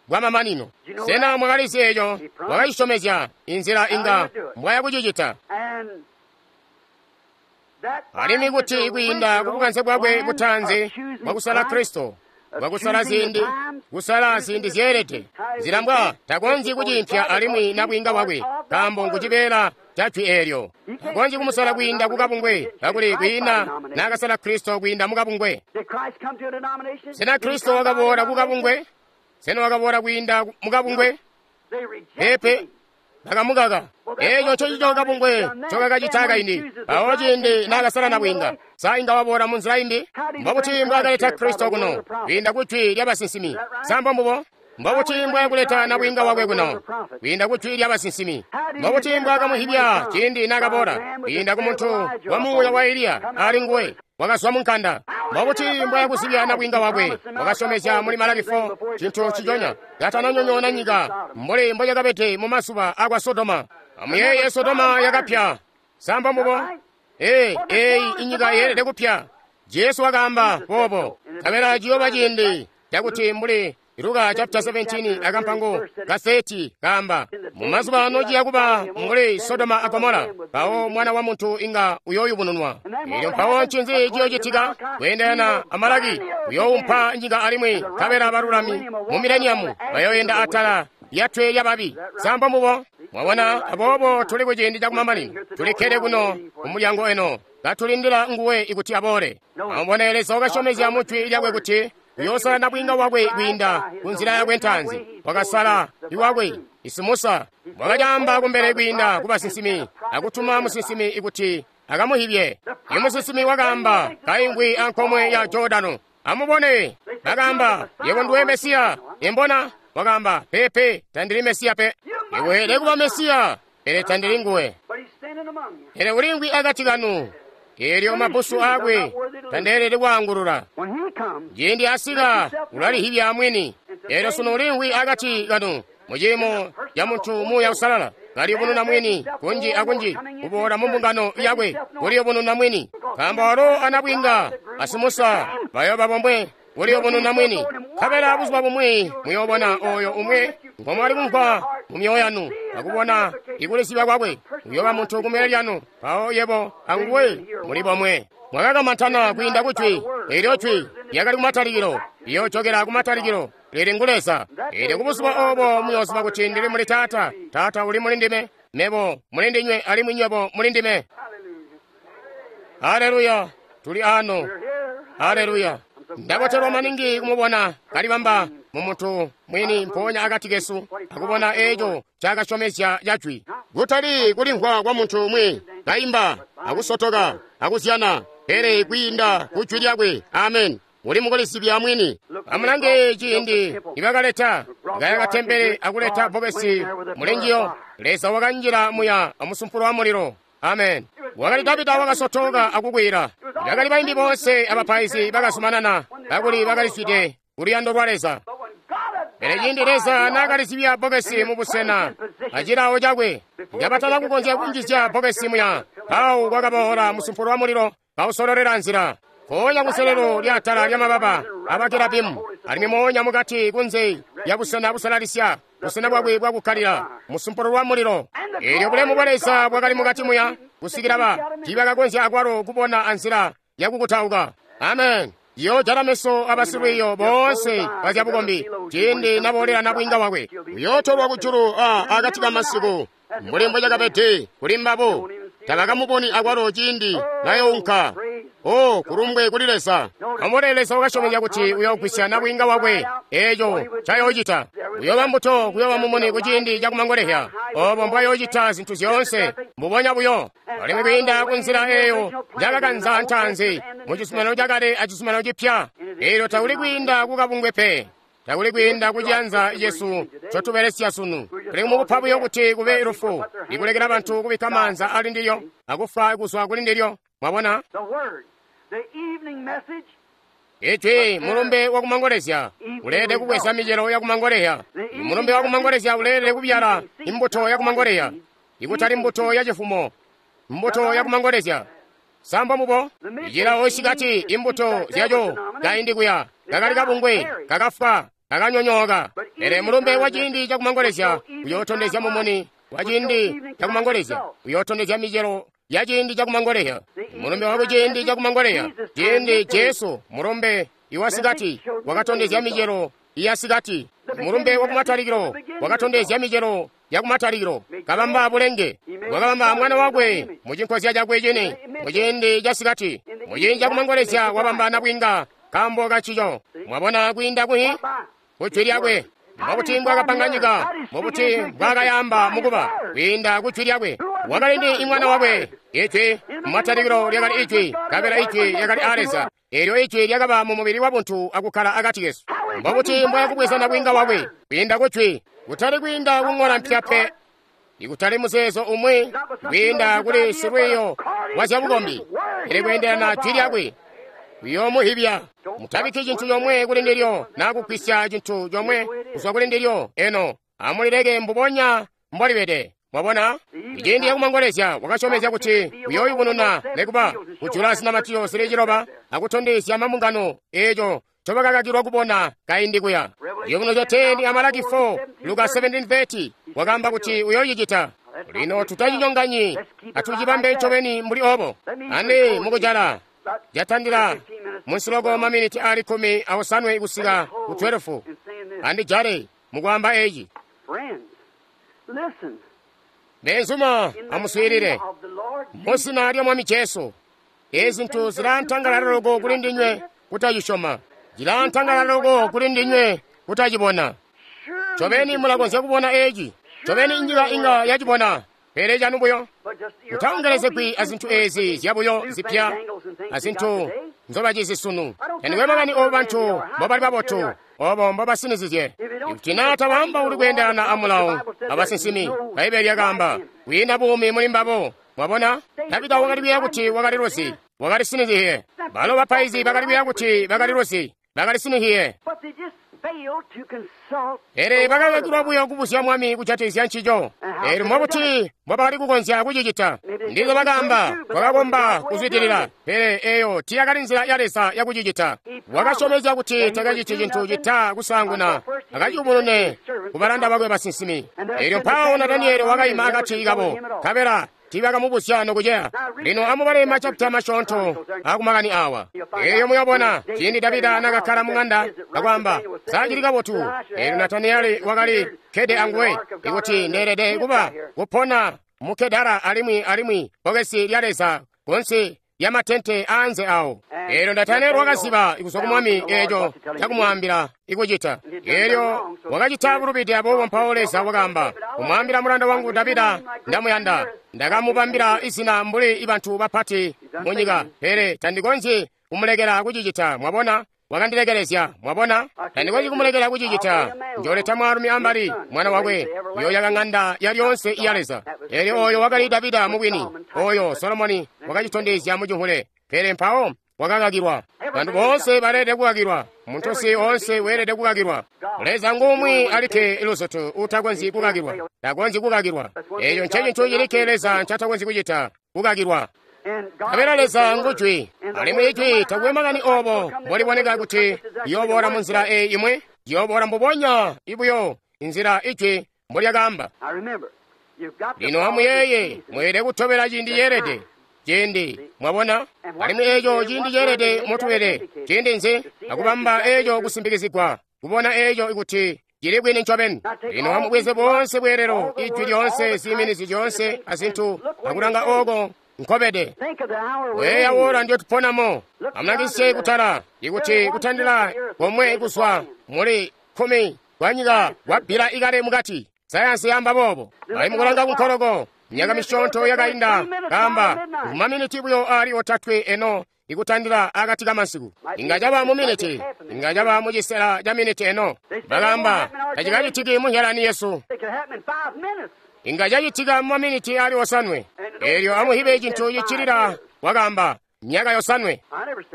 bwamamanino. Sena mwakalizi eco? Wakacisyomezya inzila inga mbwayakucicita. Alimwi kuti kwiinda kubukanze bwakwe butaanzi bwakusala Kristo, bwakusala ziindi, kusala ziindi zyeelede, nzila mbwa takonzyi kuciimpya alimwi nabwiinga wakwe, nkaambo ngucibeela ca jwi eelyo. Takonzyi kumusala kwiinda kukabungwe, kakuli kwiina naakasala Kristo kwiinda mukabungwe. Sena Kristo wakaboola kukabungwe? Sena wakaboola kwiinda mukabungwe? Peepe, bakamukaka. Eeco ncocico kabungwe ncokakacita kaindi. Mpawo ciindi naakasala nabwiinga, sa inga waboola munzila imbi? Mbobuti mbwaakaleta Kristo kuno? Kwiinda ku jwi lyabasinsimi. Sa mbombubo? Mbobuti mbwaakuleta nabwiinga wakwe kuno? Kwiinda ku jwi lyabasinsimi. Mbobuti mbwaakamuhibya ciindi naakaboola? Kwiinda ku muntu wa muuya wa Eliya ali nguwe wakazwa mu nkanda. Mbobuti mbwaakuzibya nabwiinga wakwe? Wakasyomezya muli Malaki 4 cintu nciconya katananyonyoona nyika mbuli mbocakabede mu mazuba akwa Sodoma. Amuyeeye, Sodoma yakapya. Sa mbombubo? Ee, eeyi inyika yeelede kupya. Jesu wakaamba boobo. Nkabela ciyooba ciindi cakuti mbuli Luka chapter 17 akampango ka 30 kaamba, mu mazuba ano ciya kuba mbuli Sodoma a Gomora, mpawo mwana wa muntu inga uyooyubununwa. Elyo mpawo ncinzi ciyoocitika? Kweendelana a Malaki, uyoowumpa nyika alimwi nkabela balulami mu mileniamu bayooyenda atala lyatwe lyababi. Sa mbombubo? Mwabona, aboobo tuli ku ciindi cakumamanino. Tulikkede kuno kumulyango eno, katulindila nguwe ikuti aboole. Amubone, Leza wakasyomezya mu jwi lyakwe kuti uyoosala nabwiinga wakwe kwiinda ku nzila yakwe ntaanzi. Wakasala iwakwe Isimusa, wakacaamba kumbele kwiinda ku basinsimi akutuma musinsimi ikuti akamuhibye. Imusinsimi wakaamba kaingwi ankomwe ya Jordano. Amubone, bakaamba, yebo nduwe Mesiya. Imbona wakaamba, pepe, tandili Mesiya pe. Iweelede kuba Mesiya, pele tandili nguwe. Pele ulingwi akati kanu. Eelyo mabusu aakwe tandeelede kwaangulula. Ciindi asika ulalihibya mwini. Eelyo sunu ulingwi akati kanu muciimo ca muntu muuya usalala kaliyubununa mwini kunji akunji kuboola mu mbungano yakwe kuliyubununa mwini, nkaambo walo anabwiinga asimusa bayooba bomwe kuliyubununa mwini. Nkabela buzuba bumwi muyoobona ooyo umwe ngomwali kumvwa mu myoyo yanu akubona ikulisiba kwakwe, uyooba muntu kumbele lyanu, mpawo yebo anguwe muli bomwe. Mwakakamantana kwiinda ku jwi, eelyo jwi lyakali kumatalikilo, liyoojokela kumatalikilo, lili ngu Leza. Eelyo kubuzuba oobo muyooziba kuti ndili muli Taata, Taata uli muli ndime, mebo muli ndinywe alimwi nywebo muli ndime. Haleluya, tuli ano. Haleluya. Ndabotelwa maningi kumubona kalibamba mu muntu mwini mpoonya akati kesu akubona eeco cakasyomezya ca jwi, kutali kulimvwa kwa muntu umwi kaimba akusotoka akuzyana, pele kwiinda ku jwi lyakwe. Amen. Muli mukulisibya mwini. Amulange ciindi nibakaleta kaya katempele akuleta bbokesi mulinjiyo, Leza wakanjila muya amusumpulo wa mulilo. Amen. Wakali Davida wakasotoka akukwila. Bakali baimbi bonse abapaizi bakazumanana kakuli bakalizwide kuluyando lwa Leza. Pele ciindi Leza naakalizibya bbokesi mu busena acilawo cakwe, kabatana kukonzya kunjizya bbokesi muya, mpawo kwakaboola musumpulo wa mulilo kawusololela nzila. Mpoonya kuselelo lyatala lyamababa abakerabimu, alimwi moonya mukati kunze lya busena busalalisya, busena bwakwe bwakukkalila, musumpulo lwa mulilo. Eelyo bulemu bwa Leza bwakali mukati muya kusikila ba tiibakakonzya akwalo kubona anzila yakukutauka. Amen. Yoojala meso abasilwiiyo boonse bazyabukombi ciindi naboolela nabwiinga wakwe. Uyootolwa kujulu akati kamasiku mbuli mbocakabede kuli mbabo. Tabakamuboni akwalo ciindi nayounka. Oh, kulumbwe kuli Leza. Amubone, Leza wakasyomezya kuti uyoogwisya nabwiinga wakwe. Eeco ncayoocita. Uyooba mbuto, kuyooba mumuni kuciindi cakumangolezya. Oobo mbwayoocita zintu zyoonse mbubonya buyo. Alimwi kwiinda kunzila eeyo njakakanza ntaanzi mu cizuminano cakale acizuminano cipya. Eelyo takuli kwiinda kukabungwe pe. Takuli kwiinda kuciyanza cesu ncotubelesya sunu. Tuli mukupa buyo kuti kube lufu, ikulekela bantu kubikka maanza ali ndilyo akufa kuzwa kuli ndilyo. Mwabona? Ijwi mulumbe wakumangolezya uleelede kubweza micelo yakumangolezya. Mulumbe wakumangolezya uleelede kubyala imbuto yakumangolezya, ikutali mbuto yacifumo, mbuto yakumangolezya. Samba mubo icilawo cikati imbuto zyaco kaindi kuya kakali kabungwe kakafwa kakanyonyooka. Pele mulumbe wa ciindi cakumangolezya uyootondezya mumuni wa ciindi cakumangolezya, uyootondezya micelo ya ciindi cakumangoleya. Mulumbe waku ciindi cakumangoleya, ciindi Jesu mulumbe iwasikati wakatondezya micelo yasikati. Mulumbe wakumatalikilo wakatondezya micelo yakumatalikilo, kabamba bulenge, wakabamba mwana wakwe mucinkozya cakwe cini muciindi casikati, muciindi cakumangolezya wabamba nabwinga kambo kancico. Mwabona kwiinda kuhi kujwi lyakwe. Mbobuti mbwakapanga nyika, mbobuti mbwakayamba mukuba kwiinda kujwi lyakwe. Wakali ndi mwana wakwe, ijwi mumatalikilo lyakali ijwi, kabela ijwi lyakali a Leza. Eelyo ijwi lyakaba mu mubili wa buntu akukkala akati kesu. Mbobuti mbwakubweza nabwinga wakwe kwiinda kujwi, kutali kwiinda kung'ola mpya pe, ikutali muzeezo umwi, kwiinda kuli silwiiyo wa zyabukombi, pele kweendelana jwi lyakwe uyoomuhibya. Mutabikki cintu comwe kuli ndilyo naa kugwisya cintu comwe kuzwa kuli ndilyo. Eno amulileke mbubonya mbolibede. Mwabona, iciindi yakumangolezya wakasyomezya kuti uyooyubununa nekuba kujula zinamatizyo zili ciloba akutondezya mambungano eeco ncobakakakilwa kubona kaindi kuya. Ciyubunuzyo 10 a Malaki 4, Luka 17:30 wakaamba kuti uyoocicita. Lino tutacinyonganyi, atucibambe ncobeni mbuli obo. Andi mukujala jatandila munsiloko maminiti ali 18 kusika ku 12. Andijale mukwaamba eci. Benzuma, amuswiilile muzina lya Mwami Jesu. Ezi zintu zilaantangalala loko kuli ndinywe kutacisyoma, zilaantangalala loko kuli ndinywe kutacibona. Ncobeni mulakonzya kubona eci, ncobeni inyika inga yacibona, pele canu buyo. Mutaongelezegwi azintu ezi zyabuyo zipya azintu nzobacizi sunu. Tandikwe makani obo bantu mbobali babotu, obo mbobasinizizye. Ikuti naa tabaamba uli kweendelana amulawo abasinsimi, Bbaibele lyakaamba kwiinda buumi muli mbabo. Mwabona, Davida wakali kuyeeya kuti wakali luzi, wakali sinizizye. Balo bapaizi bakali kuyeeya kuti bakali luzi, bakali sinizizye. Pele bakakakilwa buyo kubuzya Mwami kujatikizya ncico. Eelyo mbobuti mbobakali kukonzya kucicita? Ndizo bakaamba, twakakomba kuzwidilila, pele eyo tiyakali nzila ya Leza yakucicita. Wakasyomezya kuti takaciti cintu cita kusaanguna akaciyubunune kubalanda bakwe basinsimi. Eelyo mpawo Nataniyeli wakaima akati kabo, nkabela tiibakamubuzya nokuceya. Lino amubale machapita masyoonto akumakani awa. Eeyo muyobona ciindi Davida nakakkala mung'anda akwaamba sacili kabotu. Eelyo Nataniyeli wakali kkede anguwe, ikuti ndeelede kuba kupona mu Kedara alimwi bbokesi lya Leza kunsi lyamatente aanze awo. Eelyo Nataniyeli wakaziba kuzwa ku Mwami eeco cakumwaambila ikucita. Eelyo wakacita bulubide, aboobo mpawo Leza wakaamba kumwaambila mulanda wangu Davida, ndamuyanda, ndakamubambila izina mbuli bantu bapati munyika, pele tandikonzyi kumulekela kucicita. Mwabona, wakandilekelezya. Mwabona, tandikonzyi kumulekela kucicita. Njoleta mwaalumi ambali, mwana wakwe, uyooyaka ng'anda yalyoonse iya Leza. Eelyo oyo wakali Davida mubwini, oyo Solomoni wakacitondezya mucimvule, pele mpawo wakakakilwa. Bantu boonse baleelede kukakilwa, muntusi oonse weelede kukakilwa. Leza ngumwi alikke luzutu utakonzyi kukakilwa, takonzyi kukakilwa. Eeco ncecintu cilikke Leza ncatakonzyi kucita, kukakilwa. Kabela Leza ngujwi, alimwi ijwi takwe makani obo mboliboneka kuti liyooboola munzila eyi imwe, liyooboola mbubonya ibuyo inzila ijwi mbolyakaamba. Lino amuyeeye, mweelede kutobela ciindi ceelede. Ciindi, mwabona, alimwi eeco ciindi ceelede motubede, ciindi nzi akubamba eeco kusimpikizigwa, kubona eeco kuti cili bwini ncobeni. Lino amubweze boonse bweelelo, ijwi lyoonse, ziiminizi zyoonse azintu, akulanga ooko nkobede. Weya wola ndiyo tuponamo. Amulangisye kutala, ikuti kutandila komwe kuzwa muli 10 kwa nyika kwabbila ikale mukati. Sayansi yamba boobo. Ali mukulanga kunkoloko, myaka misyoonto yakainda, kamba kumaminiti buyo ali 3 eno ikutandila akati kamasiku. Inga caba mu miniti, inga caba mu cisela ca miniti eno. Bakamba tacikacitiki munyalani yesu. Inga cacitika mu maminiti ali 7. Eelyo amuhibe cintu cicilila, wakaamba myaka 7.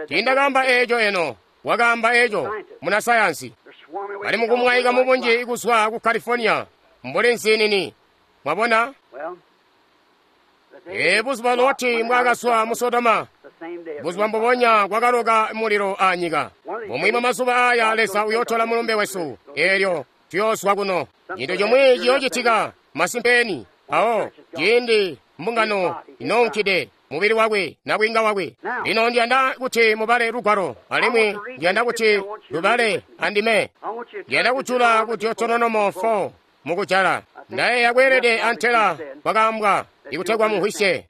Tiindakaamba eeco eno, wakaamba eeco muna sayansi. Bali mukumwaika mubunji kuzwa ku California mbuli nzinini. Mwabona? Ee, buzuba Loti mbwaakazwa mu Sodoma, buzuba mbubonya kwakaloka mulilo anyika. Bumwi bwa mazuba aya Leza uyootola mulumbe wesu, eelyo tuyoozwa kuno. Cintu cimwi ciyoocitika masimpeni. Awo ciindi mbungano inounkide, mubili wakwe nabwiinga wakwe. Lino ndiyanda kuti mubale lugwalo, alimwi ndiyanda kuti lubale andime. Ndiyanda kujula ku Deuteronomo 4 mukujala. Ndayeeya kweelede antela kwakaambwa ikutegwa mumvwisye.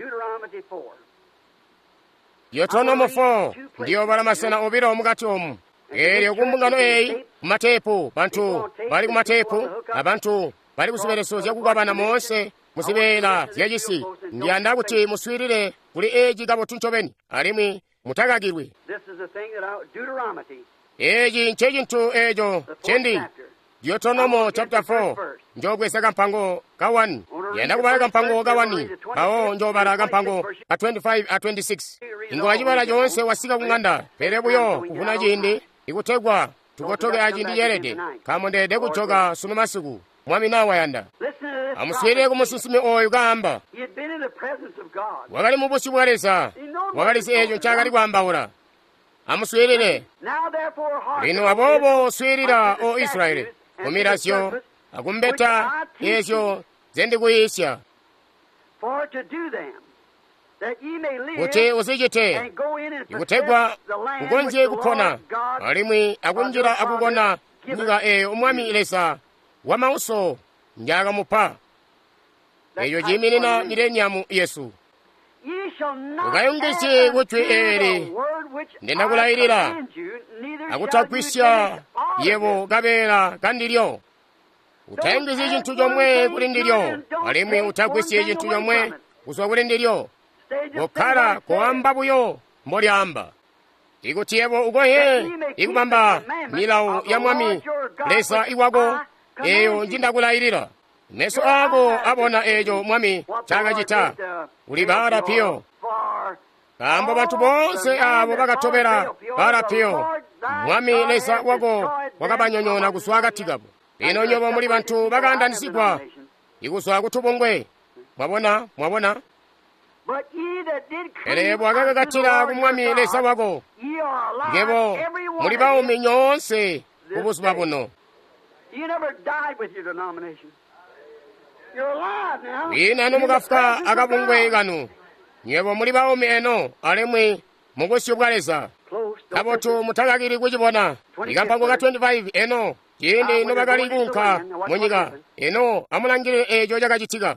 Deuteronomo 4 ndiyobala masena obilo mukati omu. Eelyo kumbungano eyi kumateepu, bantu bali kumateepu abantu bali kuzibeleso zyakukwabana moonse muzibeela zyacisi. Ndiyanda kuti muswiilile kuli eeci kabotu ncobeni alimwi mutakakilwi. Eeci ncecintu eeco ncendi Deuteronomo chapter 4 njobweza kampango ka 1. Ndiyanda kubala kampango ka 1 mpawo njobala kampango ka 25 a 26. Inga wacibala coonse wasika kung'anda, pele buyo kuvuna ciindi ikutegwa tukotoke aciindi ceelede, nkaambo ndeelede kujoka sunu masiku, Mwami naa wayanda. Amuswiilile ku musinsimi oyu kaamba. Wakali mu busyu bwa Leza, wakalizi eeco ncaakali kwaambaula. Amuswiilile. Lino aboobo swiilila, O Israyeli, kumilazyo akumbeta eezyo nzendikuyiisya, kuti uzicite, ikutegwa ukonzye kupona alimwi akunjila akukona nyika eeyo Mwami Leza wamauso njaakamupa. Eeyo ciiminina mileniamu yesu. Ukayungizye kujwi eeli ndindakulayilila, akutagwisya yebo kabeela kandilyo. Utayungizyi cintu comwe kuli ndilyo, alimwi utagwisyi cintu comwe kuzwa kuli ndilyo. Kokkala koamba buyo mbolyaamba. Ikuti yebo ukoye ikubamba milawo ya Mwami Leza iwako eeyo njindakulayilila. Meso aako abona eeco Mwami ncaakacita kuli Baala-Peyo. Nkaambo bantu boonse aabo bakatobela Baala-Peyo, Mwami Leza wako wakabanyonyoona kuzwa akati kabo. Lino nywebo muli bantu bakaandanisigwa ikuzwa kutubungwe. Mwabona, mwabona? Pele yebo akakakatila ku Mwami Leza wako, nywebo muli baumi nyoonse kubuzuba buno. Lino nomukafuka akabungwe kanu, nywebo muli baumi eno alimwi mubusyu bwa Leza. Kabotu mutakakili kucibona. Ikampango ka 25 eno ciindi nobakali kuunka munyika, eno amulangilile eeco cakacitika.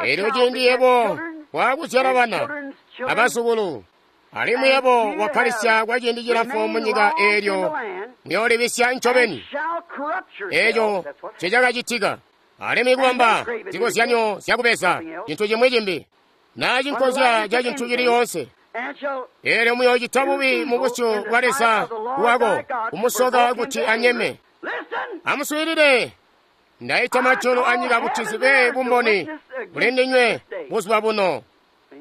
Eelyo ciindi yebo waakuzyala bana abazukulu, alimwi yebo wakkalisya kwa ciindi cilamfu munyika eelyo muyoolibisya ncobeni. Eeco ncecakacitika. Alimwi kubamba zikozyanyo zyakubeza cintu cimwi cimbi naa cinkozya ca cintu cili yoonse. Eelyo muyoocita bubi mubusyu bwa Leza wako, kumusoka kuti anyeme. Amuswiilile. Ndaita majulu anyika kuti zibe bumboni kuli ndinywe buzuba buno.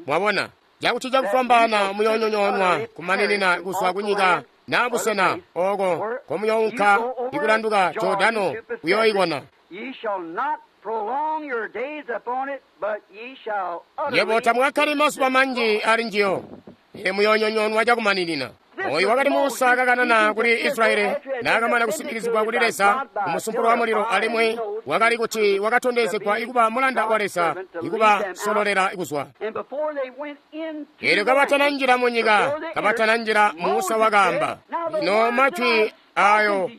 Mwabona cakuti cakufwambaana muyoonyonyoonwa kumaninina kuzwa kunyika naa busena ooko komuyounka ikulanduka Jordano kuyooikona. Nywebo tamukakkali mazuba manji ali njiyo, pele muyoonyonyoonwa cakumaninina. Oyu wakali Musa kakanana kuli Israyeli naakamana kusimbikizigwa kuli Leza kumusumpulu wa mulilo, alimwi wakali kuti wakatondezegwa ikuba mulanda wa Leza ikubasololela kuzwa. Eelyo kabatananjila munyika, kabatananjila, Musa wakaamba, lino majwi ayo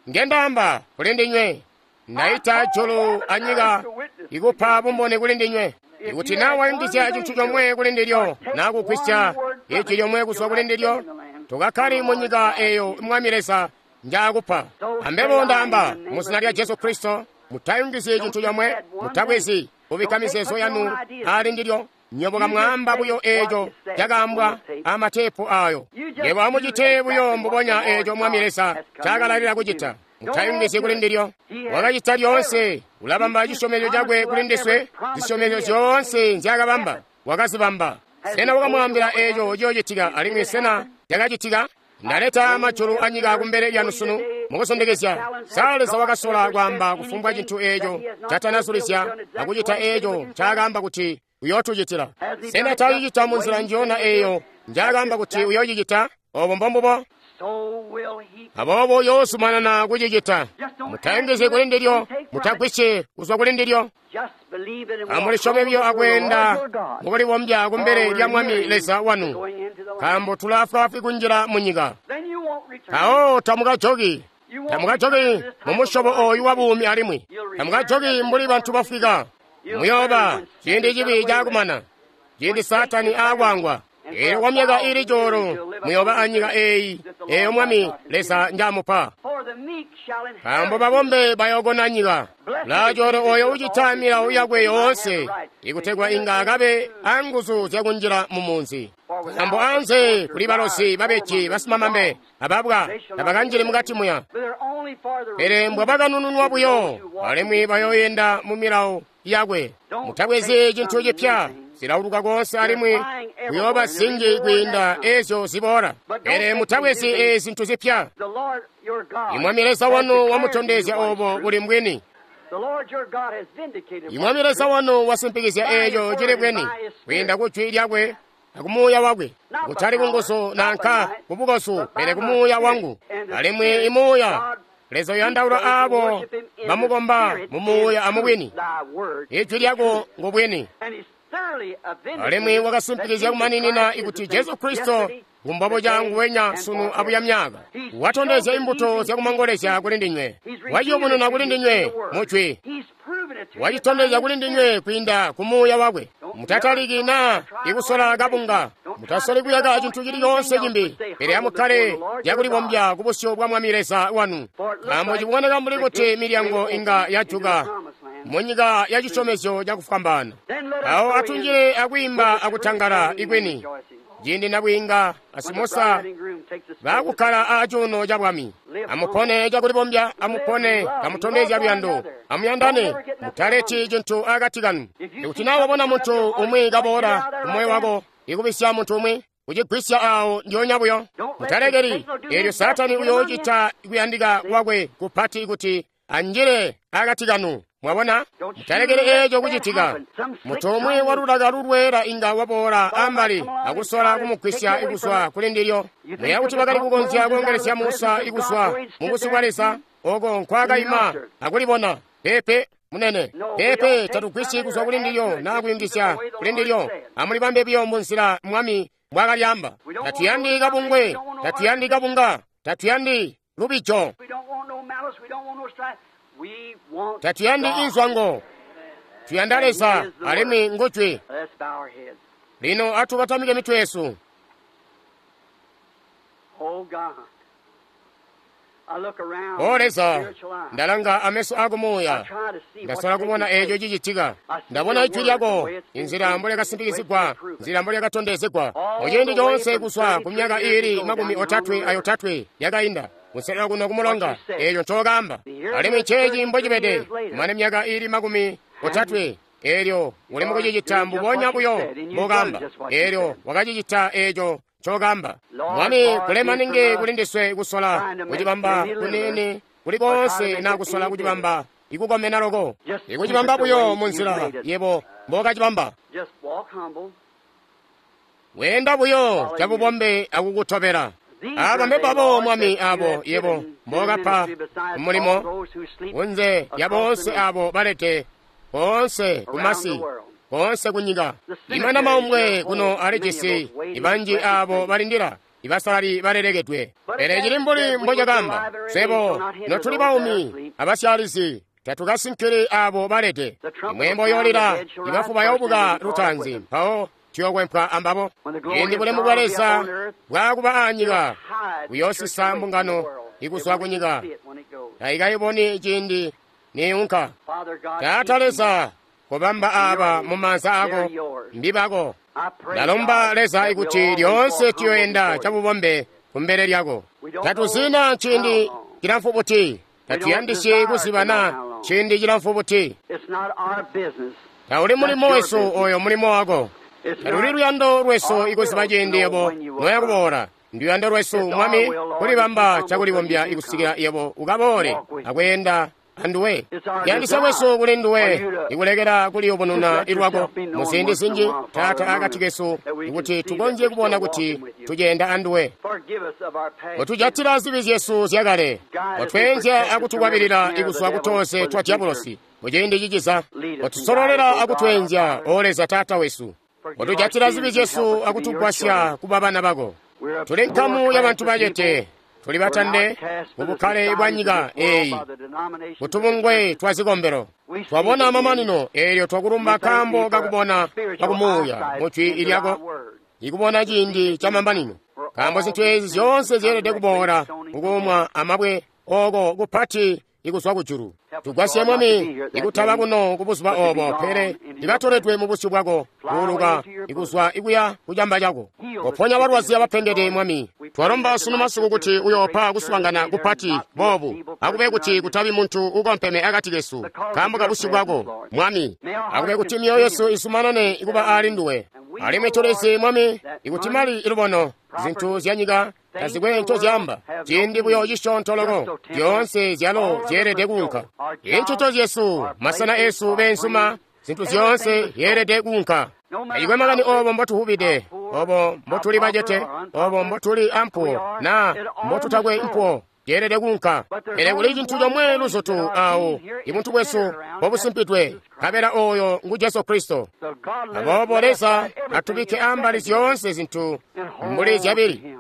ngendaamba kuli ndinywe, ndaita julu anyika ikupa bumboni kuli ndinywe. Ikuti naa wayungizya cintu comwe kuli ndilyo naa kugwisya ijwi lyomwe kuzwa kuli ndilyo, tokakkali munyika eeyo Mwami Leza njaakupa. Ambebo ndaamba muzina lya Jesu Kristo, mutayungizyi cintu comwe, mutabwezi kubikka mizeezo yanu ali ndilyo. Nywebo kamwaamba buyo eeco cakaambwa amateepu ayo. Nywebo amucite buyo mbubonya eeco Mwami Leza ncaakalalila kucita. Mutayungizyi kuli ndilyo. Wakacita lyoonse, ulabamba cisyomezyo cakwe kuli ndiswe. Zisyomezyo zyoonse nzyaakabamba wakazibamba. Sena wakamwaambila eeco ciyoocitika, alimwi sena cakacitika? Ndaleta majulu anyika kumbele lyanu sunu mukusondekezya. Sa Leza wakasola kwaamba kufumbwa cintu eeco catanazulizya akucita eeco ncaakaamba kuti uyootucitila? Sena taacicita munzila njiyona eeyo njaakaamba kuti uyoocicita? Oobo mbombubo. Aboobo uyoozumanana kucicita. Mutayungizyi kuli ndilyo, mutagwisyi kuzwa kuli ndilyo. Amulisyome buyo akweenda mukulibombya kumbele lya Mwami Leza wanu, nkaambo tulaafwaafwi kunjila munyika. Mpawo tamukajoki, tamukajoki mumusyobo ooyu wabuumi alimwi tamukajoki mbuli bantu bafwika. Muyooba ciindi cibi caakumana, ciindi Saatani aakwangwa. Eelyo kwamyaka iili cuulu muyooba anyika eeyi eeyo Mwami Leza njamupa. Nkaambo babombe bayookona nyika. Ulaacoolwe ooyo ucita milawo yakwe yoonse, ikutegwa inga akabe anguzu zyakunjila mumunzi. Nkaambo anze kuli balozi, babeji, basimamambe, ababwa tabakanjili mukati muya. Pele mbwabakanununwa buyo, alimwi bayooyenda mu milawo yakwe. Mutabwezi cintu cipya, zilauluka konse alimwi kuyooba zinji kwiinda ezyo ziboola. Pele mutabwezi ezi zintu zipya. Imwami Leza wanu wamutondezya obo buli mbwini. Imwami Leza wanu wasimpikizya eeco cili bwini kwiinda ku jwi lyakwe akumuuya wakwe, kutali kunguzu nanka kubukosu, pele kumuuya wangu. Alimwi imuuya Leza uyandaula aabo bamukomba mumuuya amubwini. Ijwi lyako ngubwini. Alimwi wakasimpikizya kumaninina ikuti Jesu Kristo ngumbobo canguwenya sunu abuya myaka. Watondezya imbuto zyakumangolezya kuli ndinywe. Waciyubununa kuli ndinywe mujwi. Wacitondezya kuli ndinywe kwiinda ku muuya wakwe. Mutataliki naa ikusola kabunga. Mutasoli kuyaka cintu cili coonse cimbi, pele amukkale cakulibombya ku busyu bwa Mwami Leza wanu. Nkaambo ciboneka mbuli kuti milyango inga yajuka munyika ya cisyomezyo cakufwambaana. Awo atunjile akwiimba akutangala ikwini, ciindi nabwiinga asimosa baakukkala aacuuno ca bwami. Amupone cakulibombya, amupone kamutondezya luyando, amuyandane, mutaleti cintu akati kanu. Ikuti naa wabona muntu umwi kaboola kumoyo wako ikubisya muntu umwi, kucigwisya awo ndyoonya buyo. Mutalekeli eelyo Saatani uyoocita kuyandika kwakwe kupati kuti anjile akati kanu. Mwabona, mutalekeli eeco kucitika. Muntu umwi walulaka lulweela inga waboola ambali akusola kumugwisya ikuzwa kuli ndilyo. Muya kuti bakali kukonzya koongelesya Musa ikuzwa mu busyu bwa Leza oko nkwaakaima akulibona. Peepe munene, peepe, tatugwisyi kuzwa kuli ndilyo naa kuyungizya kuli ndilyo. Amulibambe buyo munzila Mwami mbwaakalyamba. Tatuyandi kabungwe, tatuyandi kabunga, tatuyandi lubijo. Tatuyandi inzwango, tuyanda Leza alimwi ngujwi. Lino atubatamike mitwe yesu. O Leza, ndalanga ameso ako muuya, ndasola kubona eeco cicitika. Ndabona ijwi lyako, inzila mbolyakasimpikizigwa, nzila mbolyakatondezegwa muciindi coonse kuzwa ku myaka iili 38 yakainda kuselela kuno kumulonga, eeco ncookamba. Alimwi nceeci mbocibede, kumane myaka iili 30, eelyo uli mukucicita mbubonya buyo mbokamba. Eelyo wakacicita eeco ncookamba. Mwami, kulema ningi kuli ndiswe kusola kucibamba kunene kuli koonse na kusola kucibamba ikukomena loko, ikucibamba buyo munzila yebo mbokacibamba. Weenda buyo cabubombe akukutobela. Aba mbebabo Mwami abo yebo mbokapa mulimo kunze lya boonse abo balete koonse kumasi, koonse kunyika. Imana maumbwe kuno alijisi ibanji abo balindila ibasalali balelekedwe. Pele cili mbuli mbocakamba, swebo notuli baumi abasyalizi tatukasinkili abo balete. Imwembo yoolila, ibafu bayoobuka lutaanzi, mpawo tuyokwempwa ambabo. Ciindi bulemu bwa Leza bwaakuba anyika, buyoosisa mbungano ikuzwa kunyika. Taikayiboni ciindi niunka. Taata Leza, kobamba aaba mumaanza ako, mbibako. Ndalomba Leza ikuti lyoonse tuyoenda cabubombe kumbele lyako. Tatuzina ciindi cilamfu buti, tatuyandisyi kuzibana ciindi cilamfu buti. Tauli mulimo wesu oyo mulimo wako. Taluli luyando lwesu ikuziba ciindi yebo noya kuboola. Nduyando lwesu Mwami kulibamba cakulibombya ikusikila yebo ukaboole akweenda anduwe. Kuyandisya kwesu kuli nduwe ikulekela kuliyubununa ilwako muziindi zinji, Taata, akati kesu, ikuti tukonzye kubona kuti tuceenda anduwe. Kotujatila zibi zyesu zyakale, kotweenzya akutukwabilila ikuzwa kutonse twa diabolosi muciindi ciciza. Kotusololela akutweenzya, O Leza Taata wesu. Kotujatila zibi zyesu akutugwasya kuba bana bako. Tuli nkamu ya bantu bacete, tuli batande mubukkale bwa nyika eeyi, kutubungwe twa zikombelo. Twabona mamanino eelyo twakulumba nkaambo kakubona kwakumuuya mu jwi lyako, ikubona ciindi ca mamanino. Nkaambo zintu eezi zyoonse zyeelede kuboola kukuumwa amabwe oko kupati ikuzwa kujulu. Tugwasye Mwami ikutaba kuno kubuzuba obo, pele ikatoledwe mu busyu bwako kuuluka ikuzwa ikuya kucamba cako. Koponya balwazi abapengede, Mwami. Twalomba sunu masiku kuti uyoopa kuswaangana kupati boobu, akube kuti kutabi muntu ukompeme akati kesu nkaambo ka busyu bwako, Mwami. Akube kuti myoyo yesu isumanane ikuba aali nduwe. Alimwi tulizi, Mwami, ikuti mali ilubono zintu zya nyika tazikwe ncozyaamba, ciindi buyo cisyoonto loko, zyoonse zyalo zyeelede kuunka. Inchuto zyesu, masena esu beenzuma, zintu zyoonse zyeelede kuunka. Tacikwe makani obo mbotuhubide, obo mbotuli bacete, obo mbotuli ampuwo, na mbotutakwe mpuwo, zyeelede kuunka. Pele kuli cintu comwe luzutu awo ibuntu bwesu mbobusimpidwe, nkabela oyo ngu Jesu Kristo. Aboobo Leza atubikke ambali zyoonse zintu mbuli zyabili,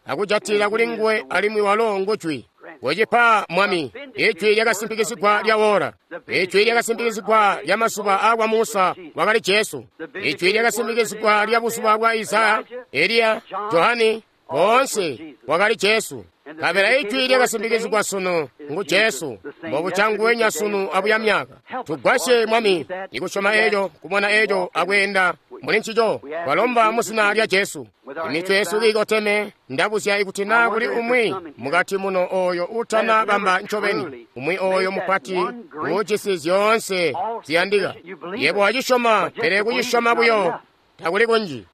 akujatila kuli nguwe, alimwi walo ngujwi. Wecipa, Mwami, ijwi lyakasimpikizigwa lya wora, ijwi lyakasimpikizigwa lya mazuba aakwa Musa wakali Jesu, ijwi lyakasimpikizigwa lya buzuba bwa Isaya, Eliya, Johani, boonse wakali Jesu. Nkabela ijwi lyakasimpikizigwa sunu ngu Jesu, mbobuca sunu abuya myaka. Tugwasye, Mwami, ikusyoma eco, kubona eco, akweenda muli ncico. Twalomba mu zina lya Jesu. Imitwe yesu kiikoteme, ndabuzya ikuti naa kuli umwi mukati muno oyo utana bamba ncobeni, umwi oyo mupati uujisi zyoonse ziyandika. Yebo wacisyoma, pele kucisyoma buyo takuli kunji.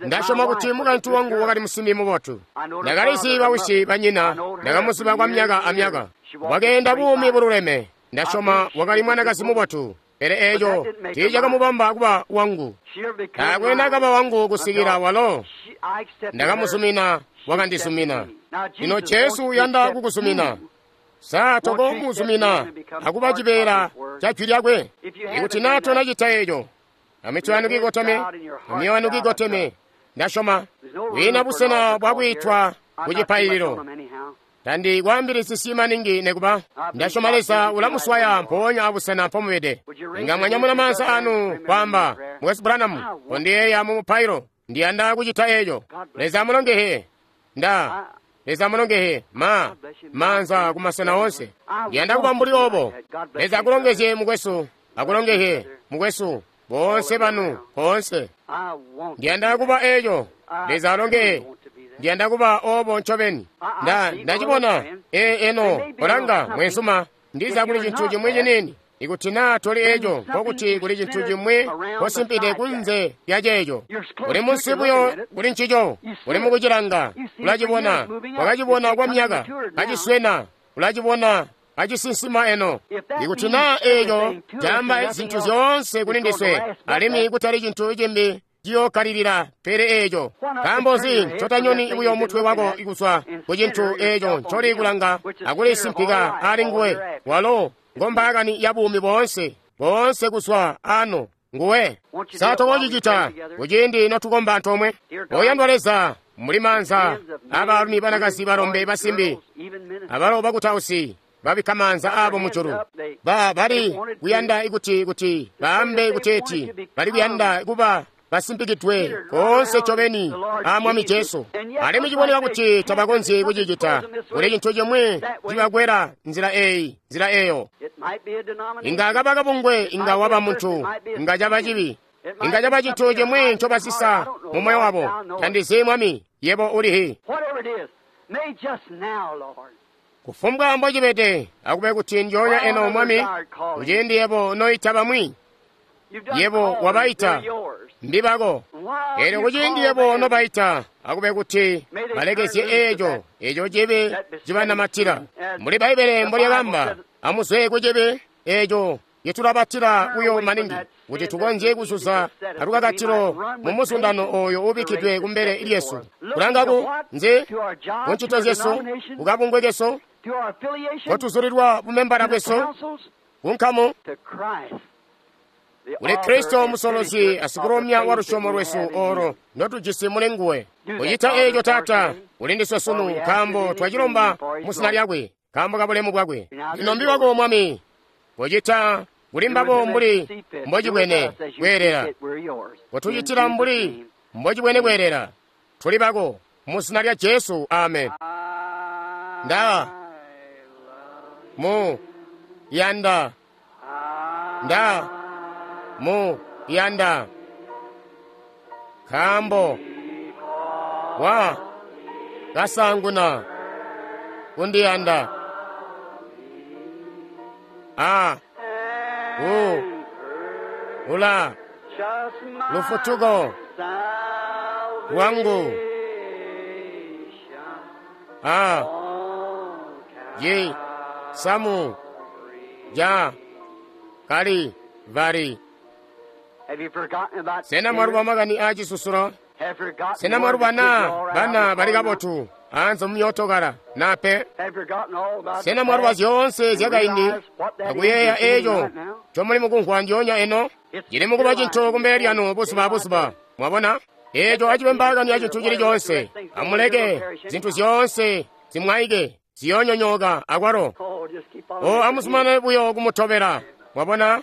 Ndasyoma kuti mukaintu wangu wakali musimbi mubotu. Ndakalizi bawisi banyina, ndakamuziba kwa myaka amyaka. Wakeenda buumi bululeme. Ndasyoma wakali mwanakazi mubotu, pele eco tiicakamubamba kuba wangu. Taakwe nakaba wangu kusikila walo ndakamuzumina, wakandizumina. Lino Jesu uyanda kukuzumina. Sa tokomuzumina akuba cibeela ca jwi lyakwe? Ikuti naa tonacita eco, amitwe yanu kiikoteme, amyoyo yanu kiikoteme, ndasyoma kwiina busena bwakwiitwa ku cipaililo. Tandikwaambilisisyi maningi nekuba. Ndasyoma Leza ulamuswaya mpoonya abusena mpomubede. Inga mwanyamuna maanza anu kwaamba, Mukwesu Branham, kondiyeeya mu mupailo, ndiyanda kucita eco. Leza amulongehe. Nda Leza amulongehe ma maanza kumasena onse. Ndiyanda kuba mbuli obo. Leza akulongezye mukwesu, akulongehe mukwesu, boonse banu koonse. Ndiyanda kuba eco. Leza alongehe. Ndiyanda kuba obo ncobeni. Ndacibona. Eno kolanga mwensuma, ndiza kuli cintu cimwi ciniini. Ikuti naa toli eco, nkokuti kuli cintu cimwi kosimpide kunze lya ceeco. Uli munsi buyo kuli ncico, uli mukucilanga, ulacibona, wakacibona kwa myaka, aciswena, ulacibona, acisinsima eno. Ikuti naa eco caamba zintu zyoonse kuli ndiswe, alimwi kutali cintu cimbi ciyookkalilila pele eco. Nkaambo nzi ncotanyoni buyo mutwe wako kuzwa ku cintu eco ncoli kulanga akulisimpika ali nguwe? Walo ngombaakani ya buumi boonse, boonse kuzwa ano nguwe. Sa tokocicita kuciindi notukomba antoomwe? Oyandwa Leza, muli maanza abaalumi, banakazi, balombe, basimbi, abalo bakutausi babikka maanza aabo mujulu. Bali kuyanda kuti baambe kuteeti bali kuyanda kuba basimpikidwe koonse ncobeni a Mwami Jesu. Alimwi ciboneka kuti tabakonzyi kucicita. Kuli cintu cimwi cibakwela nzila eyi, nzila eyo. Inga kaba kabungwe, inga waba muntu, inga caba cibi, inga caba cintu cimwi ncobasisa mu moyo wabo. Tandizi, Mwami, yebo ulihi. Kufumbwa mbocibede, akube kuti ndyoonya eno, Mwami, kuciindi yebo noita bamwi, yebo wabaita, mbibako. Eelyo kuciindi yebo nobaita, akube kuti balekezye eeco, eeco cibi cibanamatila. Mbuli Bbaibbele mbolyakamba, Amuzwe kucibi eco citulabatila buyo maningi kuti tukonzye kuzuza alukakatilo mu muzundano oyo ubikkidwe kumbele lyesu. Kulangaku nzi kuncito zyesu, kukabungwe kesu, kotuzulilwa bumembala bwesu, kunkamu, kuli Kristo musolozi asikulomya wa lusyomo lwesu olo ndotujisi muli nguwe. Kucita eco Taata, ulindiswe sunu, nkaambo twacilomba mu zina lyakwe, nkaambo ka bulemu bwakwe. Lino mbi wako Mwami, kucita kuli mbabo mbuli mbocibwene kweelela, kutucitila mbuli mbocibwene kweelela. Tuli bako mu zina lya Jesu, amen. Nda mu yanda, nda mu yanda, nkaambo wa kasanguna kundiyanda. A u ula lufutuko lwangu. A yi samu ja kali vari. Sena mwaluba makani a cisusulo? Sena mwaluba na bana bali kabotu anze mumyootokala na pe? Sena mwaluba zyoonse zyakaindi akuyeeya eco ncomuli mukumvwa ndyoonya eno? Cili mukuba cintu kumbele lyanu buzuba abuzuba. Mwabona? Eco acibe mbaakani ya cintu cili coonse. Amuleke zintu zyoonse zimwaike, ziyoonyonyooka akwalo. O amuzumanane buyo kumutobela. Mwabona?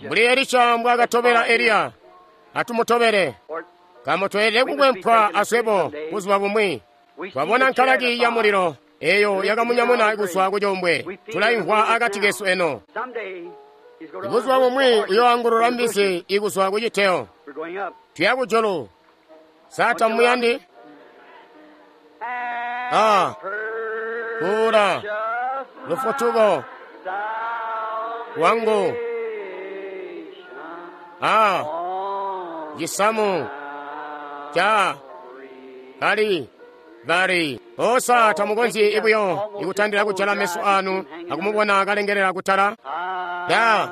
Mbuli Elisha mbwaakatobela Eliya, atumutobele. Nkaambo tweelede kukwempwa aswebo buzuba bumwi. Twabona nkalaki ya mulilo eyo yakamunyamuna kuzwa ku combwe. Tulaimvwa akati kesu eno. Buzuba bumwi uyoangulula mbizi ikuzwa ku citeo. Tuya kujulu. Sa tamuyandi? A kuula lufutuko lwangu. A cisamu ca kali vari. Osa tamukonzyi ibuyo ikutandila kujala meso anu akumubona kalengelela kutala. Da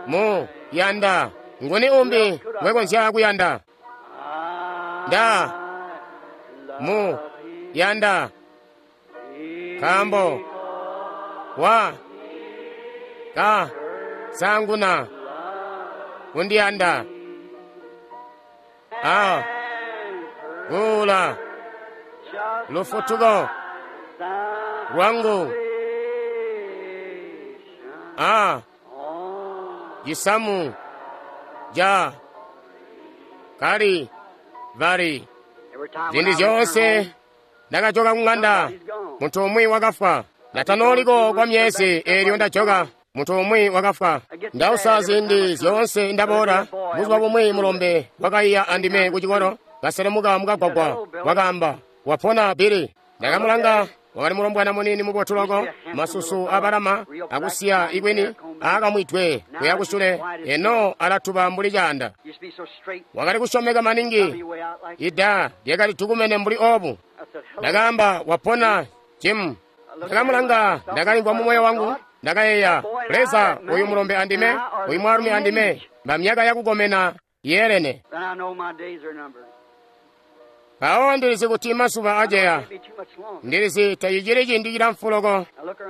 mu yanda. Nguni umbi ngwekonzya kuyanda? Da mu yanda, nkaambo wa ka sanguna kundiyanda. A kuula lufutuko lwangu. A cisamu ja kali vari. Ziindi zyoonse ndakajoka kung'anda, muntu umwi wakafwa. Ndatanoliko kwa myezi eelyo ndajoka, muntu umwi wakafwa. Ndausa ziindi zyoonse ndaboola. Buzuba bumwi mulombe wakaiya andime ku cikolo, kaselemuka mukagwagwa, wakaamba, "Wapona Bili?" Ndakamulanga, wakali mulombwana munini mubotu loko, masusu abalama akusiya ikwini aakamwidwe kuya kusule, eno alatuba mbuli caanda. Wakali kusyomeka maningi, ida lyakali dukumene mbuli obu. Ndakaamba, "Wapona Jim?" Ndakamulanga, ndakalimvwa mu moyo wangu, ndakayeeya, Leza, uyu mulombe andime, uyu mwaalumi andime, mba myaka yakukomena yeelene. Mpawo ndilizi kuti mazuba aceya, ndilizi tacicili ciindi cilamfu loko.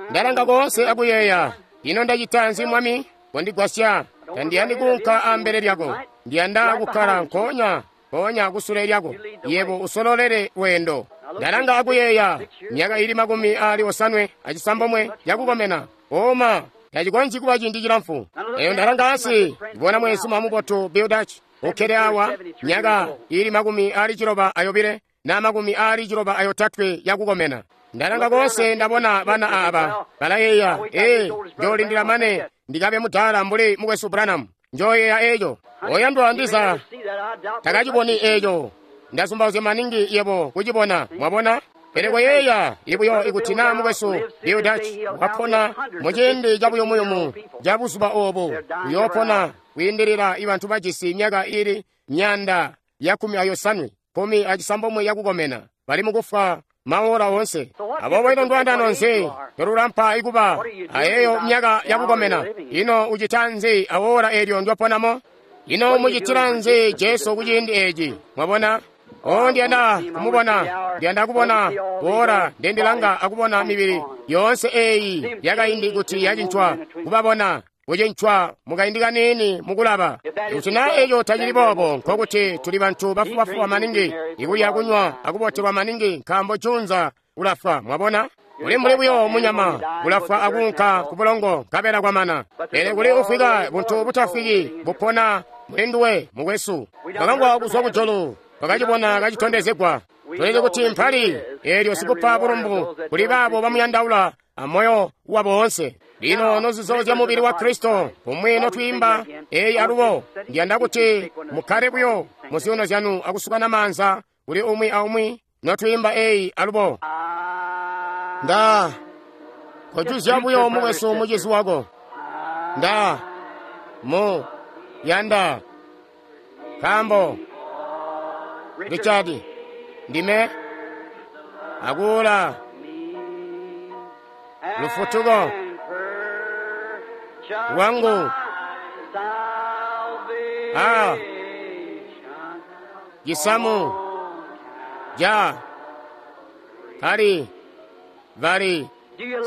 Ndalanga koonse akuyeeya, ino ndacita nzi Mwami? Kondigwasya, tandiyandi kuunka ambele lyako, ndiyanda kukkala nkoonya mpoonya kusule lyako, yebo usololele lweendo. Ndalanga akuyeeya, myaka ili 69 yakukomena, oma tacikonzyi kuba ciindi cilamfu. Eyo ndalanga ansi, ndibona mweenzuma mubotu Bill Dutch ukkede awa, myaka ili 62 na 63 yakukomena. Ndalanga konse ndabona bana aba balayeeya, ee, njoolindila mane ndikabe mudala mbuli mukwesu Branham. Njoyeeya eco. Oyandwa ndiza takaciboni eco. Ndazumbauzya maningi yebo kucibona, mwabona? Pele koyeeya ibuyo ikuti na mukwesu Bill Dutch wapona muciindi cabuyumuyumu ca buzuba obu, uyoopona kwiindilila ibantu bajisi myaka ili 180, 19 yakukomena, bali mukufwa maora oonse. Aboobo ino ndwandano nzi tolulampa ikuba ayeeyo myaka yakukomena? Ino ucita nzi awoora eelyo ndyoponamo? Ino mucitila nzi Jesu kuciindi eeci? Mwabona? O, ndiyanda kumubona, ndiyanda kubona woora ndendilanga akubona mibili yoonse eeyi yakaindi kuti yacincwa, kubabona kucincwa mukaindi kaniini mukulaba. Kuti naa eco tacili boobo, nkokuti tuli bantu bafubafuba maningi, ikulya kunywa akubotelwa maningi, nkaambo junza ulafwa. Mwabona? Uli mbuli buyo munyama, ulafwa akuunka ku bulongo nkabela kwamana. Pele kuli ufwika buntu butafwiki bupona muli nduwe, mukwesu. Twakangwa kuzwa kujulu, twakacibona kacitondezegwa. Tulizi kuti mpali eelyo sikupa bulumbu kuli baabo bamuyandaula amoyo wabo woonse. Lino nozizo zya mubili wa Kristo, pomwe notwiimba eyi alubo, ndiyanda kuti mukkale buyo mu zyuuno zyanu akusukana maanza kuli umwi aumwi notwiimba eyi alubo. Nda kojuzya buyo mukwesu mucizi wako. Nda mu yanda nkaambo Richard ndime akuula lufutuko lwangu a cisamu ja kali vari.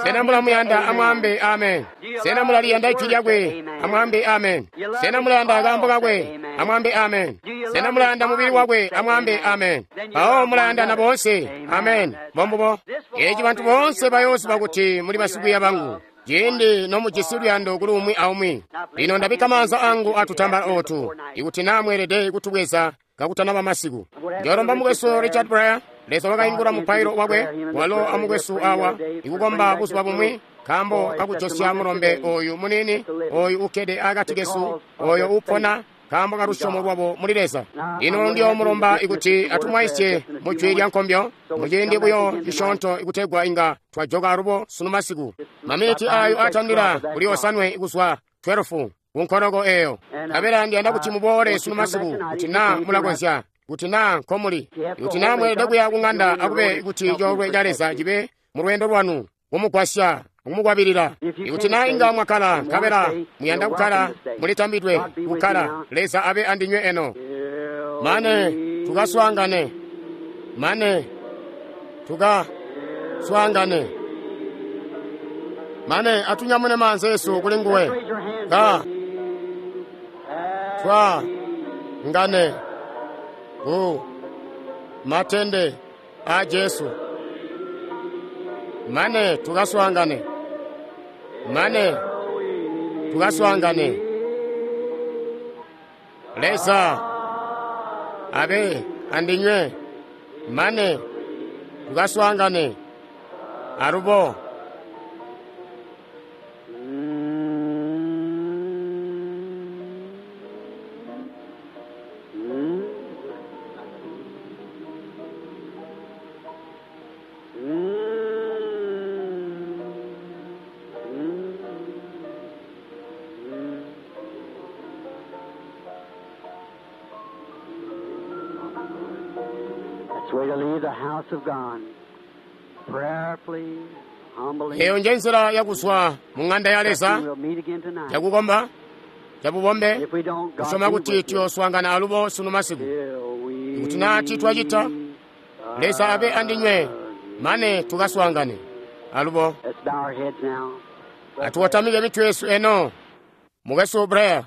Sena mulamuyanda? Amwambe amen. Sena mulaliyanda ijwi lyakwe? Amwambe amen. Sena mulayanda akaambo kakwe? Amwambe amen. Sena mulayanda mubili wakwe? Amwambe amen. Mpawo mulayandana boonse. Amen. Mbombubo. Eci bantu boonse bayooziba kuti muli basikwiiya bangu, ciindi nomujisi luyando kuli umwi aumwi. Lino ndabikka maanza angu atutambala ootu, ikuti naa mweelede kutubweza kakutanaba masiku. Ndiolomba mukwesu Richard Blair. Leza wakaingula mupailo wakwe, walo amukwesu awa ikukomba buzuba bumwi nkaambo kakujosya mulombe oyu muniini oyu ukkede akati kesu, oyo upona nkaambo kalusyomo lwabo muli Leza. Lino ndiyoomulomba ikuti atumwaisye mu jwi lya nkombyo muciindi buyo cisyoonto ikutegwa inga twajoka alubo sunu masiku. Maminiti ayo atandila kuli osanwe kuzwa 12 kunkoloko eyo. Nkabela ndiyanda kuti muboole sunu masiku kuti naa mulakonzya, kuti naa nkomuli, kuti naa mweelede kuya kung'anda akube kuti coolwe ca Leza cibe mu lweendo lwanu kumugwasya akumukwabilila. Ikuti naa inga mwakkala nkabela muyanda kukkala, mulitambidwe kukkala. Leza abe andinywe eno. Mane tukaswaangane, mane tukaswaangane, mane atunyamune maanza esu kuli nguwe. Ka twa ngane ku matende a Jesu. Mane tukaswaangane, mane tukaswaangane. Leza abe andinywe mane tukaswaangane alubo. That's the way to leave the house of God. Prayerfully, humbly. Eyo nje nzila yakuzwa mu ng'anda ya Leza We'll meet again tonight. yakukomba cabubombe If we don't, God kusoma be kuti with you. tuyoswaangana alubo sunu masiku. Till we Kuti naa titwacita, Leza abe andinywe mane tukaswaangane alubo. Let's bow our heads now. Atuwatamike mitwe yesu eno. Mukwesu Blair.